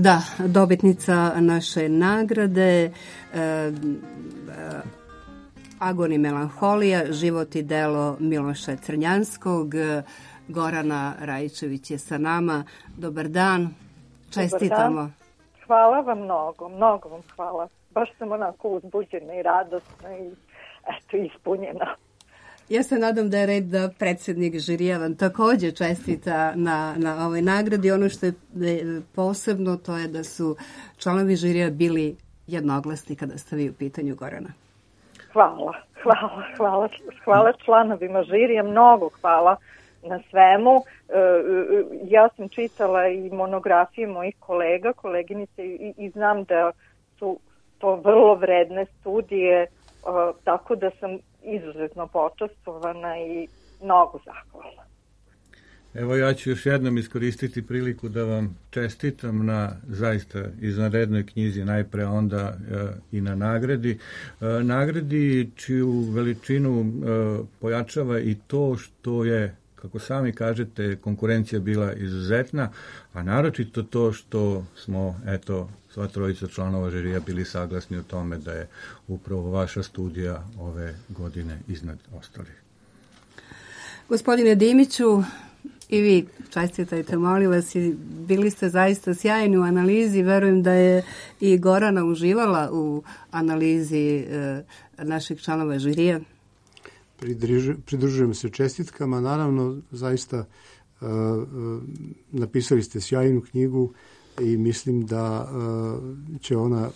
Da, dobitnica naše nagrade e, e, Agon i melanholija, život i delo Miloša Crnjanskog. Gorana Rajičević je sa nama. Dobar dan, čestitamo. Dobar dan. Hvala vam mnogo, mnogo vam hvala. Baš sam onako uzbuđena i radosna i eto, ispunjena. Ja se nadam da je red da predsjednik žirija vam također čestita na, na ovoj nagradi. Ono što je posebno to je da su članovi žirija bili jednoglasni kada ste vi u pitanju, Gorana. Hvala, hvala, hvala, hvala članovima žirija, mnogo hvala na svemu. Ja sam čitala i monografije mojih kolega, koleginice i, i znam da su to vrlo vredne studije, tako da sam izuzetno počastvovana i mnogo zahvalna. Evo ja ću još jednom iskoristiti priliku da vam čestitam na zaista izvanrednoj knjizi, najpre onda e, i na nagradi. E, nagradi čiju veličinu e, pojačava i to što je, kako sami kažete, konkurencija bila izuzetna, a naročito to što smo, eto, sva trojica članova žirija bili saglasni u tome da je upravo vaša studija ove godine iznad ostalih. Gospodine Dimiću, i vi čestitajte, molim vas, i bili ste zaista sjajni u analizi. Verujem da je i Gorana uživala u analizi e, naših članova žirija. Pridružujem se čestitkama. Naravno, zaista uh, napisali ste sjajnu knjigu i mislim da uh, će ona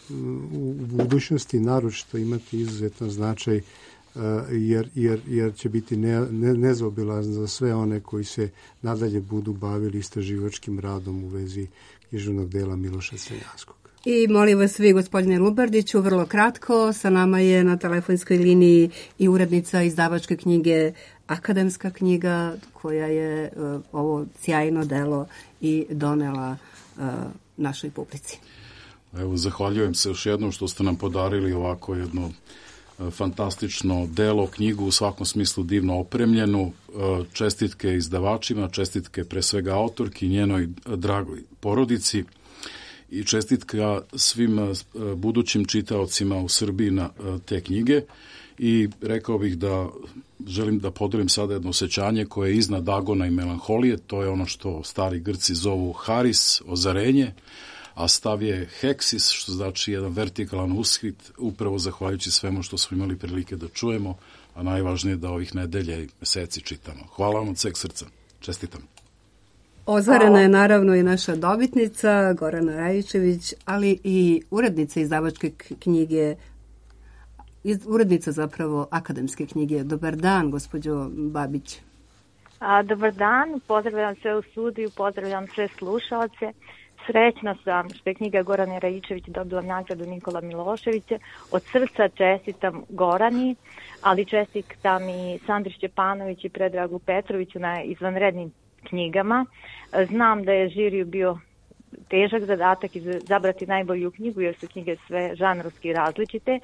u budućnosti naročito imati izuzetan značaj uh, jer, jer, jer će biti ne, ne, nezaobilazna za sve one koji se nadalje budu bavili istraživačkim radom u vezi književnog dela Miloša Crnjanskog. I molim vas vi, gospodine Lubardiću, vrlo kratko, sa nama je na telefonskoj liniji i urednica izdavačke knjige Akademska knjiga, koja je uh, ovo sjajno delo i donela uh, našoj publici. Evo, zahvaljujem se još jednom što ste nam podarili ovako jedno uh, fantastično delo, knjigu u svakom smislu divno opremljenu. Uh, čestitke izdavačima, čestitke pre svega autorki, njenoj dragoj porodici. I čestitka svim budućim čitaocima u Srbiji na te knjige i rekao bih da želim da podelim sada jedno osjećanje koje je iznad Agona i melanholije, to je ono što stari Grci zovu haris, ozarenje, a stav je heksis, što znači jedan vertikalan ushit, upravo zahvaljujući svemu što smo imali prilike da čujemo, a najvažnije da ovih nedelja i meseci čitamo. Hvala vam od sveg srca. Čestitam. Ozarena je naravno i naša dobitnica, Gorana Rajičević, ali i urednica izdavačke knjige, urednica zapravo akademske knjige. Dobar dan, gospođo Babić. A, dobar dan, pozdravljam sve u studiju, pozdravljam sve slušalce. Srećna sam što je knjiga Gorane Rajičević dobila nagradu Nikola Miloševića. Od srca čestitam Gorani, ali čestitam i Sandri Šćepanović i Predragu Petroviću na izvanrednim knjigama. Znam da je žiriju bio težak zadatak izabrati najbolju knjigu jer su knjige sve žanrovski različite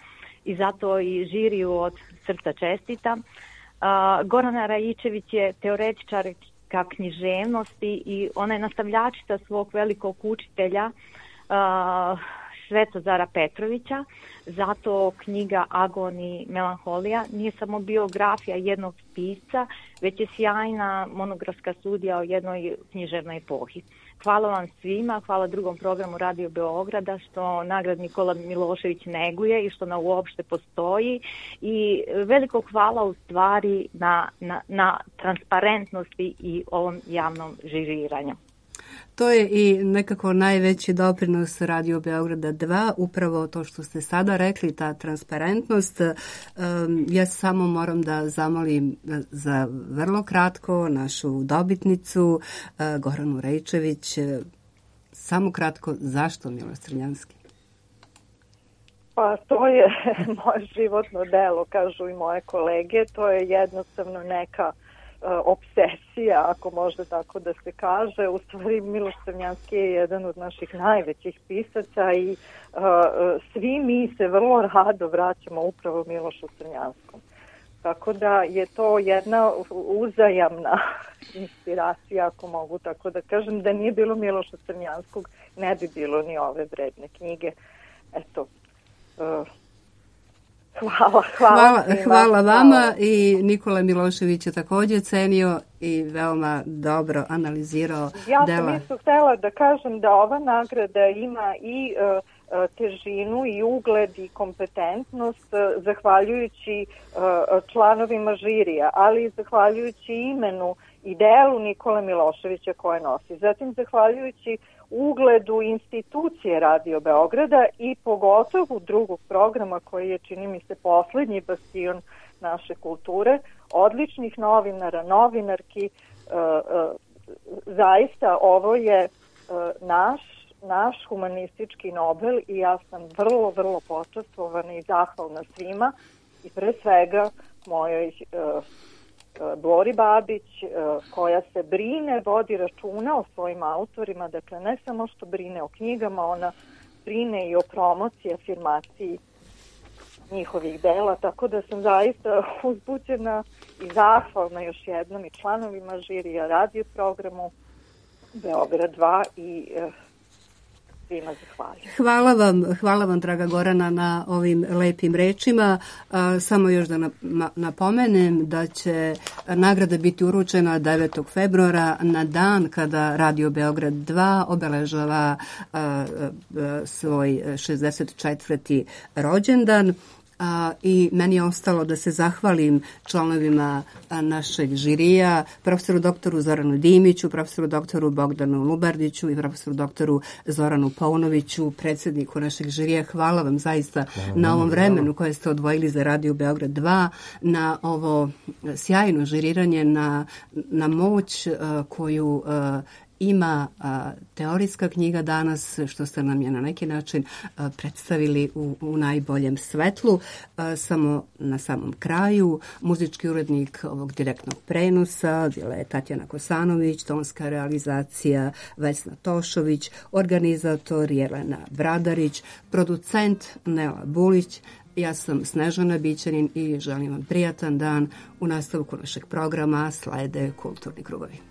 i zato i žiriju od srca čestitam. Uh, Gorana Rajičević je teoretičarka književnosti i ona je nastavljačica svog velikog učitelja uh, Svetozara Petrovića, zato knjiga Agon i melanholija nije samo biografija jednog pisca, već je sjajna monografska studija o jednoj književnoj epohi. Hvala vam svima, hvala drugom programu Radio Beograda što nagrad Nikola Milošević neguje i što ona uopšte postoji i veliko hvala u stvari na, na, na transparentnosti i ovom javnom žiriranju. To je i nekako najveći doprinos Radio Beograda dva, upravo to što ste sada rekli, ta transparentnost. Um, ja samo moram da zamolim za vrlo kratko našu dobitnicu, uh, Goranu Rajičević. Samo kratko, zašto Miloš Crnjanski? Pa to je moje životno delo, kažu i moje kolege. To je jednostavno neka obsesija, ako može tako da se kaže. U stvari Miloš Crnjanski je jedan od naših najvećih pisaca i uh, svi mi se vrlo rado vraćamo upravo Milošu Crnjanskom. Tako da je to jedna uzajamna inspiracija, ako mogu tako da kažem. Da nije bilo Miloša Crnjanskog, ne bi bilo ni ove vredne knjige. Eto, uh, hvala, hvala. Hvala, hvala vama i Nikola Milošević je također cenio i veoma dobro analizirao ja dela. Ja sam isto htjela da kažem da ova nagrada ima i uh, težinu i ugled i kompetentnost zahvaljujući članovima žirija, ali i zahvaljujući imenu i delu Nikole Miloševića koje nosi. Zatim zahvaljujući ugledu institucije Radio Beograda i pogotovo drugog programa koji je, čini mi se, posljednji bastion naše kulture, odličnih novinara, novinarki. Zaista ovo je naš naš humanistički Nobel i ja sam vrlo, vrlo počastvovana i zahvalna svima i pre svega mojoj uh, uh, Bori Babić uh, koja se brine, vodi računa o svojim autorima, dakle ne samo što brine o knjigama, ona brine i o promociji, afirmaciji njihovih dela, tako da sam zaista uzbuđena i zahvalna još jednom i članovima žirija, radio programu Beograd dva i uh, Hvala vam, hvala vam, draga Gorana, na ovim lepim rečima. Samo još da napomenem da će nagrada biti uručena devetog februara na dan kada Radio Beograd dva obeležava svoj šezdeset četvrti rođendan. A, i meni je ostalo da se zahvalim članovima a, našeg žirija, profesoru doktoru Zoranu Dimiću, profesoru doktoru Bogdanu Lubardiću i profesoru doktoru Zoranu Paunoviću, predsjedniku našeg žirija. Hvala vam zaista hvala, na ovom vremenu koje ste odvojili za Radio Beograd dva, na ovo sjajno žiriranje, na, na moć a, koju a, ima a, teorijska knjiga danas, što ste nam je na neki način a, predstavili u, u najboljem svetlu. A, samo na samom kraju, muzički urednik ovog direktnog prenosa bila je Tatjana Kosanović, tonska realizacija Vesna Tošović, organizator Jelena Bradarić, producent Nela Bulić. Ja sam Snežana Bićanin i želim vam prijatan dan. U nastavku našeg programa slede Kulturni krugovi.